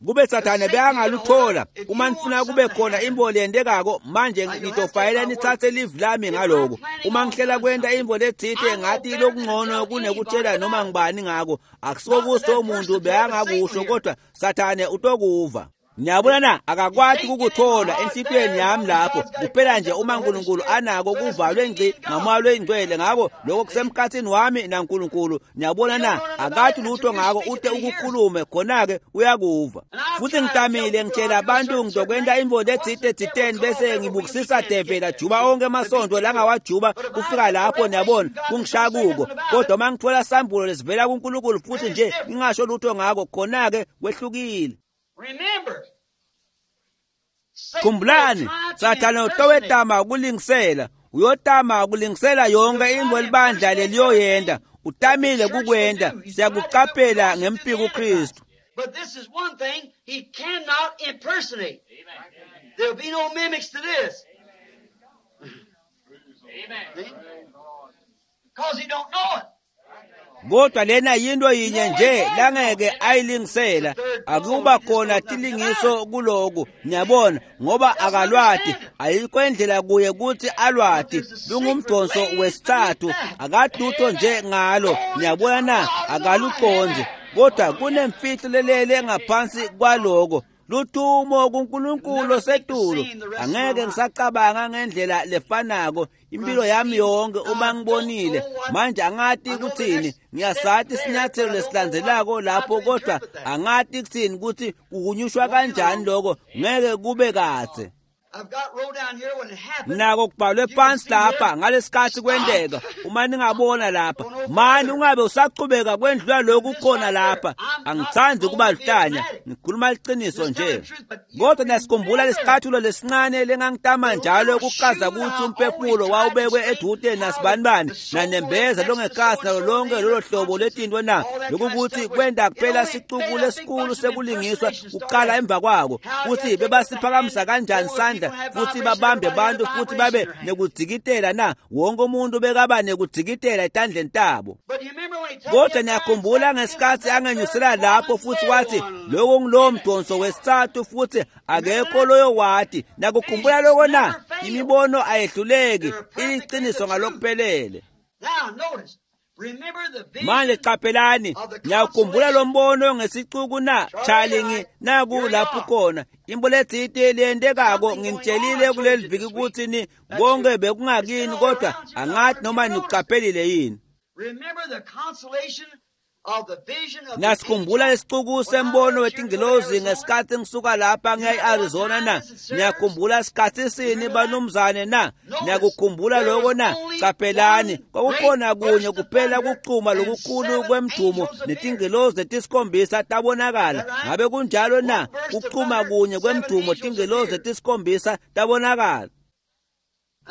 kube Sathane beyangaluthola uma nifuna kube khona imbo leyendekako manje ngitofayela nithathe live lami ngaloko uma ngihlela kwenta imbo letsite ngathi lokungcono kunekutshela noma ngibani ngako akusikokuso umuntu beyangakusho kodwa Sathane utokuva. Niyabona na akakwati ukukuthola enhlitiyweni yami lapho kuphela nje uma uNkulunkulu anako kuvalwe ngci ngamoya lwengcwele ngako lokho kusemkhathini wami naNkulunkulu. Niyabona na akathi lutho ngako ute ukukhulume khona-ke uyakuva. Futhi ngitamile ngitshela abantu ngizokwenta imbo letsite tsiteni bese ngibukisisa devela juba onke amasonto langawajuba kufika lapho niyabona kungishaya kuko kodwa uma ngithola sambulo lesivela kuNkulunkulu futhi nje ngingasho lutho ngako khona-ke kwehlukile. Remember, Khumbulani Sathane utowetama ukulingisela uyotama ukulingisela yonke imbo libandla leliyoyenda utamile kukwenda siyakuqaphela ngempiko uKristu. But this is one thing he cannot impersonate. There'll be no mimics to this. Amen. Because he don't know it. Kodwa lena yinto yinye nje langeke ayilingisela, akuba khona tilingiso kuloku, niyabona, ngoba akalwati, ayikho indlela kuye kutsi alwati. Lungumdonso wesitsatfu, akadutho nje ngalo, niyabona na, akalucondzi. Kodwa kunemfihlo lelele ngaphansi kwaloko. Lutumo kuNkulunkulu osetulu. Angeke ngisacabanga ngendlela lefanako impilo yami yonke uma ngibonile. Manje angati kutsini, ngiyasati isinyathelo lesilandzelako lapho, kodwa angati kutsini kutsi kuhunyushwa kanjani lokho, ngeke kube kadze. Nako kubhalwe phansi lapha ngalesikhatsi kwenteka, uma ningabona lapha mani ungabe usachubeka kwendlula lokhu khona lapha. Angithandi kuba luhlanya, ngikhuluma liciniso nje. Kodwa niyasikhumbula lesicathulo lesincane lengangitama njalo ukuchaza kutsi umphefumulo wawubekwe edude nasibanibani nanembeza longekasi nalo lonke lolo hlobo letinto na, lokukuthi kwenta kuphela sicuku lesikhulu sekulingiswa kuqala emva kwako, kutsi bebasiphakamisa kanjani sandla futhi babambe bantu futhi babe nekudzikitela na, wonke umuntu bekaba nekudzikitela etandleni tabo. Kodwa niyakhumbula ngesikhatsi angenyusela lapho futhi wathi lokho ngulowo mdonso wesitsatfu futhi akekho loyo wati. Nakukhumbula lokho na? Imibono ayehluleki, iliciniso ngalokuphelele. Manje qaphelani, ngiyakhumbula lo mbono ngesicuku na, Charlie, naku lapho khona imbo letsite leyentekako. Nginitshelile kuleli viki kutsi ni konke bekungakini, kodwa angathi noma nikuqaphelile yini. Nasikhumbula lesicuku sembono wetingilozi ngesikhatsi ngisuka lapha ngiya e-Arizona na? Niyakhumbula sikhatsi sini banumzane na? Niyakukhumbula lokho na? Caphelani, kwakukhona kunye kuphela kuchuma lokukhulu kwemdumo netingilozi letisikhombisa tabonakala. Ngabe kunjalo na? Kuchuma kunye kwemdumo, tingilozi letisikhombisa tabonakala.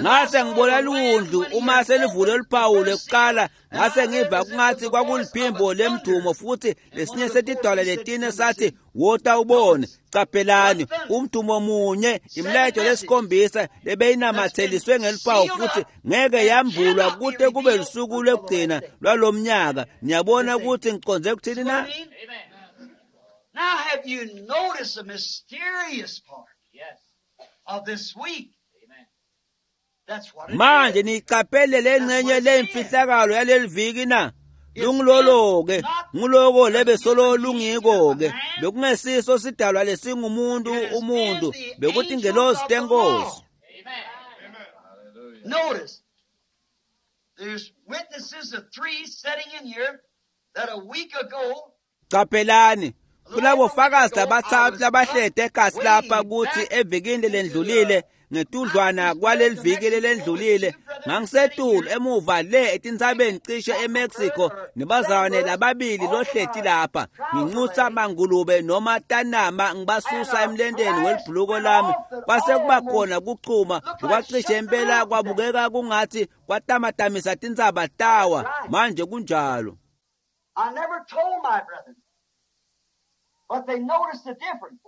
Ngase ngibona lundlu uma selivule luphawu lekuqala, ngase ngiva kungathi kwakuliphimbo lemdumo futhi lesinye setidwala letine sathi wota ubone. Caphelani, umdumo munye, imilayeto lesikhombisa lebeyinamatheliswe ngeluphawu futhi ngeke yambulwa kute kube lusuku lwekugcina lwalomnyaka. Niyabona ukuthi ngicondze kuthini na? Now have you noticed the mysterious part of this week? Manje niqaphele lengcenye lemfihlakalo yaleli viki na? Lungilolo-ke, nguloko lebesolo lungiko-ke. Bekungesiso sidalwa lesingumuntu umuntu, bekuthi ingelosi tenkosi. Notice, there's witnesses of three sitting in here that a week ago. Qaphelani, kulabo fakazi labathathu labahlede ekasi lapha kuthi evikini lendlulile, ngetudlwana kwaleli viki lelendlulile, ngangisetulu emuva le etintsabeni cishe eMexico nebazalwane lababili lohleti lapha, nginxusa mangulube noma tanama ngibasusa emlenteni welibhuluko lami. Kwase kuba khona kuchuma lokwacishe impela kwabukeka kungathi kwatamatamisa tintsaba tawa. Manje kunjalo. I never told my brethren, but they noticed the difference.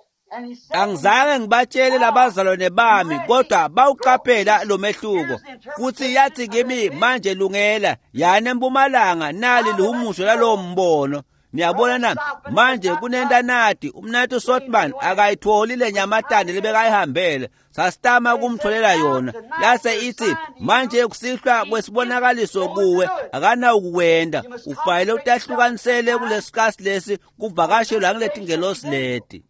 Angizange ngibatshele labazalwane bami, kodwa bawuqaphela lo mehluko. Futhi yathi kimi, manje lungela, yani empumalanga, nali lihumusho lalowo mbono. Niyabona na? Manje kunentanati, umnati Sotman akayitholi le nyamatane lebekayihambele. Sasitama kumtholela yona. Yase ithi, manje kusihlwa kwesibonakaliso kuwe, akanawukuwenda. Ufanele utahlukanisele kulesikasi lesi kuvakashelwa nguletingelosi leti.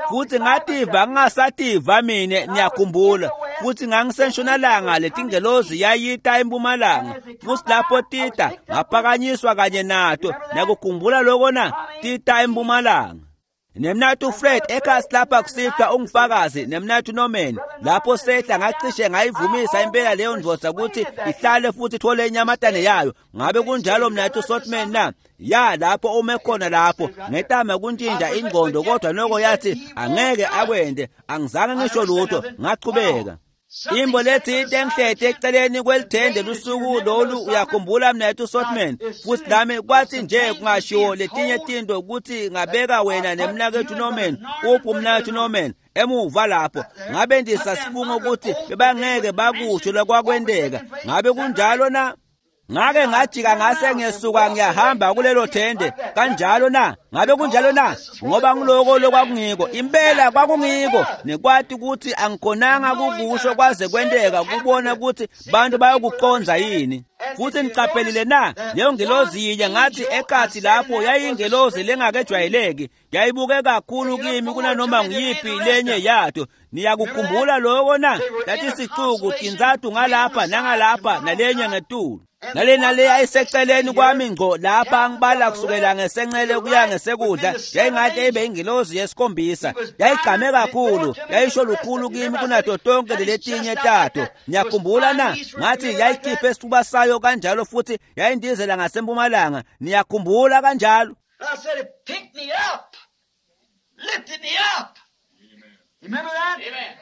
Futhi ngativa ngingasativa mine, niyakhumbula. Futhi ngangisentshonalanga, letingelozi yayita empumalanga. Futhi lapho tita ngaphakanyiswa kanye nato. Niyakukhumbula lokho na? Tita empumalanga. Nemnathu Fred ekhasi lapha kusihlwa ungifakazi, nemnathu Norman lapho sehla ngacishe ngayivumisa impela leyo ndvodza ukuthi ihlale futhi ithole inyamatane yayo. Ngabe kunjalo mnathu Sotman na? Ya, lapho ume khona lapho ngetama kuntshintsha ingqondo, kodwa noko yathi angeke akwende. Angizange ngisho lutho, ngachubeka. Imbo lethi into engihlete eceleni kwelithende lusuku lolu, uyakhumbula mnethu Sotman? Futhi nami kwathi nje kungashiwo letinye tinto ukuthi ngabeka wena nemnakethu Norman. Uphi umnakethu Norman? Emuva lapho ngabe ndisasifunga ukuthi bebangeke bakusho lokwakwenteka. Ngabe kunjalo na? Ngake ngajika ngase ngesuka ngiyahamba kulelo thende kanjalo na ngabe kunjalo na ngoba ngiloko lokwakungiko impela kwakungiko nekwati ukuthi angikhonanga kukusho kwaze kwenteka kubona ukuthi bantu bayokuqonza yini. Futhi niqaphelile na leyo ngelozi yinye ngathi ekathi lapho yayingelozi lengakejwayeleki yayibuke kakhulu kimi kunanoma nguyiphi lenye yato. Niyakukhumbula lokho na lathi sicuku tinzathu ngalapha nangalapha nalenye ngetulu nalena le ayiseceleni kwami ngco lapha ngibala kusukela ngesenxele kuya ngesekudla yayingathi ibe ingilozi yesikhombisa yayigqame kakhulu yayisho lukhulu kimi kunato tonke leletinye tato. Niyakhumbula na ngathi yayikhiphe isifuba sayo kanjalo futhi yayindizela ngasempumalanga. Niyakhumbula kanjalo. I said it picked me up, lifted me up. Remember that? Amen.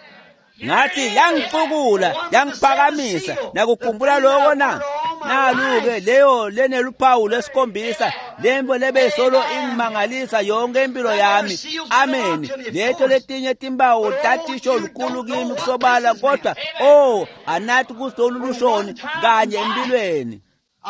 Ngathi yangixukula yangiphakamisa. Nakukhumbula lokho na naluke leyo leneluphawu lesikhombisa lembo lebesolo ingimangalisa yonke impilo yami. Amen. Leto letinye timpawu tatisho lukhulu kimi kusobala kodwa oh anathi kusolushoni kanye empilweni.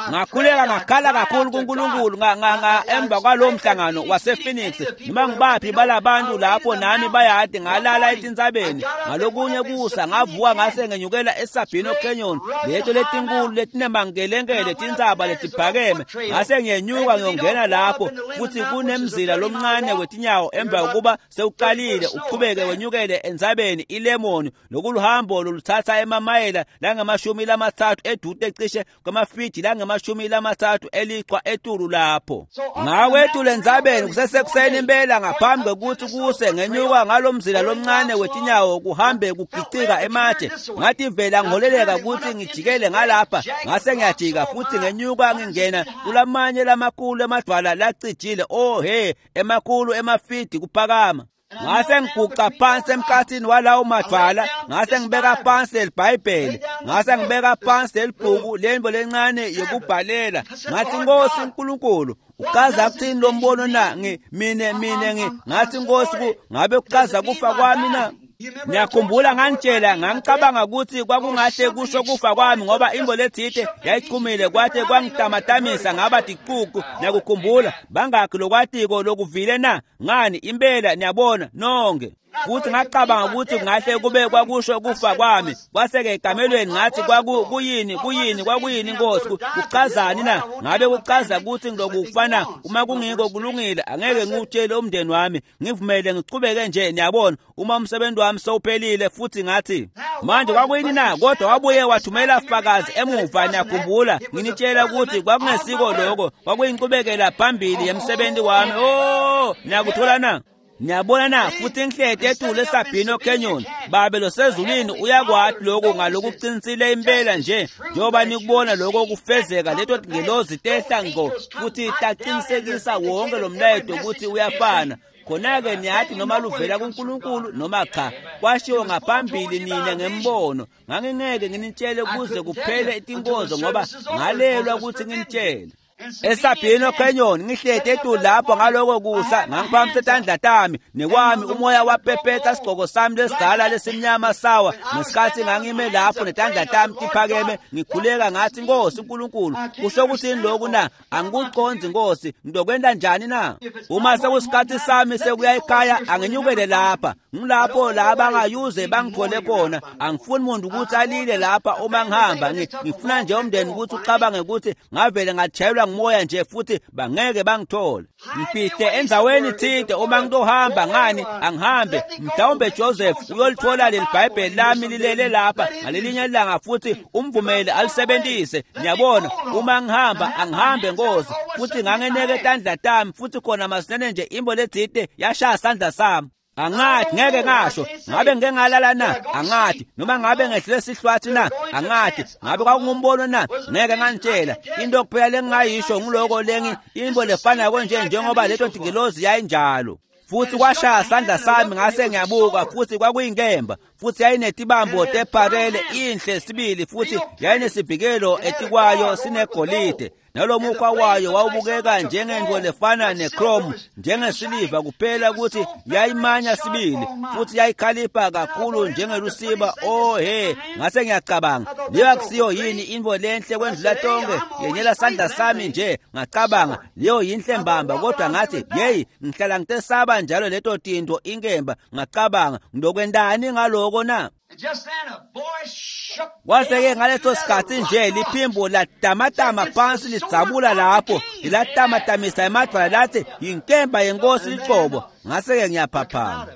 Ngakhuleka ngakhala kakhulu kuNkulunkulu nga nga emva kwalowo mhlangano wasePhoenix noma ngibaphi balabantu lapho nami bayade ngalala etintsabeni ngalokunye kusa ngavuka ngase ngenyukela eSabino Canyon leto letinkulu letinemangelengele tintsaba letiphakeme ngase ngiyenyuka ngiyongena lapho futhi kunemzila lomncane wetinyawo emva kokuba sewuqalile uqhubeke wenyukele entsabeni iLemon nokuluhambo loluthatha emamayela langamashumi lamathathu edude cishe kwamafidi ngamashumi lamathathu eliqwa etulu lapho. Ngakwethu lendzabeni kusesekuseni impela ngaphambi kokuthi kuse ngenyuka ngalomzila lomncane wetinyawo kuhambe kugicika ematshe ngathi vela ngiholeleka ukuthi ngijikele ngalapha ngase ngiyajika futhi ngenyuka ngingena kulamanye lamakhulu emadwala lacijile oh he emakhulu emafidi kuphakama. Ngase ngiguqa phansi emkhathini walawo madwala ngase ngibeka phansi leliBhayibheli ngase ngibeka phansi lelibhuku lembo lencane yokubhalela ngathi Nkosi uNkulunkulu uchaza kuthini lo mbono na ngi mine mine ngi ngathi Nkosi ngabe kuchaza kufa kwami na. Ngiyakhumbula ngantshela ngangicabanga ukuthi kwakungahle kusho kufa kwami ngoba imbo lethite yayichumile kwathe kwangitamatamisa ngaba diquku. Ngiyakukhumbula bangakhi lokwatiko lokuvile na ngani impela niyabona nonke. Futhi ngacabanga ukuthi kungahle kube kwakusho kufa kwami kwaseke ekamelweni ngathi kwaku kuyini kuyini kwakuyini Nkosi kuchazani na ngabe kuchaza ukuthi ngilokufana uma kungiko kulungile angeke ngiwutshele umndeni wami ngivumele ngiqhubeke nje niyabona uma umsebenzi wami sewuphelile. Futhi ngathi manje kwakuyini na kodwa wabuye wathumela fakazi emuva. Niyakhumbula nginitshela ukuthi kwakungesiko lokho kwakuyinkqubekela phambili yemsebenzi wami. Oh niyakuthola na niyabona na futhi ngihlete etulu eSabino Canyon babe losezulwini uyakwati lokho ngalokuqinisile impela nje njengoba nikubona lokho kufezeka leto ngelozi tehla ngqo futhi taqinisekisa wonke lo mlayeto ukuthi uyafana. Khona-ke niyathi noma luvela kuNkulunkulu noma cha kwashiwo ngaphambili nina ngembono ngangingeke nginitshele kuze kuphele itinkonzo ngoba ngalelwa ukuthi nginitshele. eSabino Canyon ngihlete etulu lapho ngaloko kusa ngangiphakamisa tandla tami nekwami umoya wapepetha sigqoko sami lesidala lesimnyama sawa ngesikhathi ngangime lapho netandla tami tiphakeme ngikhuleka ngathi Nkosi uNkulunkulu kusho ukuthini lokhu na angikuqondzi Nkosi ngizokwenta njani na uma sekusikhathi sami sekuya ekhaya anginyukele lapha ngilapho la bangayuze bangithole khona angifuni umuntu ukuthi alile lapha uma ngihamba ngifuna nje umndeni ukuthi ucabange ukuthi ngavele ngajayelwa ngumoya nje futhi bangeke bangithole ngifihle endzaweni thide uma ngitohamba ngani angihambe mhlawumbe Joseph uyolithola leli Bhayibheli lami lilele lapha ngalelinye ilanga futhi umvumele alisebenzise ngiyabona uma ngihamba angihambe Nkosi futhi ngangeneke tandla tami futhi khona masinene nje imbo lethide yashaya sandla sami angathi ngeke ngasho ngabe ngeke ngalala na angathi noma ngabe ngehlele sihlwathi na angathi ngabe kwakungumbono na ngeke ngantshela into kuphela lengingayisho ngiloko lengi imbo lefana nje njengoba leto ngilozi yayinjalo futhi kwashaya sandla sami ngase ngiyabuka futhi kwakuyinkemba futhi yayinetibambo teparele inhle sibili futhi yayinesivikelo etikwayo sinegolide Nalomukhwa wayo wawubukeka njengento lefana nechrome, njengesiliva, kuphela ukuthi yayimanya sibili, futhi yayikhalipha kakhulu njengelusiba. Oh he, ngase ngiyacabanga, leyo akusiyo yini into lenhle kwendlula tonke? Yenyela sandla sami nje. Ngacabanga, leyo yinhle mbamba, kodwa ngathi, yeyi, ngihlala ngitesaba njalo leto tinto inkemba. Ngacabanga, ngilokwentani ngaloko na? Kwase-ke ngaleso sikhathi nje liphimbo latamatama phansi lidzabula lapho, lilatamatamisa emadvwala lathi, yinkemba yenkosi licobo. Ngase-ke ngiyaphaphama.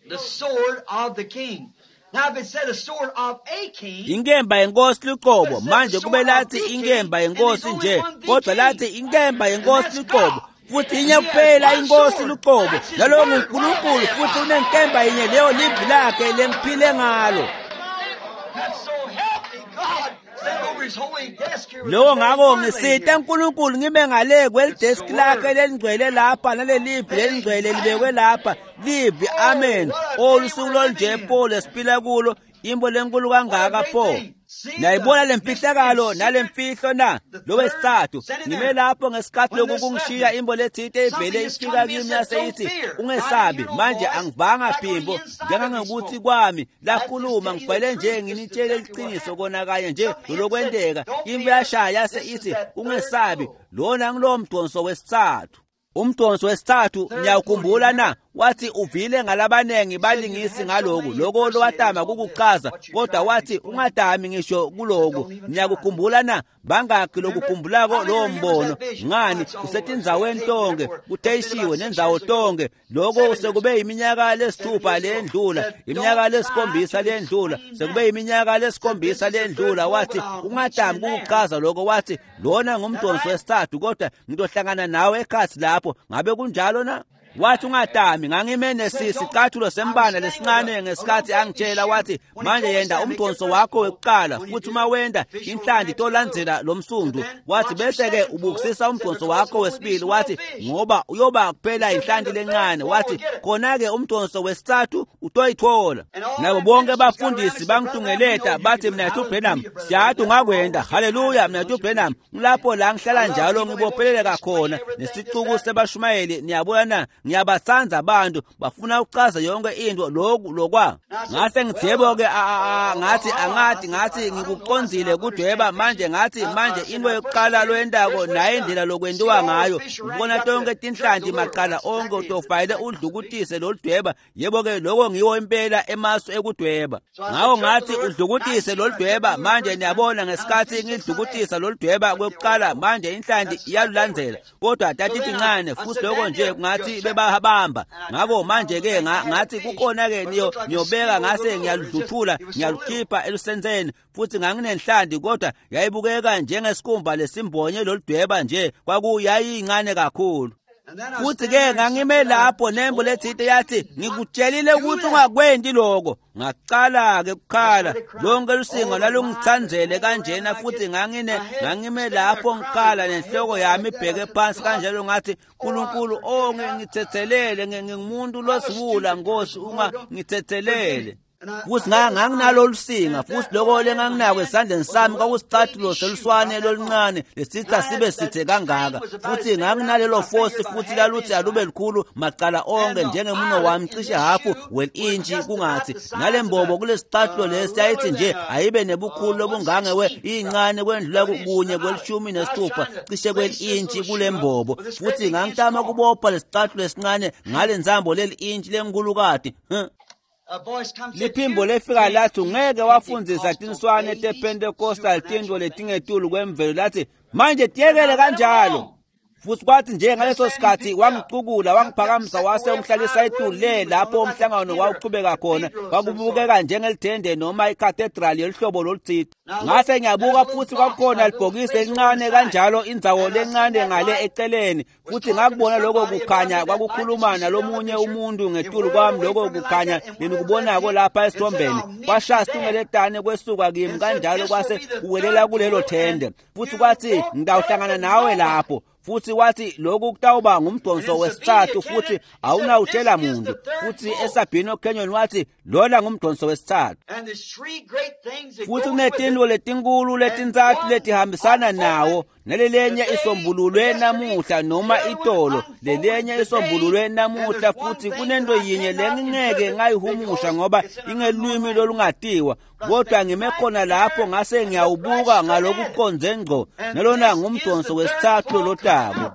The sword of the king. Now if it said a sword of a king, inkemba yenkosi licobo. Manje kube lathi inkemba yenkosi nje, kodwa lathi inkemba yenkosi licobo, futhi inye kuphela inkosi luqobo, nalowo nguNkulunkulu, futhi unenkemba yinye, leyo livi lakhe lemphile ngalo. Lowo ngako ngisita uNkulunkulu ngime ngale kwelideski lakhe lelingcwele lapha, nalelivi lelingcwele libekwe lapha, livi. Amen. Olusuku lolunje pho lesiphila kulo, imbo lenkulu kangaka pho. Niyayibona lemfihlakalo nalemfihlo na? Lo wesithathu ngime lapho ngesikhathi lokhu kungishiya imbo lethinte ivele ifika kimi yase ithi, ungesabi. Manje angivanga phimbo njengangokuthi kwami lakhuluma, ngibhale nje nginitshele iqiniso kona kanye nje lokwenteka. Imbo yashaya yase ithi, ungesabi, lona ngilowo mdonso wesithathu. Umdonso wesithathu, niyawukhumbula na? Wathi uvile ngalabanengi balingisi ngaloku, loko lowatama kukuchaza, kodwa wathi ungatami ngisho kuloku. Niyakukhumbula na? Bangakhi lokukhumbulako lowo mbono? Ngani, usetindzaweni tonke, kuteyishiwe nendzawo tonke. Loko sekube iminyaka lesithupha lendlula, iminyaka lesikhombisa lendlula, sekube iminyaka lesikhombisa lendlula. Wathi ungatami kukuchaza loko. Wathi lona ngumdonso wesithathu, kodwa ngitohlangana nawe ekhathi lapho. Ngabe kunjalo na? Wathi ungatami. Ngangime nesicathulo sembane lesincane ngesikhathi angitshela, wathi manje yenda umdonso wakho wekuqala, futhi uma wenda inhlanti tolandzela lo msundu. Wathi bese-ke ubukisisa umdonso wakho wesibili, wathi ngoba uyoba kuphela inhlanti lencane. Wathi khona-ke umdonso wesithathu utoyithola. Nabo bonke abafundisi bangitungeleta bathi, Mnathu Branham, siyati ungakwenda. Haleluya, Mnathu Branham. Ngilapho la ngihlala njalo ngibopheleleka khona nesicuku sebashumayeli. Niyabona na? Ngiyabatsandza abantu, bafuna ukuchaza yonke into lokhu lokwa. Ngase ngithi yebo-ke, ngathi angathi, ngathi ngikucondzile kudweba manje. Ngathi manje into yokuqala loyentako nayo indlela lokwentiwa ngayo, ubona tonke tinhlanti macala onke, utofayele udlukutise loludweba. Yebo-ke, loko ngiwo impela emasu ekudweba. Ngako ngathi udlukutise loludweba. Manje niyabona ngesikhathi ngidlukutisa loludweba kwekuqala, manje inhlanti iyalulandzela, kodwa tatitincane futhi loko nje kungathi bebahabamba. Ngako manje ke ngathi kukhona ke niyo niyobeka, ngase ngiyaludluthula ngiyalukhipha elusenzeni, futhi nganginenhlanti kodwa yayibukeka njengesikhumba lesimbonye loludweba nje, kwakuyayincane kakhulu. Futhi ke ngangime lapho nembo lethinte yathi, ngikutshelile ukuthi ungakwendi lokho. Ngaqala ke kukhala, lonke lusingo lalungithanzele kanjena, futhi ngangine ngangime lapho ngikhala nenhloko yami ibheke phansi kanjalo. Ngathi, uNkulunkulu, oh ngithethelele, ngingumuntu losiwula, Nkosi, ungangithethelele. Futhi nganginalolu singa, futhi lokho lenganginako esandleni sami kwakusicathulo seluswane loluncane lesitha sibe sithe kangaka. Futhi nganginalelo fosi, futhi laluthi alube likhulu macala onke njengemuno wami, cishe hafu wel-intshi kungathi. Nalembobo kulesicathulo lesi yayithi nje ayibe nebukhulu lobungange we incane kwendlula kunye kwelishumi nesithupha cishe kwel-intshi kulembobo. Futhi ngangitama kubopha lesicathulo esincane ngale nzambo leli-intshi lenkulukati. Liphimbo lefika lathi, ungeke wafundzisa tinswane tePentecostal tintfo letingetulu kwemvelo. Lathi manje tiyekele kanjalo. Futhi kwathi nje ngaleso sikhathi wangicukula wangiphakamisa wase ungihlalisa etulu le lapho umhlangano wawuqhubeka khona. Kwakubukeka njengelithende noma ikathedrali yolihlobo loluthile. Ngase ngiyabuka, futhi kwakukhona libhokisi elincane kanjalo, indzawo lencane ngale eceleni. Futhi ngakubona lokho kukhanya kwakukhuluma nalomunye umuntu ngetulu kwami, lokho kukhanya lenikubonako lapha esithombeni. Kwashaya situngeletane kwesuka kimi kanjalo kwase kuwelela kulelo thende. Futhi kwathi ngitawuhlangana nawe lapho. Futhi wathi lokhu kutawuba ngumdonso wesithathu, futhi awunawutshela muntu. Futhi eSabino Canyon wathi lona ngumdonso wesithathu. Futhi kunetinto letinkulu letintsatfu letihambisana nawo, Nalelenye isombululwe namuhla noma itolo, lelenye isombululwe namuhla futhi kunento yinye lengingeke ngayihumusha ngoba ingelwimi lolungatiwa. Kodwa ngime khona lapho ngase ngiyawubuka ngalokuqonze ngqo. Nalona ngumdonso wesithathu lotako.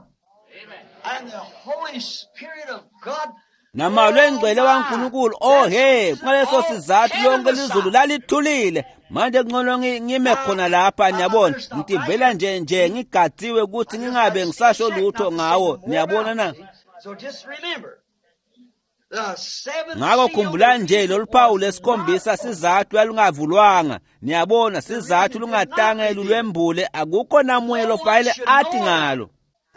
And the Holy Spirit of God Namalwe engcwele waNkulunkulu, oh he, ngaleso sizathu lonke lizulu lalithulile. Manje kungcono ngime khona lapha, niyabona, ngitivela nje nje ngigadziwe ukuthi ngingabe ngisasho lutho ngawo, niyabona na? So just remember, the seventh Ngakho seal khumbula nje lolu phawu lesikhombisa sizathu lalungavulwanga, niyabona, sizathu lungatange lulwembule, akukho namunye lofanele athi ngalo.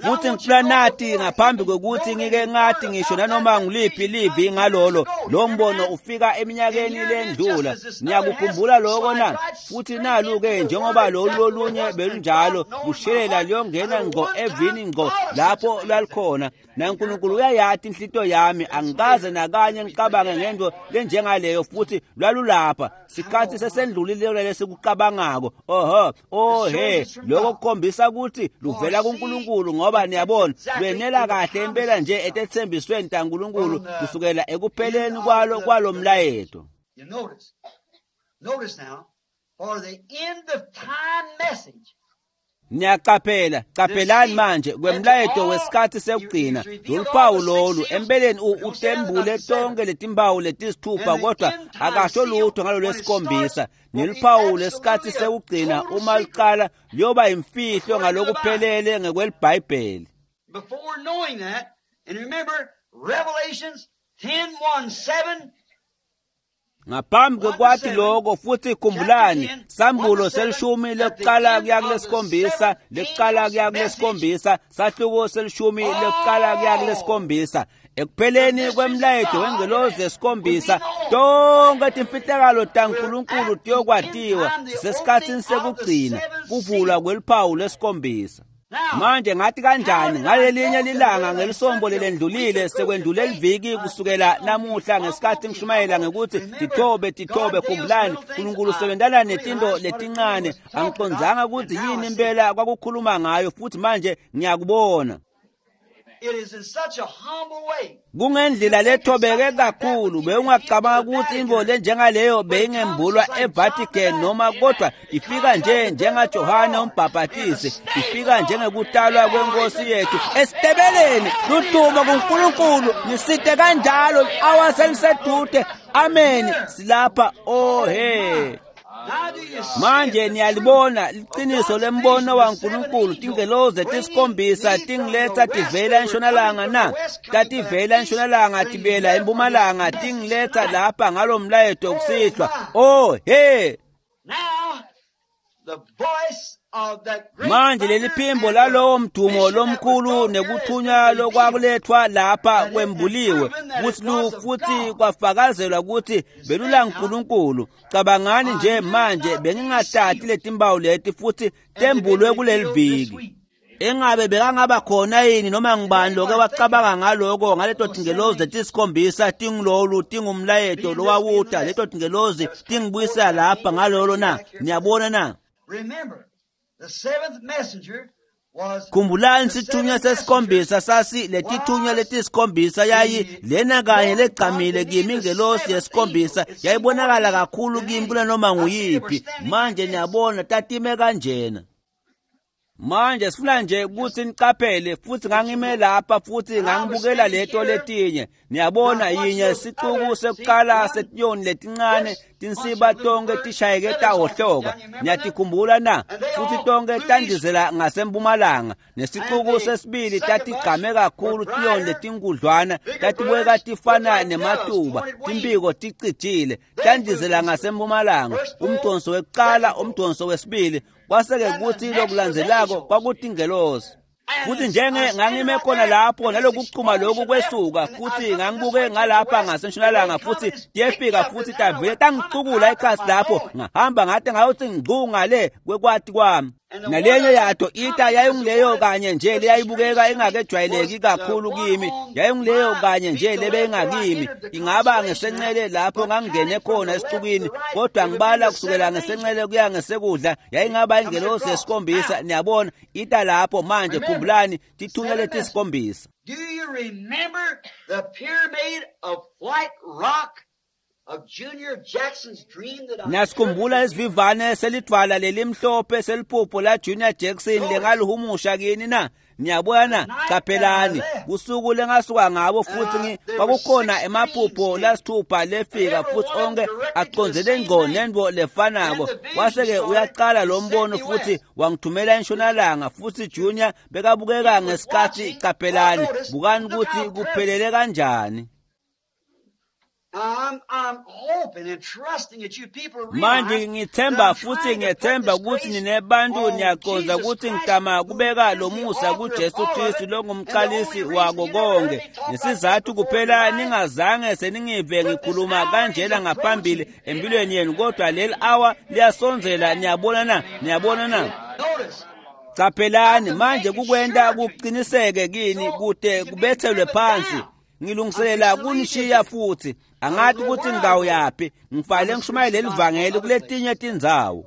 Futhi ngifuna nathi ngaphambi kokuthi ngike ngathi ngisho nanoma nguliphi livi ngalolo lo mbono ufika eminyakeni lendlula. Niyakukhumbula lokho na? Futhi nalu-ke njengoba lolu lolunye belunjalo lushelela luyongena ngqo evini ngqo lapho lwalukhona. NaNkulunkulu uyayati inhlito yami, angikaze nakanye ngicabange ngento lenjengaleyo futhi lwalulapha. Sikhathi sesendlulile lesikucabangako. Oho, oh he, lokho kukhombisa ukuthi luvela kuNkulunkulu ngoba niyabona lwenela kahle impela nje etethembisweni taNkulunkulu kusukela ekupheleni kwalo kwalomlayeto. You notice, notice now, for the end of time message, Niyaqaphela, qaphelani manje kwemlayeto wesikhathi sekugcina. Lolu phawu lolu empeleni utembule tonke letimpawu letisithupha kodwa akasho lutho ngalo lwesikhombisa. Neluphawu lesikhathi sekugcina uma luqala luyoba imfihlo ngalokuphelele ngekwelibhayibheli. before knowing that, and remember Revelations ten one seven, Ngaphambi kwekwathi lokho futhi khumbulani sambulo selishumi lekuqala kuya kulesikhombisa lekuqala kuya kulesikhombisa sahluko selishumi lekuqala kuya kulesikhombisa ekupheleni kwemlayeto wengelozi yesikhombisa tonke timfihlakalo taNkulunkulu tiyokwatiwa sisesikhatsini sekugcina kuvulwa kweliphawu lesikhombisa. Manje ngathi kanjani ngalelinye lilanga ngelisombo lelendlulile sekwendlule liviki kusukela namuhla ngesikhathi ngishumayela ngekuthi tithobe tithobe khumbulani uNkulunkulu usebenzana netinto letincane angiqondzanga ukuthi yini impela kwakukhuluma ngayo futhi manje ngiyakubona. It is in such a humble way. Kungendlela lethobeke kakhulu bewungacabanga ukuthi intfo lenjengaleyo beyingembulwa eVatican noma kodwa ifika nje njengaJohane umbhaphatisi, ifika njengekutalwa kwenkosi yethu esitebeleni. Ludumo kuNkulunkulu, nisite kanjalo awa selisedude. Amen, silapha. Oh he. Now do you see Manje the niyalibona liqiniso lembono waNkulunkulu tingelozi letisikhombisa tingiletha tivela entshonalanga na tativela entshonalanga tibela empumalanga tingiletha lapha ngalomlayeto kusihlwa. Oh he. Now the voice of that great Manje leli phimbo lalowo mdumo lomkhulu nekuthunywa lokwakulethwa lapha kwembuliwe kuthi lu futhi kwafakazelwa ukuthi belula nkulunkulu. Cabangani nje manje bengingathathi letimpawu leti futhi tembulwe kuleli viki. Engabe bekangaba khona yini noma ngibani loke wacabanga ngaloko ngaleto tingelozi letisikhombisa tingilolu tingumlayeto lowawuta leto tingelozi tingibuyisela lapha ngalolo na? Niyabona na? Remember, the seventh messenger was Khumbulani sithunywa sesikhombisa sasi letithunywa letisikhombisa yayi lena kanye legcamile kimi ingelosi yesikhombisa yayibonakala kakhulu kimi kunanoma nguyiphi. Manje niyabona tatime kanjena. Manje sifuna nje ukuthi niqaphele futhi ngangime lapha futhi ngangibukela leto letinye. Niyabona yinye sixuku sekuqala setiyoni letincane tinsiba tonke tishayeke tawohloka. Niyatikhumbula na? Futhi tonke tandizela ngasempumalanga. Nesixuku sesibili tatigqame kakhulu tiyoni letinkudlwana tatibukeka tifana nematuba timpiko ticijile tandizela ngasempumalanga. Umdonso wekuqala, umdonso wesibili, kwaseke kuthi lokulandzelako kwakutingelosi. Futhi njenge ngangime khona lapho nalokuchuma lokhu kwesuka futhi ngangibuke ngalapha ngasentshonalanga futhi tiyefika futhi tavele tangicukula ikhasi lapho ngahamba ngade ngayothi ngcu ngale kwekwati kwami. Nalenye yato ita yayingileyo kanye nje leyayibukeka ingakejwayeleki kakhulu kimi, yayingileyo kanye nje lebeyingakimi. Ingaba ngesencele lapho ngangingene khona esixukwini, kodwa ngibala kusukela ngesencele kuya ngesekudla, yayingaba ingelosi yesikhombisa. Niyabona, ita lapho manje. Khumbulani, tithunywa letisikhombisa. Do you remember the pyramid of white rock of Junior Jackson's dream that I Nasikhumbula isivivane selidvwala lelimhlophe seliphupho la Junior Jackson lengalihumusha kini na? Niyabona, qaphelani usuku lengasuka ngabo futhi kwakukhona emaphupho lasithupha lefika futhi onke acondzele ngqo nento lefanako. Wase-ke uyaqala lo mbono futhi wangithumela entshonalanga futhi Junior bekabukeka ngesikhathi. Qaphelani, bukani ukuthi kuphelele kanjani. I'm, I'm hoping and trusting that you people Manje ngithemba futhi ngiyethemba ukuthi ninebantu niyaqonda ukuthi ngitama kubeka lo musa kuJesu Kristu longumqalisi wako konke. Nesizathu kuphela ningazange seningive ngikhuluma kanjena ngaphambili empilweni yenu, kodwa leli hour liyasondzela. Niyabona na? Niyabona na? Notice. Qaphelani manje kukwenta kuqiniseke kini kude kubethelwe phansi. Ngilungiselela kunishiya futhi angathi ukuthi ngidawuyaphi, ngifale ngishumayele lelivangeli kuletinye tindzawo.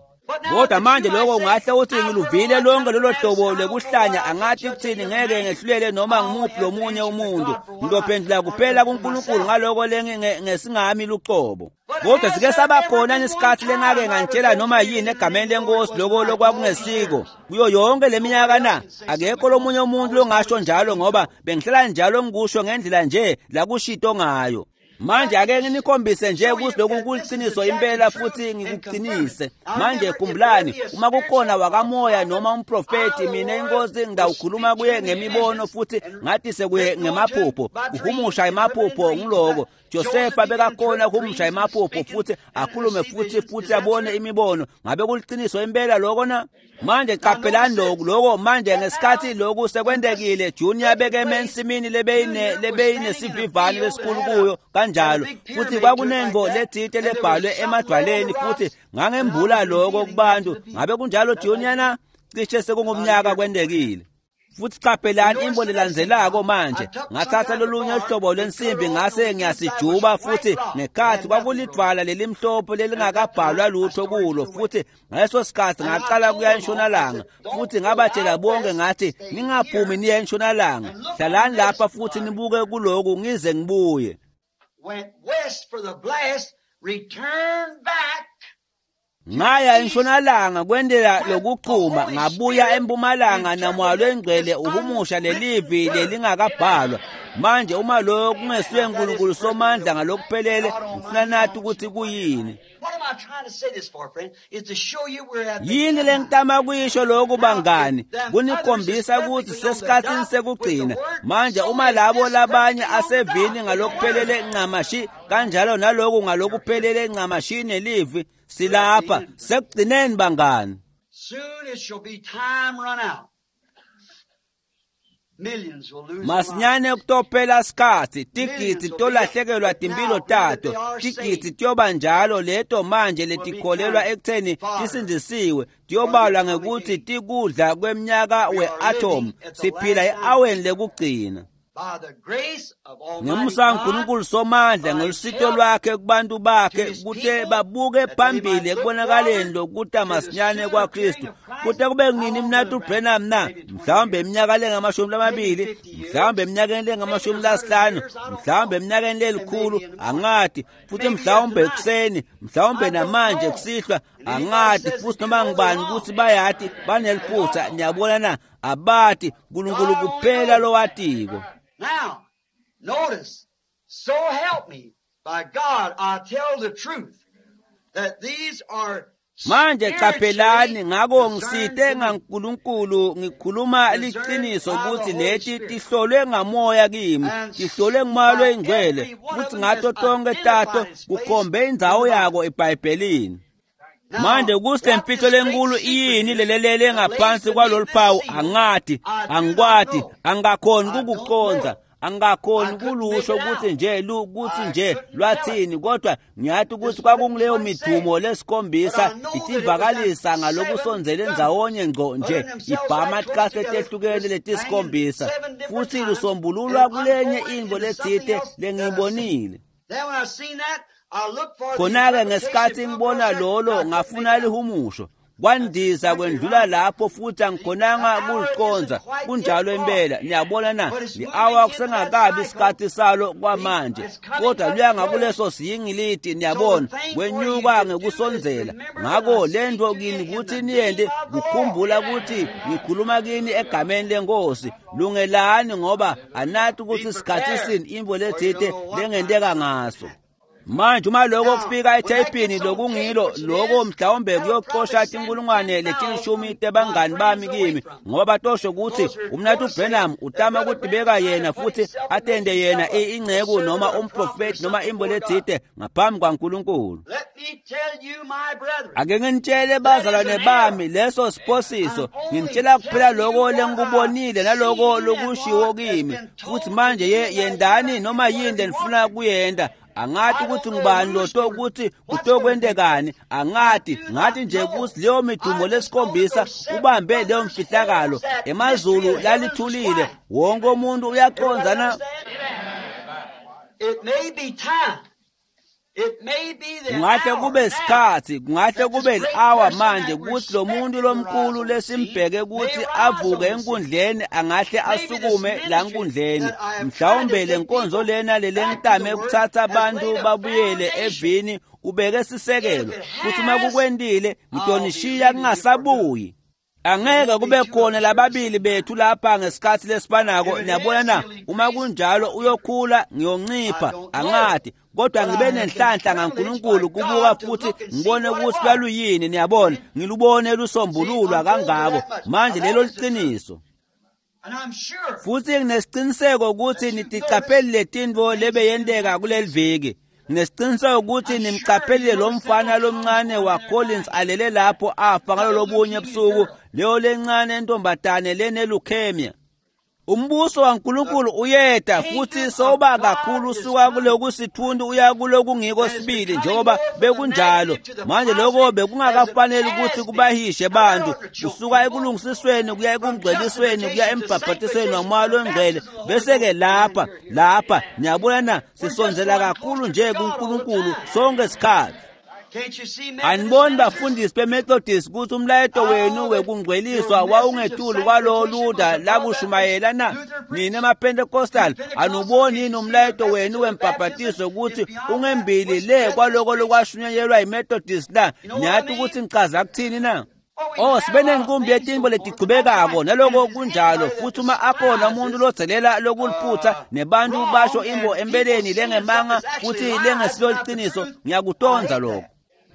Kodwa manje lokho ungahle uthi ngiluvile lonke lolo hlobo lwekuhlanya, angathi kuthini, ngeke ngehlulele noma ngimuphi lomunye umuntu. Ngizophendula kuphela kuNkulunkulu ngaloko ngesingami luqobo. Kodwa sike saba khona nesikhathi lengake ngantshela noma yini egameni lenkosi lokho lokwakungesiko kuyo yonke leminyaka na? Akekho lomunye umuntu longasho njalo, ngoba bengihlala njalo ngikusho ngendlela nje la kushito ngayo. Manje ake nginikhombise nje ukuthi lokhu kuliqiniso impela futhi ngikuqinise. Manje khumbulani, uma kukhona wakamoya noma umprofeti, mina inkosi ngidawukhuluma kuye ngemibono futhi ngathise kuye ngemaphupho. Kuhumusha emaphupho ngiloko. Josefa bekakhona ukuhumusha emaphupho futhi akhulume futhi futhi abone imibono. Ngabe kuliqiniso impela lokho na? Manje qaphelani lokhu lokho manje ngesikhathi lokhu sekwentekile, Junior bekeme ensimini lebeyine lebeyinesivivane lesikhulu kuyo kanjalo, futhi kwakunenvo lethite lebhalwe emadwaleni futhi ngangembula lokho kubantu. Ngabe kunjalo Junior na? Cishe sekungumnyaka kwentekile. Futhi qaphelani imbo lelandzelako manje. Ngathatha lolunye uhlobo lwensimbi ngase ngiyasijuba futhi ngekhathi kwakulidvwala lelimhlophe lelingakabhalwa lutho kulo, futhi ngaleso sikhathi ngaqala kuya entshonalanga futhi ngabatshela bonke ngathi, ningaphumi niye entshonalanga, hlalani lapha futhi nibuke kuloku ngize ngibuye. Went west for the blast, returned back. Ngaya entshonalanga kwendela lokuchuma, ngabuya empumalanga namoya lwengcwele uhumusha lelivi lelingakabhalwa. Manje uma lokho kungesuye uNkulunkulu somandla ngalokuphelele, ngifuna nathi ukuthi kuyini. What am I trying to say this for, friend? Is to show you we're at the Yini lengitama kuyisho lokhu bangani? Kunikhombisa ukuthi sesikhatsini sekugcina. Manje uma labo labanye asevini ngalokuphelele ncamashi kanjalo naloku ngalokuphelele ncamashi nelivi, silapha sekugcineni bangani. Soon it shall be time run out. Millions will lose their lives. Masinyane kutophela sikhatsi, tigidzi tolahlekelwa timpilo tato, tigidzi tiyoba njalo leto manje letikholelwa ekutheni tisindzisiwe, tiyobalwa ngekuthi tikudla kwemnyaka we-atom. Siphila e-aweni lekugcina. By the grace of Almighty Ngemusa God, kaNkulunkulu somandla ngelusito lwakhe kubantu bakhe kute babuke phambili ekubonakaleni lokuta masinyane kwaKristu. Kute kube kunini mnatu Branham na? Mhlawumbe eminyaka lengamashumi lamabili, mhlawumbe eminyakeni lengamashumi lasihlanu, mhlawumbe eminyakeni lelikhulu, angati. Futhi mhlawumbe ekuseni, mhlawumbe namanje kusihlwa, angati. Futhi noma ngibani ukuthi bayati baneliphutha. Niyabona na? Abati, uNkulunkulu kuphela lowatiko. Now, notice, so help me, by God, I tell the truth, that these are Manje qaphelani, ngako spiritually ngisite discerned ngaNkulunkulu ngikhuluma liqiniso ukuthi leti tihlolwe ngamoya kimi, tihlolwe ngumoya loyingcwele, futhi ngato tonke tato kukhombe indzawo yako eBhayibhelini. Manje ukuthi le mfihlo lenkulu iyini lelelele ngaphansi kwalolu phawu, angati, angikwati, angakhoni kukucondza. Angakhoni kulusho ukuthi nje lu kuthi nje lwathini, kodwa ngiyathi ukuthi kwakunguleyo midumo lesikhombisa itivakalisa ngalokusondzele ndzawonye ngco nje ibhama tikhatsi letehlukene letisikhombisa, futhi lusombululwa kulenye intfo letsite lengiyibonile. Khona-ke ngesikhatsi ngibona lolo ngafuna lihumusho, kwandiza kwendlula lapho futhi angikhonanga kuliconza. Kunjalo impela. Niyabona na? Li-awa kusengakabi isikhathi salo kwamanje, kodwa luya ngakuleso siyingiliti. Niyabona, kwenyuka ngekusondzela. Ngako lento kini kutsi niyente kukhumbula ukuthi ngikhuluma kini egameni lenkosi. Lungelani, ngoba anathi ukuthi sikhathi sini intfo letsite lengenteka ngaso. Manje uma lokho kufika etheyipini lokungilo lokho, mhlawumbe kuyoxosha tinkulungwane letilishumi tebangani bami kimi, ngoba batosho ukuthi umnathu Branham utama ukutibeka yena futhi atende yena inceku noma umprofeti noma imbo letsite ngaphambi kwaNkulunkulu. Ake nginitshele bazalwane bami, leso siphosiso. Nginitshela kuphela lokho lengikubonile naloko lokushiwo kimi, futhi manje yendani noma yini lenifuna kuyenda. Angathi ukuthi ngubani loto ukuthi kutokwentekani, angathi. Ngathi nje ukuthi leyo midumo lesikhombisa ubambe leyo mfihlakalo. Emazulu lalithulile, wonke umuntu uyacondzana. Kungahle kube sikhatsi, kungahle kube li-awa manje ukuthi lo muntu lomkhulu lesimbheke ukuthi avuke enkundleni angahle asukume la nkundleni. Mhlawumbe le nkonzo lena lelengitame ukuthatha abantu babuyele evini ubeke sisekelo, futhi uma kukwentile ngitonishiya kungasabuyi. Angeke kube khona lababili bethu lapha ngesikhathi lesifanako. Niyabona na? Uma kunjalo uyokhula, ngiyoncipha, angathi, kodwa ngibe nenhlanhla ngaNkulunkulu kubuka futhi ngibone ukuthi lwaluyini. Niyabona, ngilubone lusombululwa kangako. Manje lelo liqiniso, futhi nginesiqiniseko ukuthi niticapheli letintfo lebeyenteka kuleli viki. Nginesiqiniseko ukuthi nimcaphelile lo mfana lomncane waCollins alele lapho afa ngalolobunye ebusuku, leyo lencane entombatane lene-leukemia. Umbuso waNkulunkulu uyeta futhi soba kakhulu usuka kuloku sithunzi uya kulokungiko sibili njengoba bekunjalo. Manje lokho bekungakafanele ukuthi kubahishe bantu kusuka ekulungisisweni kuya ekungcwelisweni kuya embhabhatisweni wamoya longcwele, bese-ke lapha lapha niyabona na, sisondzela kakhulu nje kuNkulunkulu sonke isikhathi. Aniboni bafundisi beMethodist ukuthi umlayeto wenu wekungcweliswa wawungetulu kwalowo Luther lakushumayela na? Nina maPentecostal, anuboni yini umlayeto wenu wembhabhatiso ukuthi ungembili le kwaloko lokwashunyayelwa yiMethodist na? Niyathi ukuthi ngichaza kuthini na? Oh, sibe nenkumbi yetimbo letichubekako naloko kunjalo, futhi uma akhona umuntu lodzelela lokuliphutha nebantu basho imbo empeleni lengemanga futhi lengesilo liciniso, ngiyakutonza lokho.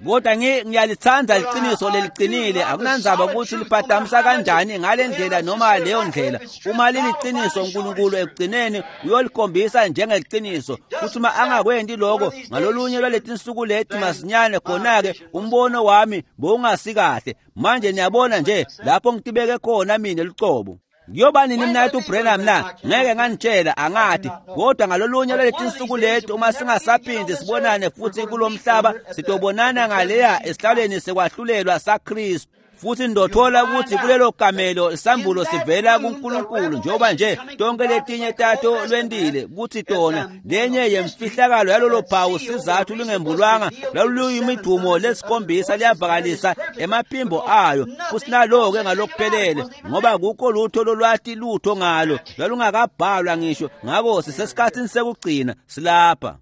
Kodwa ngiyalithanda liqiniso leliqinile, akunandzaba ukuthi liphatamisa kanjani ngale ndlela noma leyo ndlela. Uma liliqiniso, uNkulunkulu ekugcineni uyolikhombisa njengeliqiniso, futhi uma angakwenti lokho ngalolunye lwaletinsuku leti masinyane, khona-ke umbono wami bowungasikahle. Manje niyabona nje lapho ngitibeke khona mina lucobo. Kuyoba nini mnathu Branham na? Ngeke nganitshela, angathi, kodwa ngalolunye lwaletinsuku leti uma singasaphindi sibonane futhi kulomhlaba, sitobonana ngaleya esihlalweni sekwahlulelwa saKristu, futhi ndothola ukuthi kulelo kamelo isambulo sivela kuNkulunkulu njengoba nje tonke letinye tato lwendile kuthi tona lenye yemfihlakalo yalolo phawu sizathu lungembulwanga lwaluyimidumo lesikhombisa liyavakalisa emaphimbo ayo, futhi nalo-ke ngalokuphelele ngoba kukho lutho lolwati lutho ngalo lwalungakabhalwa ngisho. Ngako sisesikhathini sekugcina silapha.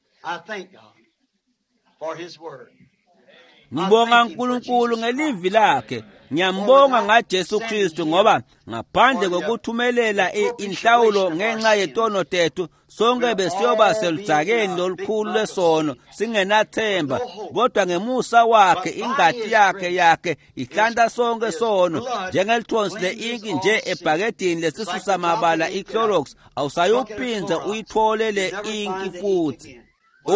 Ngibonga uNkulunkulu ngelivi lakhe. Ngiyambonga ngaJesu Kristu, ngoba ngaphandle kokuthumelela inhlawulo ngenxa yetono tethu, sonke besiyoba seludzakeni lolukhulu lwesono singenathemba, kodwa ngemusa wakhe ingati yakhe yakhe ihlanta sonke sono njengelithonsi le-inki nje ebhakedini lesisusa mabala iClorox. Awusayuphindze uyithole le inki futhi.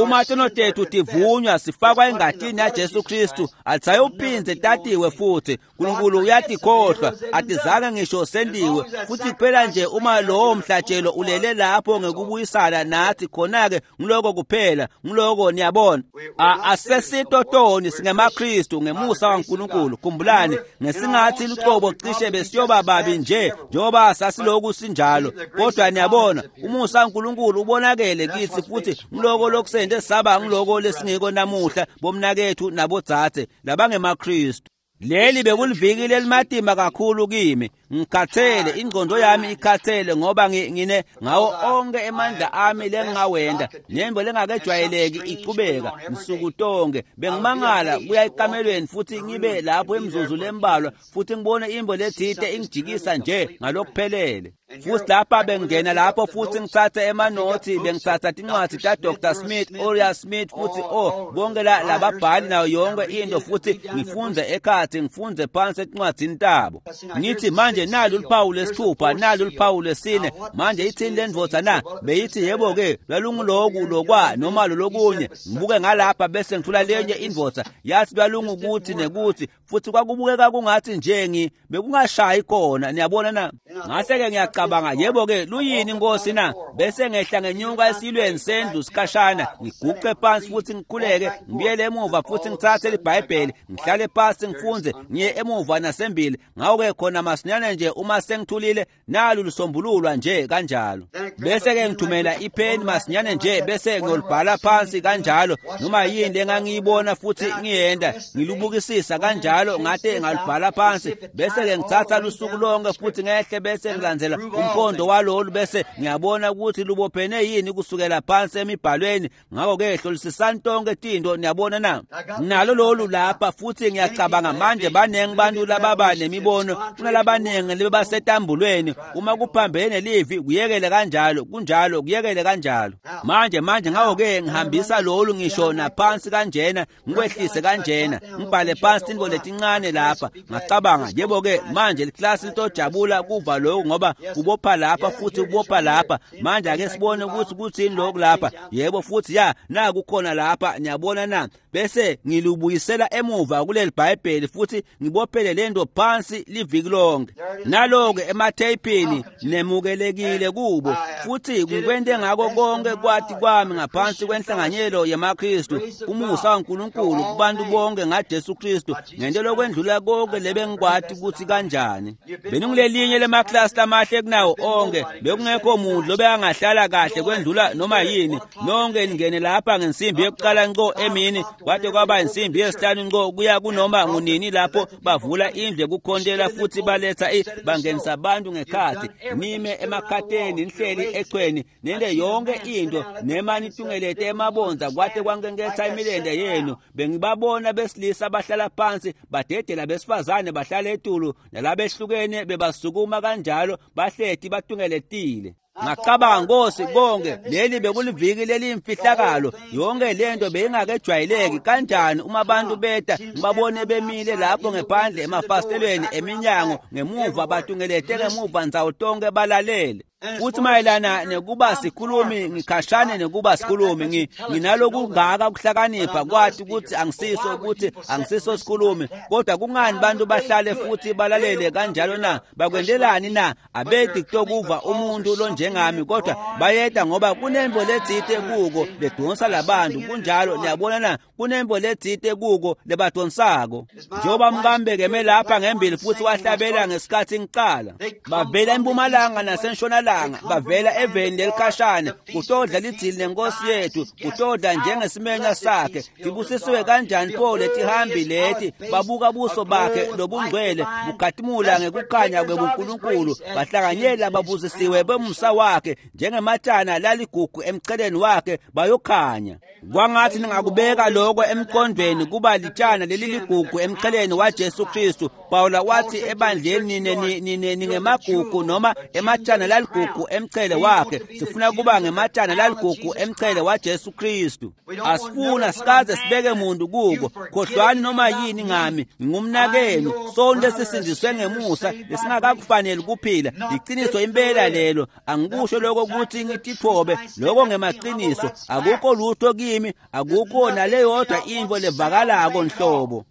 Uma tono tethu tivunywa sifakwa engatini yaJesu Kristu, alisayophinze tatiwe futhi. Nkulunkulu uyatikhohlwa, atizange ngisho sendiwe. Futhi kuphela nje uma lowo mhlatshelo ulele lapho ngekubuyisana nathi, khona-ke ngiloko kuphela, ngiloko niyabona. Asesitotoni singemaKristu ngemusa waNkulunkulu. Khumbulani, ngesingathi lucobo cishe besiyoba babi nje njengoba sasiloku sinjalo, kodwa niyabona umusa waNkulunkulu ubonakele kithi, futhi ngiloko lokusende saba ngiloko lesingiko namuhla bomnakethu nabodzadze labangemaKristu. Leli bekuliviki lelimatima kakhulu kimi. Ngikhathele, ingqondo yami ikhathele ngoba ngine ngawo onke emandla ami lengingawenda nembo lengakejwayeleki ichubeka nsuku tonke. Bengimangala kuya ekamelweni futhi ngibe lapho emzuzu lembalwa futhi ngibone imbo lethite ingijikisa nje ngalokuphelele. Futhi lapha bengena lapho futhi ngithathe emanothi, bengithatha tincwadi ta Doctor Smith, Uriah Smith, futhi oh bonke la lababhali nayo yonke into, futhi ngifunze ekhathi, ngifunze phansi etincwadzini tabo. Ngithi manje nalu luphawu lesithupha, nalu luphawu lesine. Manje ithini le ndvodza na? Beyithi yebo ke lwalunguloku lokwa noma lolokunye. Ngibuke ngalapha bese ngithola lenye indvodza yathi lwalungukuthi nekuthi, futhi kwakubukeka kungathi nje ngi bekungashayi khona, niyabona na. Ngase-ke ngiyacabanga, yebo ke luyini inkosi na? Bese ngehla ngenyuka esilweni sendlu sikhashana, ngiguqe phansi futhi ngikhuleke, ngibuyele emuva futhi ngithathe iBhayibheli, ngihlale phansi ngifunze, ngiye emuva nasembili. Ngawuke khona masinyane nje uma sengithulile, nalu lusombululwa nje kanjalo. Bese-ke ngithumela ipheni masinyane nje, bese ngiyolibhala phansi kanjalo, noma yini lengangiyibona futhi ngiyenda ngilubukisisa kanjalo, ngate ngalibhala phansi. Bese-ke ngithatha lusuku lonke futhi ngehle bese ngilandzela umkhondo walolu, bese ngiyabona ukuthi lubophene yini kusukela phansi emibhalweni. Ngakho-ke hlolisisani tonke tinto, niyabona na. Nalo lolu lapha futhi ngiyacabanga manje baningi bantu lababa nemibono kunalabaningi lebasetambulweni. Uma kuphambene nelivi kuyekele kanjalo, kunjalo kuyekele kanjalo. Manje manje ngakho-ke ngihambisa lolu ngisho naphansi kanjena, ngikwehlise kanjena, ngibhale phansi tintfo letincane lapha. Ngacabanga, yebo-ke manje liklasi litojabula kuva lokhu ngoba kubopha lapha futhi kubopha lapha. Manje ake sibone ukuthi kuthini lokhu lapha. Yebo futhi ya naku khona lapha, niyabona na. Bese ngilubuyisela emuva kuleli Bhayibheli futhi ngibophele lento phansi liviki lonke. Naloke ematheyipini nemukelekile kubo, futhi ngikwente ngako konke kwati kwami ngaphansi kwenhlanganyelo yemaKristu, umusa waNkulunkulu kubantu bonke ngaJesu Kristu, ngento lokwendlula konke lebengikwati ukuthi kanjani. Bengingulelinye lemaklasi lamahle kunawo onke, bekungekho muntu lobekangahlala kahle kwendlula noma yini. Nonke ningene lapha ngensimbi yokuqala nco emini, kwade kwaba insimbi yesihlanu nco kuya kunoma ngunini lapho bavula indlu yokukhontela futhi baletha bangenisa abantu ngekhathi. Nime emakhateni, nihleli echweni, nente yonke into, nema nitungelete emabonza kwade kwankenketha imilente yenu. Bengibabona besilisa bahlala phansi, badedela besifazane bahlala etulu, nalabehlukene bebasukuma kanjalo, bahleti batungeletile. Ngacabanga, Nkosi, konke leli bekuliviki leliyimfihlakalo, yonke lento beyingakejwayeleki. Kanjani uma abantu beta ngibabone bemile lapho ngephandle emafasitelweni eminyango ngemuva, batungelete ngemuva ndzawo tonke balalele. Futhi mayelana nekuba sikhulumi, ngikhashane nekuba sikhulumi, nginalokungaka kuhlakanipha kwathi ukuthi angisiso ukuthi angisiso sikhulumi, kodwa kungani bantu bahlale futhi balalele kanjalo na? Bakwendelani na? Abedi kutokuva umuntu lonjengami, kodwa bayeda ngoba kunembo letsite kuko ledonsa labantu. Kunjalo, niyabona na, kunembo letsite kuko lebadonsako. Njengoba mkambekeme lapha ngembili futhi wahlabela ngesikhathi ngiqala, bavela empumalanga nasentshonalanga, bavela eveni lelikhashane kutodla lidzili nenkosi yethu, kutodla njengesimenya sakhe. Tibusisiwe kanjani pho letihambi leti, babuka buso bakhe lobungcwele bukhatimula ngekukhanya kwebuNkulunkulu, bahlanganyela babusisiwe bemusa wakhe njengematshana laligugu emcheleni wakhe, bayokhanya. Kwangathi ningakubeka lokho emqondweni, kuba litshana leli ligugu emcheleni waJesu Kristu. Pawula wathi ebandleni nine nine ningemagugu noma ematshana laligugu laligugu emchele wakhe. Sifuna kuba ngematshana laligugu emchele waJesu Kristu. Asifuna sikaze sibeke muntu kuko. Khohlwani noma yini ngami, ngingumnakenu. Sonke sisindiswe ngemusa lesingakakufaneli kuphila. Iqiniso impela lelo. Angikusho lokho ukuthi ngitithobe, lokho ngemaqiniso. Akukho lutho kimi, akukho naleyodwa into levakalako nhlobo.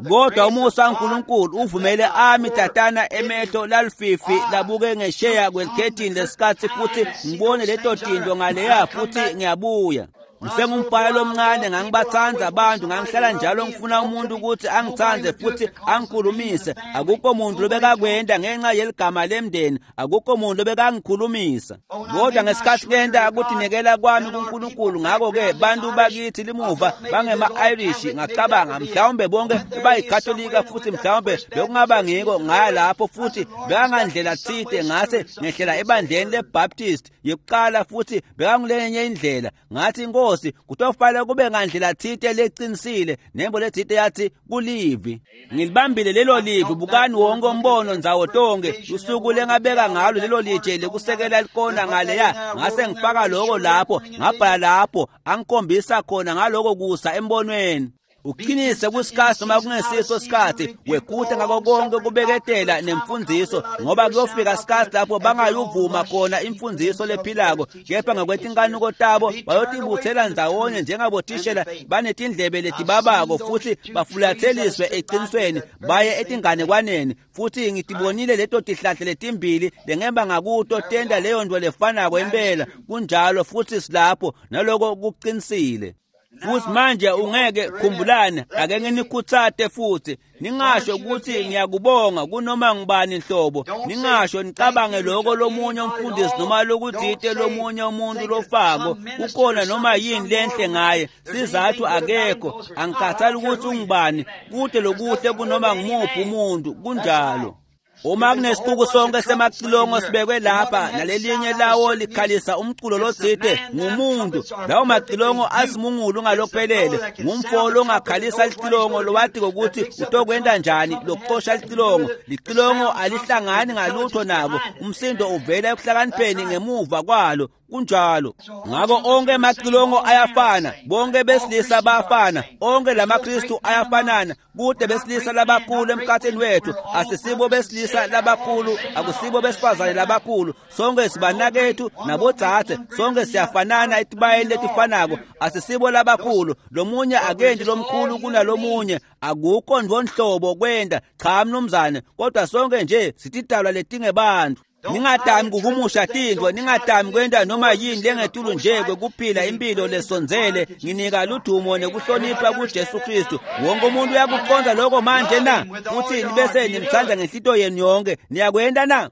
Kodwa umusa kaNkulunkulu uvumele ami tatana emehlo lalififi labuke ngesheya kwelikhethini lesikhathi futhi ngibone leto tinto ngaleya futhi ngiyabuya. Ngisengumfana lomncane ngangibathanda abantu, ngangihlala njalo ngifuna umuntu ukuthi angithande futhi angikhulumise. Akukho muntu lobekakwenda ngenxa yeligama lemndeni, akukho muntu lobekangikhulumisa. Kodwa ngesikhathi kenda ukutinikela kwami kuNkulunkulu, ngakho-ke bantu bakithi limuva bangema-Irish, ngacabanga mhlawumbe bonke bayikatolika futhi mhlawumbe bekungaba ngiko. Ngaya lapho futhi bekangandlela thide, ngase ngehlela ebandleni leBaptist yekuqala futhi bekangulenye indlela. Ngathi inkosi kutofanele kube ngandlela thite leqinisile, nembo lethite yathi kulivi. Ngilibambile lelo livi. Bukani wonke umbono ndzawo tonke usuku lengabeka ngalo lelo litshe lekusekela likona ngaleya, ngase ngifaka lokho lapho, ngabhala lapho angikhombisa khona ngaloko kusa embonweni. Uqinise kusikhathi noma kungesiso sikhathi, wekhuthe ngako konke kubeketela nemfundiso, ngoba kuyofika isikhathi lapho bangayuvuma khona imfundiso lephilako, kepha ngokwetinkanuko tabo bayotibuthela ndzawonye njengabothishela banetindlebe letibabako futhi bafulatheliswe eqinisweni baye etinganekwaneni. Futhi ngitibonile leto tihlahla letimbili lengemba ngakuto tenda leyo nto lefanako impela. Kunjalo futhi silapho naloko kuqinisile. Futhi manje ungeke khumbulane, ake nginikhuthate futhi ningasho ukuthi ngiyakubonga kunoma ngubani nhlobo. Ningasho nicabange lokho lomunye umfundisi noma lokuthite lomunye umuntu lofako kukhona noma yini lenhle ngaye. Sizathu akekho, angikhathali ukuthi ungubani, kude lokuhle kunoma ngumuphi umuntu. Kunjalo. Uma kunesixuku sonke semacilongo sibekwe lapha nalelinye lawo likhalisa umculo lothite ngumuntu, lawo macilongo asimungulu ngalokuphelele. Ngumfo longakhalisa licilongo lowati ukuthi utokwenda njani lokuxosha licilongo. Licilongo alihlangani ngalutho nabo, umsindo uvela ekuhlakanipheni ngemuva kwalo. Kunjalo. Ngakho onke amacilongo ayafana, bonke besilisa bayafana, onke lamaKristu ayafanana. Kude besilisa labakhulu emkhathini wethu, asisibo besilisa labakhulu, akusibo besifazane labakhulu. Sonke sibanakethu nabodzadze, sonke siyafanana etibayeni letifanako, asisibo labakhulu. Lomunye akendi lomkhulu kunalomunye, akukho ndvonhlobo kwenda. Cha mnumzane, kodwa sonke nje sitidalwa letingebantu. Ningatami kuhumusha tintfo, ningatami kwenta noma yini lengetulu nje kwekuphila impilo lesondzele. Nginika ludumo nekuhlonipha kuJesu Kristu. Wonke umuntu uyakuqonda lokho manje na? Futhi nibese nimthanda ngenhlito yenu yonke. Niyakwenta na?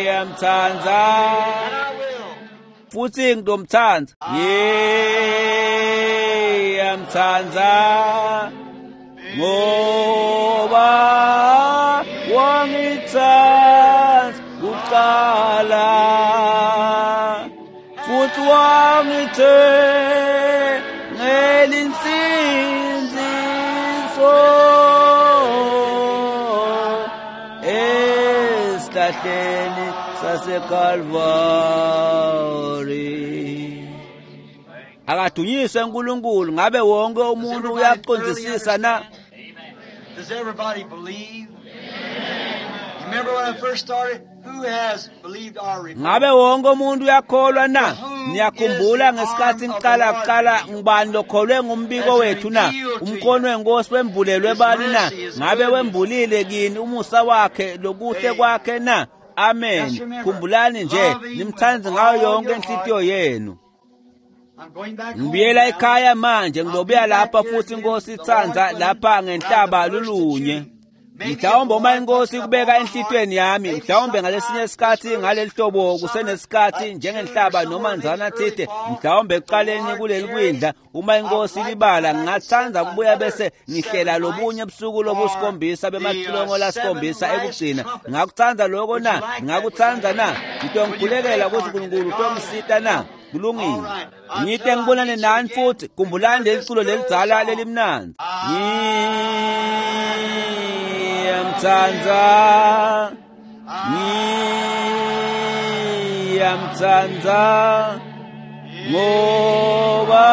Ngiyamthanda futhi ngitomthanda. Ngiyamthanda ngoba wangithanda kuqala futhi wangithengela insindiso esihlahleni saseKalvari. Akadunyiswe uNkulunkulu. Ngabe wonke umuntu uyaqondisisa na? Does everybody believe? You remember when I first started? Who has believed our report? Ngabe wonke umuntu uyakholwa na? Niyakhumbula ngesikhathi ngiqala kuqala, ngubani lokholwe ngumbiko wethu na? Umkhono wenkosi wembulelwe bani na? Ngabe wembulile kini umusa wakhe lokuhle kwakhe na? Amen. Khumbulani nje nimthande ngayo yonke inhlitiyo yenu. I'm going back home Ngibuyela now. ekhaya manje, ngilobuya lapha futhi inkosi itsandza lapha ngenhlaba lulunye. Mhlawumbe uma inkosi kubeka enhlitweni yami, mhlawumbe ngalesinye isikhathi ngaleli hlobo kusenesikhathi njengenhlaba noma nzana thide, mhlawumbe ekuqaleni kuleli kwindla, uma inkosi libala, ngingathanda ukubuya bese ngihlela lobunye busuku lobusikhombisa bemacilongo lasikhombisa ekugcina. Ngingakuthanda lokho na? Ngingakuthanda na? Ngitongikhulelela ukuthi uNkulunkulu utongisita na? Kulungile. Ngite ngibonane nani futhi. Khumbulani leli culo lelidzala lelimnandzi. Ngiyamthanda Ngiyamtsandza ngoba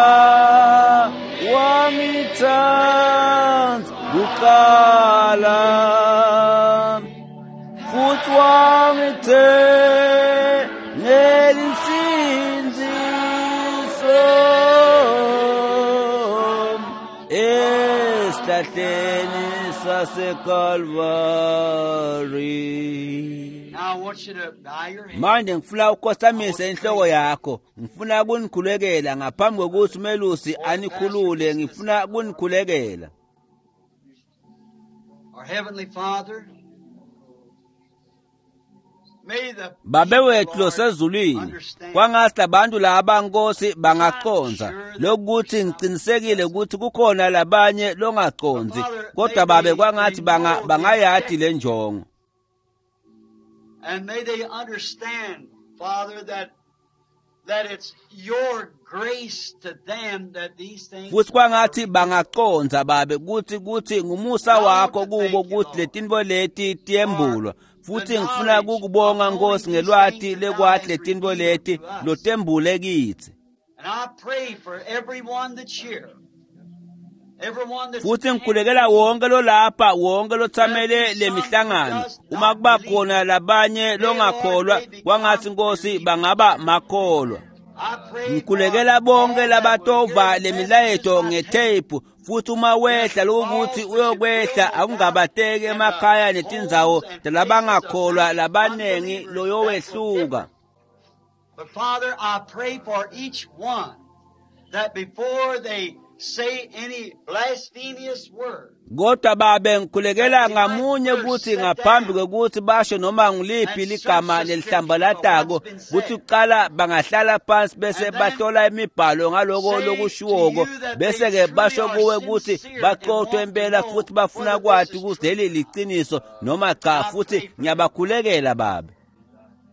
wangitsandza kuqala futhi wangithengela insindziso esihlahleni saseKalvari. Now I want you to bow your head. Manje ngifuna ukukhosamisa inhloko yakho, ngifuna kunikhulekela ngaphambi kokuthi umelusi anikhulule, ngifuna kunikhulekela. Our Heavenly Father, may the Babe people, wethu Lord, losezulwini, understand. kwangathi labantu laba Nkosi bangacondza lokuthi ngiqinisekile ukuthi kukhona labanye longacondzi, kodwa babe kwangathi banga bangayati le njongo. And may they understand, Father, that that it's your grace to them that these things Futhi kwangathi bangacondza babe kuthi kuthi ngumusa wakho kubo kuthi letintfo leti tiyembulwa. Futhi ngifuna kukubonga Nkosi ngelwati lekwathi letintfo leti lotembule kithi. And I pray for everyone that's here. Everyone that's Futhi ngikhulekela wonke lolapha, wonke lothamele lemihlangano. Uma kuba khona labanye longakholwa, kwangathi Nkosi bangaba makholwa. I pray Ngikhulekela for bonke all that will labatova hear the lemilayeto message by ngeteyipu futhi uma wehla lokuthi uyokwehla akungabateki emakhaya netindzawo talabangakholwa labanengi loyowehluka. But Father, I pray for each one that before they say any blasphemous word, Kodwa babe ngikhulekela ngamunye ukuthi ngaphambi kokuthi basho noma ngiliphi ligama lelihlambalatako kuthi kuqala bangahlala phansi bese bahlola imibhalo ngaloko lokushiwoko bese ke basho kuwe ukuthi baqothwe impela futhi bafuna kwati ukuthi leli liciniso noma cha, futhi ngiyabakhulekela babe.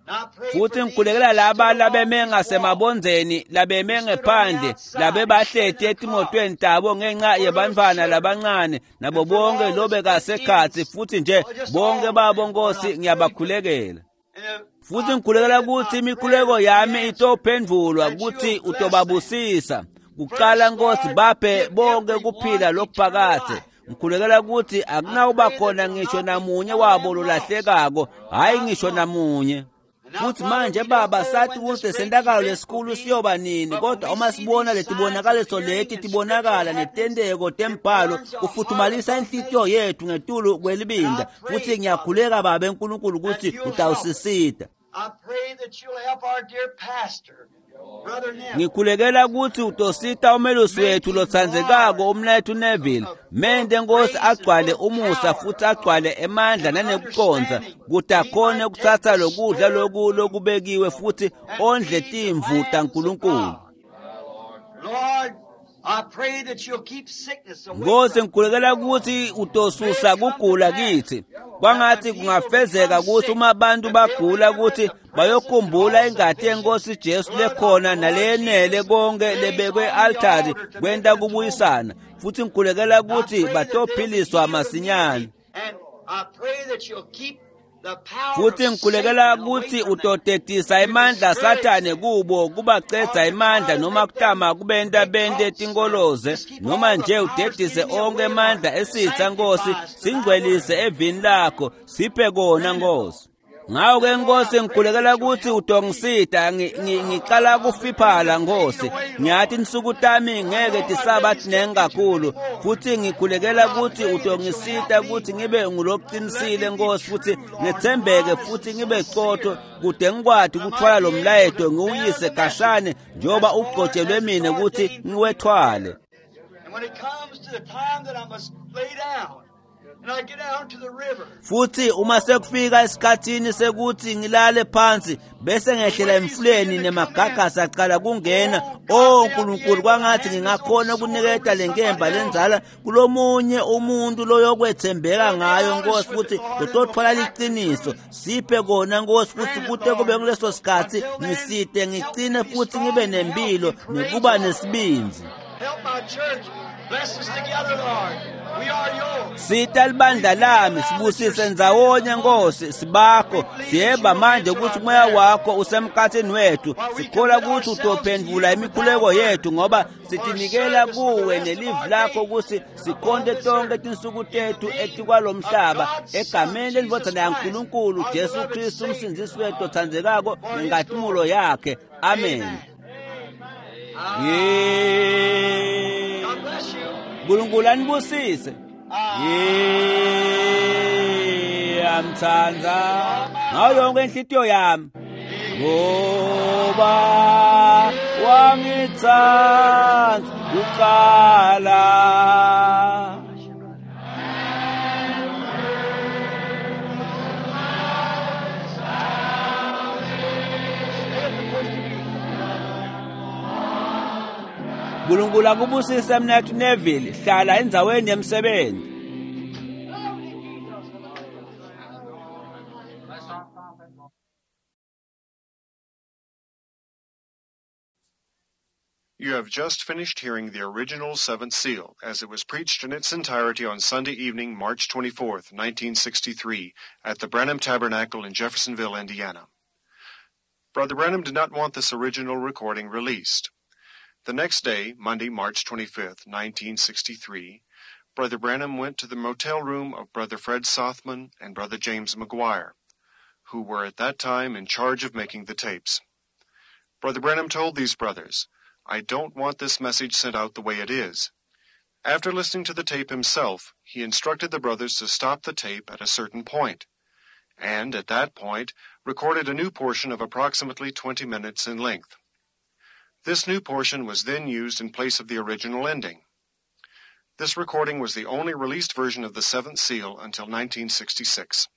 And I pray Futhi for these ngikhulekela laba that stood labeme along this wall, ngasemabondzeni, labeme ngephandle, labebahleti etimotweni tabo ngenxa yebantfwana labancane nabo bonke lobekasekhatsi, futhi nje bonke babo Nkosi ngiyabakhulekela. And if- Futhi I ngikhulekela pray that ukuthi my imikhuleko prayer yami be answered, itophendvulwa that ukuthi you'll bless them. utobabusisa. Kuqala Nkosi baphe bonke kuphila lokuphakadze. Ngikhulekela ukuthi akunawuba khona ngisho namunye wabo lolahlekako, hhayi ngisho namunye. And now, Futhi Father, manje we don't baba know sathi when ukuthi this great lesentakalo event will lesikhulu be, siyoba nini, but when kodwa we uma see sibona these signs letibonakaliso appearing leti and tibonakala scriptural happenings, netenteko it tembhalo burns our heart kufuthumalisa above inhlitiyo faith. yethu ngetulu And I kwelibinda. pray, Futhi Father, ngiyakhuleka babe Nkulunkulu that ukuthi you'll help us. utawusisita. I pray that you'll help our dear pastor, Brother Neville, Ngikhulekela ukuthi utosita umelusi make wethu him lotsandzekako large umnethu Neville. of full Mente of Nkosi grace and agcwale full of umusa power futhi agcwale emandla and nanekucondza understanding. ukuthi He akhone might take ukutsatsa the lokudla stored loku food lokubekiwe futhi and ondle feed the timvu lambs of taNkulunkulu. God. Lord, I pray that you'll keep sickness away Nkosi from us. ngikhulekela ukuthi May utosusa it come to kugula pass kithi. that when Kwangathi people kungafezeka become ukuthi sick, uma abantu that they'll bagula remember ukuthi the present and bayokhumbula all ingati sufficient yenkosi Jesu blood of lekhona the Lord naleyenele Jesus konke lays lebekwe on the e-altari altar to make kwenta atonement. kubuyisana. Futhi ngikhulekela I ukuthi pray that they'll be batophiliswa healed masinyane. immediately. And I pray that you'll keep the power Futhi of ngikhulekela Satan away ukuthi from them utotetisa to emandla discourage Sathane them kubo or kubacedza to try emandla to noma make them kutama kubenta make bente thoughts or tinkoloze just keep noma all the nje powers of the udedise enemy onke away, Lord. emandla esitha Nkosi, Sanctify us to thy singcwelise word. evini lakho, siphe kona Grant it, Lord. Nkosi. Ngawo ke Lord, Nkosi I pray ngikhulekela that you'll ukuthi help me utongisita ngiqala to put kufiphala the pain Nkosi. away, Lord. Ngiyathi insuku tami I ngeke know my tisaba days tinengi can't be too kakhulu many more. futhi ngikhulekela But I ukuthi pray that you'll help utongisita me. ukuthi ngibe Let nguloqinisile me be Nkosi futhi true, Lord, and ngethembeke honest futhi and ngibe qotho sincere. kude ngikwati I might ukuthwala lo be able mlayeto to bear ngiwuyise the message khashane njengoba as far ugcotshelwe as it's mina ukuthi ordained for me to ngiwethwale. bear. And when it comes to the time that I must lay down, and I get down to the river, Futhi uma sekufika esikhathini sekuthi ngilale phansi bese the ngehlela waves emfuleni begin to come in. nemagagasi aqala kungena, Oh o God, may I be Nkulunkulu able to kwangathi hand this old ngingakhona sword over ukuniketa to le somebody nkemba else. lenzala kulomunye umuntu loyokwethembeka They'll be ngayo honest Nkosi with futhi it, Lord, and will lotothola practice liqiniso. truth. Siphe kona Nkosi futhi Grant it, kute kube Lord. kuleso sikhathi Until then, ngisite help me ngicine to be futhi strong ngibe and healthy nempilo and nekuba courageous. nesibindzi. Help my church. Bless us together, Lord. Sita libandla lami sibusise ndzawonye Nkosi sibakho siyeba manje ukuthi umoya wakho usemkhathini wethu sikhola ukuthi utophendvula imikhuleko yethu ngoba sitinikela kuwe nelivi lakho ukuthi sikhonte tonke tinsuku tethu etikwalomhlaba egameni lendvodzana yaNkulunkulu Jesu Kristu umsindzisi wethu otsandzekako ngenkazimulo yakhe. Amen. Nkulunkulu anibusise. Ngiyamthanda ngayo yonke inhlitiyo yami ngoba wangithanda kuqala. Nkulunkulu akubusise mnethu Neville, hlala endzaweni yemsebenzi. You have just finished hearing the original Seventh Seal as it was preached in its entirety on Sunday evening, March twenty-fourth, nineteen sixty-three, at the Branham Tabernacle in Jeffersonville, Indiana. Brother Branham did not want this original recording released. The next day, Monday, March twenty-fifth, nineteen sixty-three, Brother Branham went to the motel room of Brother Fred Sothmann and Brother James McGuire, who were at that time in charge of making the tapes. Brother Branham told these brothers, "I don't want this message sent out the way it is." After listening to the tape himself, he instructed the brothers to stop the tape at a certain point, and at that point recorded a new portion of approximately twenty minutes in length. This new portion was then used in place of the original ending. This recording was the only released version of the Seventh Seal until nineteen sixty-six.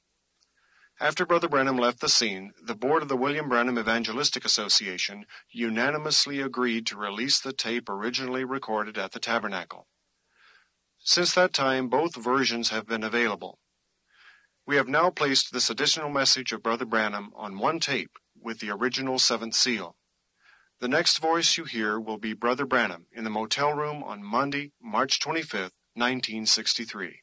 After Brother Branham left the scene, the board of the William Branham Evangelistic Association unanimously agreed to release the tape originally recorded at the tabernacle. Since that time, both versions have been available. We have now placed this additional message of Brother Branham on one tape with the original Seventh Seal. The next voice you hear will be Brother Branham in the motel room on Monday, March twenty-fifth, nineteen sixty-three.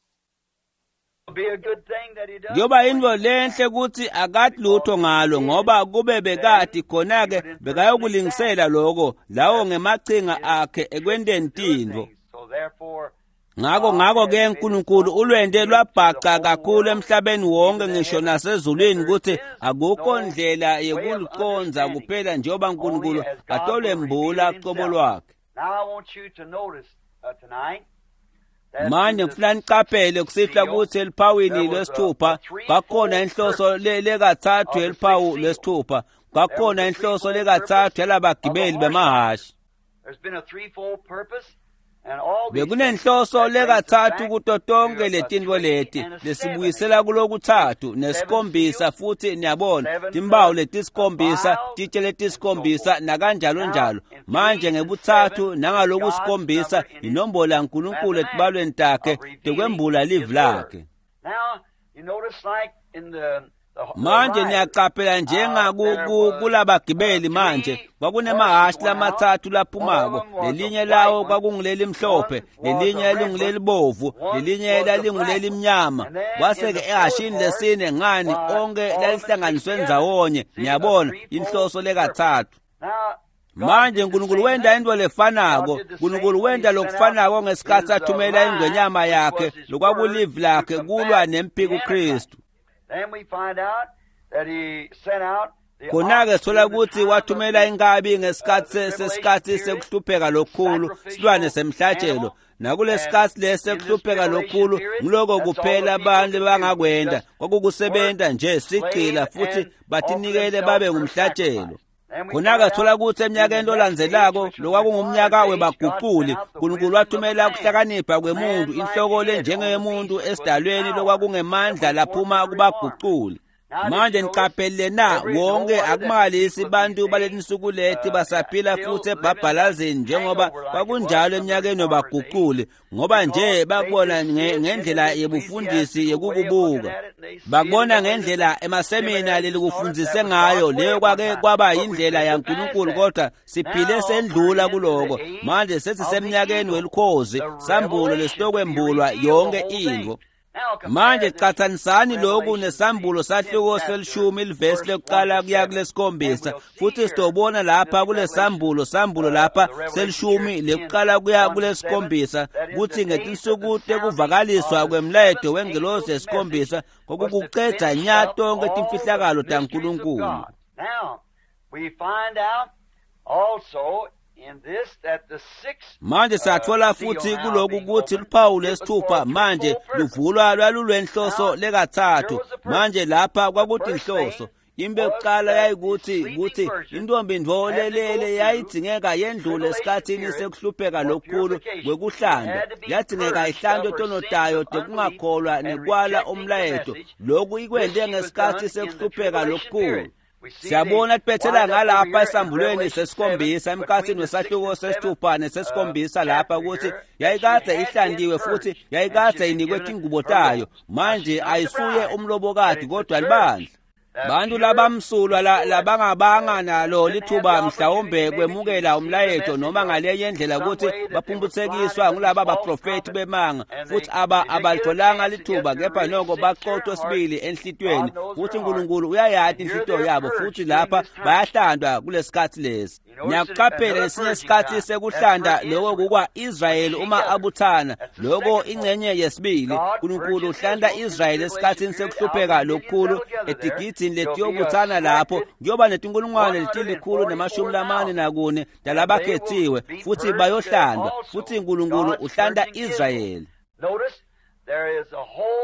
Kuyoba intfo lenhle kutsi akati lutho ngalo ngoba kube bekati khona-ke bekayokulingisela loko lawo ngemachinga akhe ekwenteni tintfo. Ngako ngako-ke Nkulunkulu ulwente lwabhaca kakhulu emhlabeni wonke ngisho nasezulwini kutsi akukho ndlela yekulucondza kuphela njengoba Nkulunkulu atolembula cobo lwakhe. Manje ngifuna niqaphele kusihlwa kutsi eliphawini lwesithupha kwakhona inhloso lekatsatfu yeliphawu lwesithupha, kwakhona inhloso lekatsatfu yalabagibeli bemahhashi. Bekunenhloso lekatsatfu kuto tonke letintfo leti lesibuyisela kulokutsatfu nesikhombisa futhi niyabona timpawu letisikhombisa titshe letisikhombisa nakanjalo njalo. Manje ngebutsatfu nangalokusikhombisa inombolo yaNkulunkulu etibalweni takhe tekwembula livi lakhe. Manje niyacaphela njengakulabagibeli manje kwakunemahhashi lamatsatfu laphumako, lelinye lawo kwakungulelimhlophe, lelinye lalingulelibovu, lelinye lalinguleli-mnyama. Kwase-ke ehhashini lesine ngani onke lalihlanganiswe ndzawonye, niyabona inhloso lekatsatfu. Manje Nkulunkulu wenta intfo lefanako, Nkulunkulu wenta lokufanako ngesikhatsi athumela ingwenyama yakhe lokwakulivi lakhe kulwa nemphiko Kristu. Khona-ke sithola kutsi wathumela inkabi ngesikhatsi sesikhatsi sekuhlupheka lokukhulu, silwane semhlatshelo. Nakulesikhatsi lesi sekuhlupheka lokukhulu ngiloko kuphela abantu bangakwenta kwakukusebenta nje sigcila futhi batinikele babe ngumhlatshelo. Khona-ke sithola kutsi eminyakeni lolandzelako lokwakungumnyaka webaguculi, Nkulunkulu wathumela kuhlakanipha kwemuntu, inhloko lenjengeyemuntu esidalweni lokwakungemandla laphuma kubaguculi. Manje niqaphele na wonke akumangalisi bantu baletinsuku leti basaphila futhi ebhabhalazini njengoba kwakunjalo eminyakeni yobaguquli, ngoba nje bakubona ngendlela yebufundisi yekukubuka, bakubona ngendlela emasemina lelikufundise ngayo, leyo kwake kwaba indlela yaNkulunkulu, kodwa siphile sendlula kuloko. Manje sesisemnyakeni welukhozi, sambulo lesitokwembulwa yonke intfo. Manje qathanisani lokhu nesambulo sahluko selishumi livesi lekuqala kuya kulesikhombisa, futhi sitobona lapha kulesambulo sambulo lapha selishumi lekuqala kuya kulesikhombisa kutsi ngetinsuku tekuvakaliswa kwemlayeto wengelosi yesikhombisa kwakukucedza nya tonkhe timfihlakalo taNkulunkulu. Manje satfola futsi kuloku kutsi luphawu lwesithupha manje luvulwa lwalulwenhloso lekatsatfu. Manje lapha kwakutinhloso. Into yokuqala yayikuthi kuthi intombi ntfo lelele yayidzingeka yendlule esikhatsini sekuhlupheka lokukhulu kwekuhlandwa, yadzingeka ihlandwe tono tayo tekungakholwa nekwala umlayeto. Loku ikwente ngesikhatsi sekuhlupheka lokukhulu. Siyabona tibethela ngalapha esambulweni sesikhombisa emkhatsini wesahluko sesithupha nesesikhombisa lapha kutsi yayikadze ihlantiwe futhi yayikadze inikwe tingubo tayo. Manje ayisuye umlobokati kodwa libandla. Bantu labamsulwa labangabanga nalo lithuba mhlawumbe kwemukela umlayeto noma ngalenye indlela kutsi baphumphutsekiswa ngulaba baprofethi bemanga, futhi aba abalitholanga lithuba, kepha noko baqothwe sibili enhlitiyweni, futhi uNkulunkulu uyayati inhlitiyo yabo, futhi lapha bayahlandwa kulesikhatsi lesi. Niyakuqaphela lesinye isikhatsi sekuhlanda loko kukwa-Israyeli uma abuthana, loko ingcenye yesibili. uNkulunkulu uhlanda Israyeli esikhatsini sekuhlupheka lokukhulu etigidini letiyobuthana lapho kuyoba netinkulungwane letilikhulu nemashumi lamane nakune talabakhethiwe, futhi bayohlandwa, futhi uNkulunkulu uhlanda Israyeli.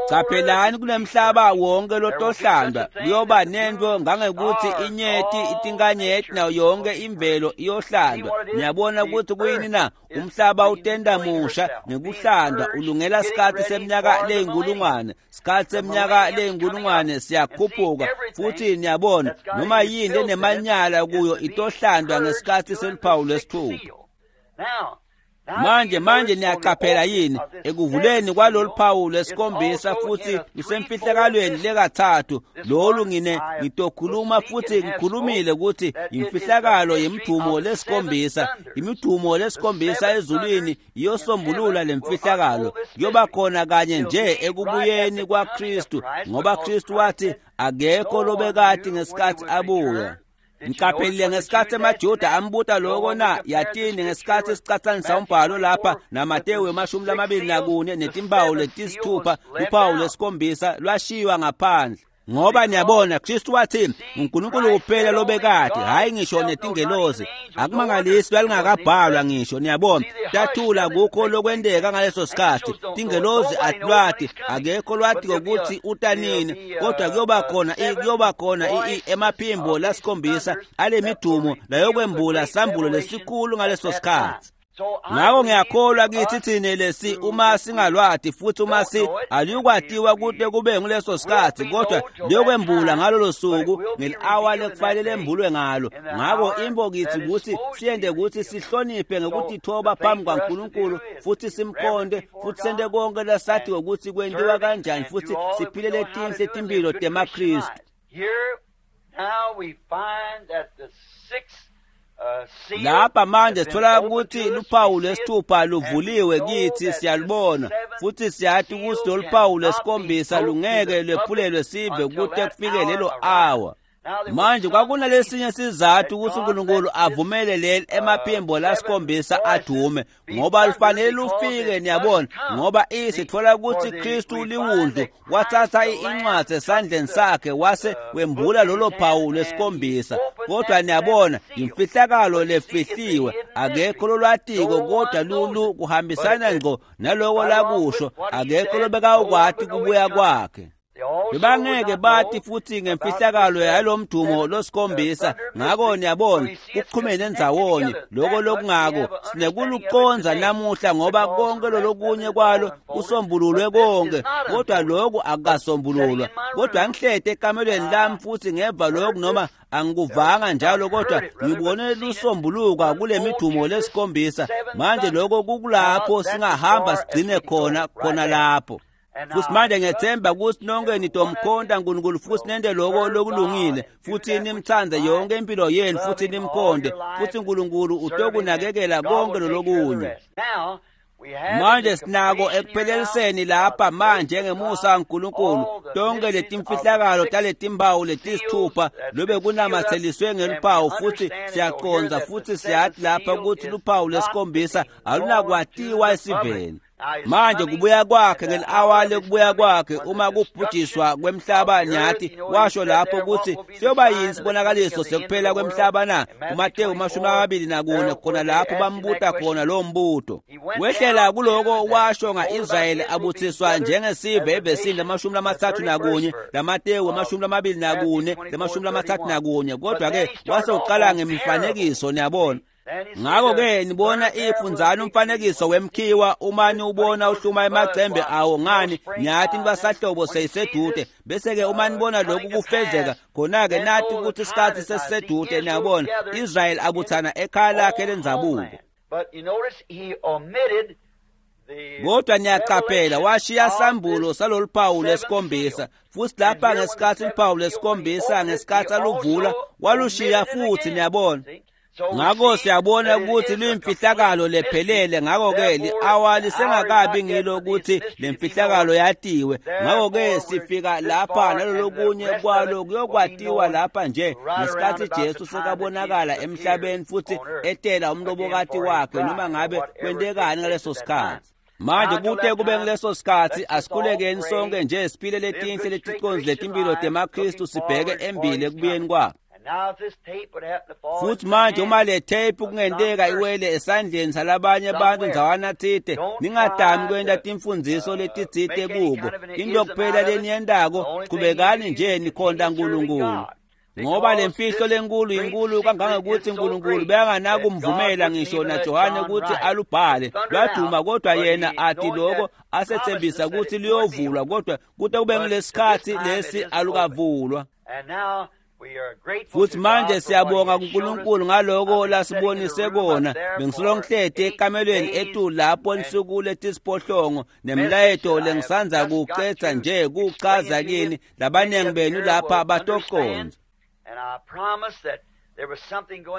Caphelani kunemhlaba wonke lotohlandwa, kuyoba nento ngangekuthi inyeti itinkanyeti nayo yonke imvelo iyohlandwa. Niyabona ukuthi kuyini na? Umhlaba utenda musha ngekuhlandwa, ulungela sikhatsi seminyaka leyinkulungwane. Sikhatsi seminyaka leyinkulungwane siyakhuphuka, futhi niyabona noma yini lenemanyala kuyo itohlandwa ngesikhatsi seluphawu lwesithupha. Manje manje niyaqaphela yini ekuvuleni kwalolu phawu lwesikhombisa futhi lusemfihlakalweni lekathathu lolu ngine ngitokhuluma futhi ngikhulumile ukuthi imfihlakalo yemdumo lesikhombisa, imidumo lesikhombisa ezulwini iyosombulula lemfihlakalo. Kuyoba khona kanye nje ekubuyeni kwaKristu, ngoba Kristu wathi akekho lobekati ngesikhathi abuya. Ngiqaphelile ngesikhatsi emaJuda ambuta loko na yatini ngesikhatsi sicatsanisa umbhalo lapha naMatewu emashumi lamabili nakune netimpawu letisithupha luphawu lwesikhombisa lwashiywa ngaphandle. Ngoba niyabona Kristu wathi uNkulunkulu kuphela lobekade, hayi ngisho netingelosi. Akumangalisi lwalingakabhalwa ngisho, niyabona. Tathula kukho lokwenteka ngaleso sikhathi. Tingelosi atilwati, akekho lwatiko kutsi utanini, kodwa kuyoba khona kuyoba khona emaphimbo lasikhombisa alemidumo layokwembula sambulo lesikhulu ngaleso sikhathi. Ngako ngiyakholwa kithi thine lesi uma singalwati futhi uma si aliyukwatiwa kute kube nguleso sikhatsi, kodwa liyokwembula ngalolo suku ngeli-awa lekufanele lembulwe ngalo. Ngako imbo kithi kutsi siyente kutsi sihloniphe ngekutithoba phambi kwaNkulunkulu futhi simkhonde futhi sente konke lesatiwe kutsi kwentiwa kanjani futhi siphile letinhle timphilo temaKristu. Lapha manje sithola ukuthi luphawu lwesithupha luvuliwe kithi, siyalubona futhi siyati ukuthi lolu phawu lwesikhombisa lungeke lwephulelwe sive kute kufike lelo awa. Manje kwakunalesinye sizathu ukuthi uNkulunkulu avumele leli emaphimbo lasikhombisa adume, ngoba lufanele lufike, niyabona, ngoba isithola ukuthi Kristu liwundlu wathatha incwadi esandleni sakhe wase wembula lolo phawu lwesikhombisa. Kodwa niyabona imfihlakalo lefihliwe, akekho lolwatiko, kodwa lulu kuhambisana ngqo naloko lakusho, akekho lobekawukwati kubuya kwakhe. Bebangeke bathi futhi ngemfihlakalo yalomdumo losikhombisa. Ngako niyabona kuxhumene ndzawonye lokho lokungako sinekuluconza namuhla, ngoba konke lolokunye kwalo kusombululwe konke, kodwa lokhu akukasombululwa. Kodwa ngihlete ekamelweni lami futhi ngeva lokhu, noma angikuvanga njalo, kodwa ngibone lusombuluka kule midumo lesikhombisa. Manje lokho kukulapho singahamba sigcine khona khona lapho. Futhi manje ngiyethemba ukuthi nonke nitomkhonta uNkulunkulu futhi nente lokho lokulungile, futhi nimthande yonke impilo yenu futhi nimkhonte, futhi uNkulunkulu utokunakekela konke lolokunye. Manje sinako ekupheleliseni lapha manje ngemusa kaNkulunkulu tonke letimfihlakalo taletimpawu letisithupha lobe kunamatheliswe ngeluphawu, futhi siyaqonza futhi siyathi lapha ukuthi luphawu lesikhombisa alunakwatiwa esiveni. Manje kubuya kwakhe ngeli-awa lekubuya kwakhe, uma kubhujiswa kwemhlaba, nyathi washo lapho ukuthi siyoba yini isibonakaliso sekuphela kwemhlaba na? KuMateyu amashumi amabili nakune, khona lapho bambuta khona lowo mbuto. Wehlela kuloko washo nga-Israyeli abuthiswa njengesive evesini lamashumi lamathathu nakunye, laMateyu amashumi lamabili nakune, lamashumi lamathathu nakunye. Kodwa-ke wase uqala ngemifanekiso, niyabona. Ngakho-ke nibona ifunzana umfanekiso wemkhiwa, uma niwubona uhluma emacembe awo, ngani niyathi nibasahlobo seyisedude. Bese-ke uma nibona lokhu kufezeka, khona-ke nathi ukuthi isikhathi sesisedude. Niyabona, Israyeli abuthana ekhaya lakhe lendzabuko. Kodwa niyaqaphela washiya sambulo salolu phawu lesikhombisa, futhi lapha ngesikhathi luphawu lesikhombisa ngesikhathi aluvula walushiya futhi, niyabona. Ngakho siyabona ukuthi luyimfihlakalo lephelele. Ngakho-ke li-awa lisengakabi ngilo ukuthi lemfihlakalo yatiwe. Ngakho-ke sifika lapha nalolokunye kwalo kuyokwatiwa lapha nje ngesikhathi Jesu sekabonakala emhlabeni futhi etela umlobokati wakhe, noma ngabe kwentekani ngaleso sikhathi. Manje kute kube ngileso sikhathi, asikhulekeni sonke nje siphile letinhle leticonzi letimpilo temaKristu, sibheke embili ekubuyeni kwakhe. Futhi manje uma le tape kungenteka iwele esandleni salabanye abantu ndzawana tsite, ningadami kwenta timfundziso letitsite kuko. Into kuphela leniyentako, chubekani nje nikhonta uNkulunkulu. Ngoba lemfihlo lenkulu inkulu kangangekuthi uNkulunkulu bekanganakumvumela ngisho naJohane ukuthi alubhale. Lwaduma, kodwa yena athi lokho asethembisa ukuthi luyovulwa, kodwa kute kube ngilesikhathi lesi alukavulwa. Futhi manje siyabonga kuNkulunkulu ngaloko lasibonise kona. Bengisolo ngihlete ekamelweni etulu lapho insuku letisiphohlongo nemlayeto lengisanza kucetha nje kuchaza kini labaningi benu lapha batoconza.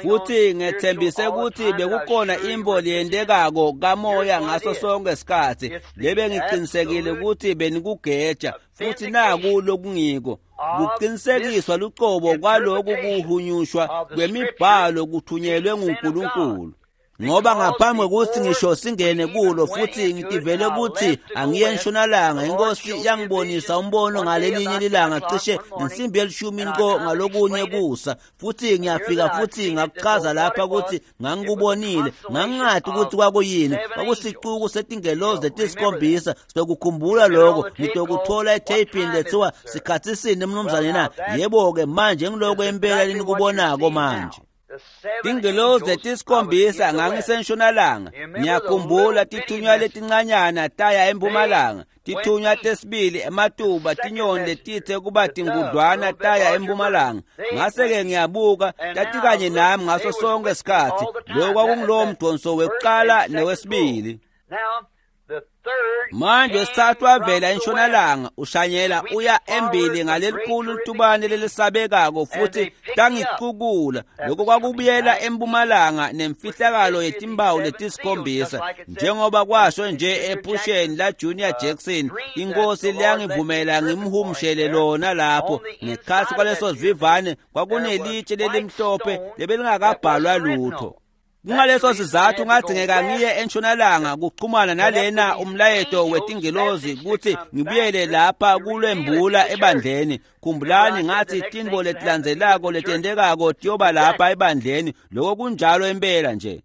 Futhi ngethembise ukuthi bekukhona imbo leyentekako kamoya ngaso sonke isikhathi, lebe ngiqinisekile ukuthi benikugeja, futhi naku lokungiko kuqinisekiswa lucobo kwaloku kuhunyushwa kwemibhalo kuthunyelwe nguNkulunkulu. Ngoba ngaphambi kokuthi ngisho singene kulo futhi ngitivele ukuthi angiye entshonalanga, inkosi yangibonisa umbono ngalelinye lilanga cishe ngensimbi yelishumi nqo ngalokunye kusa, futhi ngiyafika futhi ngakuchaza lapha ukuthi ngangikubonile, ngangingathi ukuthi kwakuyini. Kwakusicuku setingelozi letisikhombisa. Sitokukhumbula lokho, nitokuthola etheyipini lethiwa sikhathi sini mnumzane na? Yebo-ke manje ngiloko impela lenikubonako manje. Tingelozi letisikhombisa ngangisentshonalanga, ngiyakhumbula tithunywa letincanyana taya empumalanga, tithunywa tesibili ematuba tinyoni letithe kuba tingudlwana taya empumalanga. Ngase-ke ngiyabuka, tatikanye nami ngaso sonke isikhathi. Lokho kwakungulowo mdonso wekuqala newesibili. Manje wesithathu wavela entshonalanga ushanyela uya embili ngalelikhulu litubane lelisabekako, futhi tangicukula. Lokho kwakubuyela empumalanga nemfihlakalo yetimpawu letisikhombisa, njengoba kwasho nje ephusheni la Junior Jackson. Inkosi liyangivumela ngimhumshele lona lapho. Ngekhathi kwaleso sivivane kwakunelitshe lelimhlophe lebelingakabhalwa lutho. Kungaleso sizathu ngadzingeka ngiye entshonalanga kuxhumana nalena umlayeto wetingelozi kutsi ngibuyele lapha kulwembula ebandleni. Khumbulani ngathi tintfo letilandzelako letentekako tiyoba lapha ebandleni. Loko kunjalo impela nje.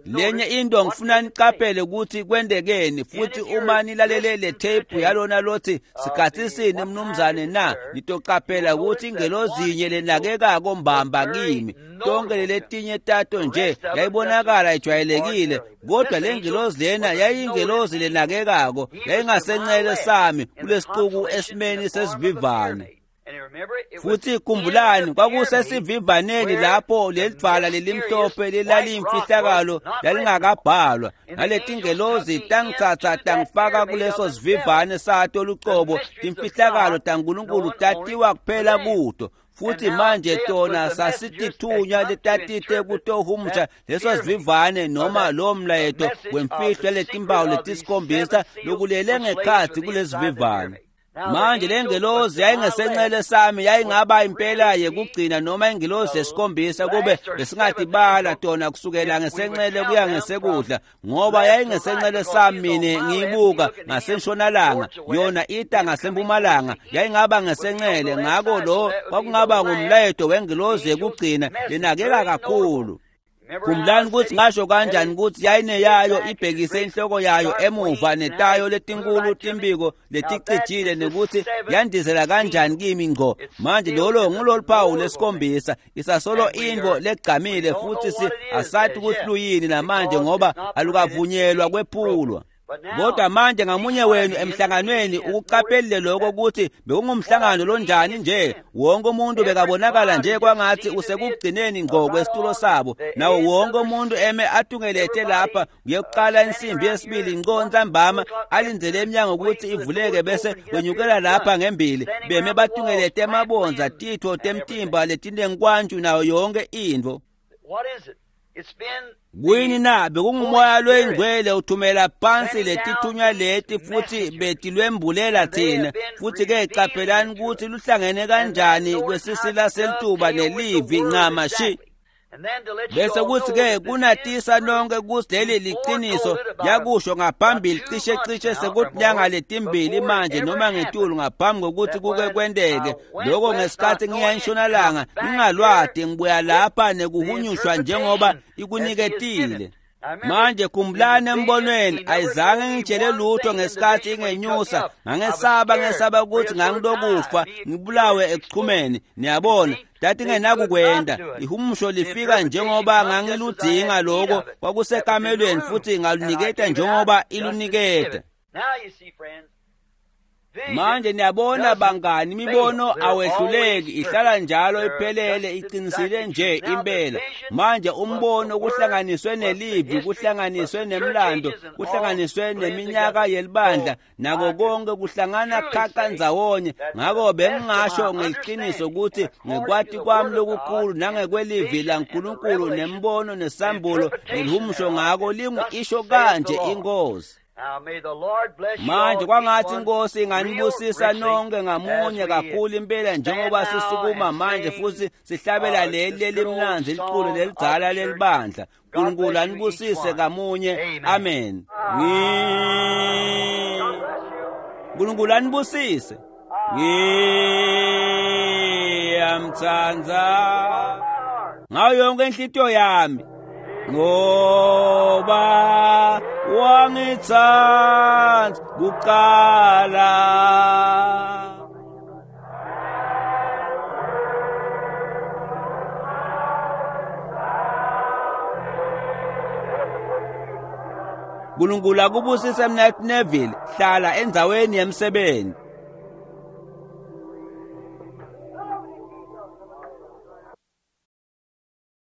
Lenye into ngifuna niqaphele ukuthi kwentekeni, futhi uma nilalele le tape yalona lothi sikhathi sini mnumzane na, nitoqaphela ukuthi ingelozi inye lenakekako mbamba kimi. Tonke letinye tato nje yayibonakala ijwayelekile, kodwa le ngelozi lena yayingelozi lenakekako, yayingasencele sami kulesixuku esimeni sesivivane. Futhi khumbulani kwakusesivivaneni lapho lelidvwala lelimhlophe lelaliyimfihlakalo lalingakabhalwa, naletingelozi tangitsatsa tangifaka kuleso sivivane sato lucobo. Timfihlakalo taNkulunkulu tatiwa kuphela kuto. Futhi manje tona sasitithunywa letatite kutohumusha leso sivivane noma lo mlayeto wemfihlo letimpawu letisikhombisa lokulele ngekhatsi kulesivivane. Manje lengelozi yayingesencele sami, yayingaba impela yekugcina noma ingelozi yesikhombisa kube besingatibala tona kusukela ngesencele kuya ngesekudla, ngoba yayingesencele sami mine ngiyibuka ngasentshonalanga, yona ita ngasempumalanga, yayingaba ngesencele. Ngako lo kwakungaba ngumlayeto wengelozi yekugcina lenakeka kakhulu. Khumbulani ukuthi ngasho kanjani ukuthi yayineyayo ibhekise inhloko yayo emuva netayo letinkulu timbiko leticijile, nekuthi yandizela kanjani kimi ngco. Manje lolo ngulolu phawu lesikhombisa, isasolo intfo legcamile, futhi si asathi ukuthi luyini namanje ngoba alukavunyelwa kwephulwa. Kodwa manje ngamunye wenu emhlanganweni ukuqaphelile lokho ukuthi bekungumhlangano lonjani nje. Wonke umuntu bekabonakala nje kwangathi usekugcineni ngqo kwesitulo sabo, nawo wonke umuntu eme atungelethe lapha kuyoqala insimbi yesibili ngqo ntambama, alindzele eminyango ukuthi ivuleke bese wenyukela lapha ngembili, beme batungelete emabondza, titfo temtimba letinenkwantju nayo yonke intfo. Kuyini na? Bekungumoya loyingcwele uthumela phansi letithunywa leti futhi betilwembulela thina. Futhi ke qaphelani ukuthi luhlangene kanjani kwesisila selituba nelivi ncamashi. Bese kuthi ke kunatisa nonke ukuthi leli liqiniso yakusho ngaphambili cishe cishe sekunyanga letimbili manje noma ngetulu ngaphambi kokuthi kuke kwenteke lokho. Ngesikhathi ngiya entshonalanga ngingalwadi, ngibuya lapha nekuhunyushwa njengoba ikuniketile. Manje khumbulani embonweni ayizange ngitshele lutho ngesikhathi ingenyusa, ngangesaba ngesaba ukuthi ngangilokufa ngibulawe ekuchumeni. Niyabona, tathi ngenakukwenda ihumusho lifika njengoba ngangiludzinga lokho kwakusekamelweni, futhi ngaluniketa njengoba iluniketa. Manje niyabona bangani, imibono awehluleki, ihlala njalo iphelele, iqinisile nje impela. Manje umbono kuhlanganiswe nelivi, kuhlanganiswe nemlando, kuhlanganiswe neminyaka yelibandla, nako konke kuhlangana khaxa ndzawonye. Ngako bengingasho ngeqiniso ukuthi ngekwati kwami lokukhulu nangekwelivi laNkulunkulu nembono nesambulo nelihumusho ngako lingu isho kanje inkosi. Manje kwangathi inkosi inganibusisa nonke ngamunye kakhulu impela njengoba sisukuma manje futhi sihlabela leli lelimnandzi liculo lelidzala lelibandla. Nkulunkulu anibusise ngamunye. Amen. Nkulunkulu anibusise. Ngiyamtsandza ngayo yonke inhlitiyo yami, ngoba wangitsandza kuqala. Nkulunkulu akubusise Mnaketfu Neville, hlala endzaweni yemsebenzi.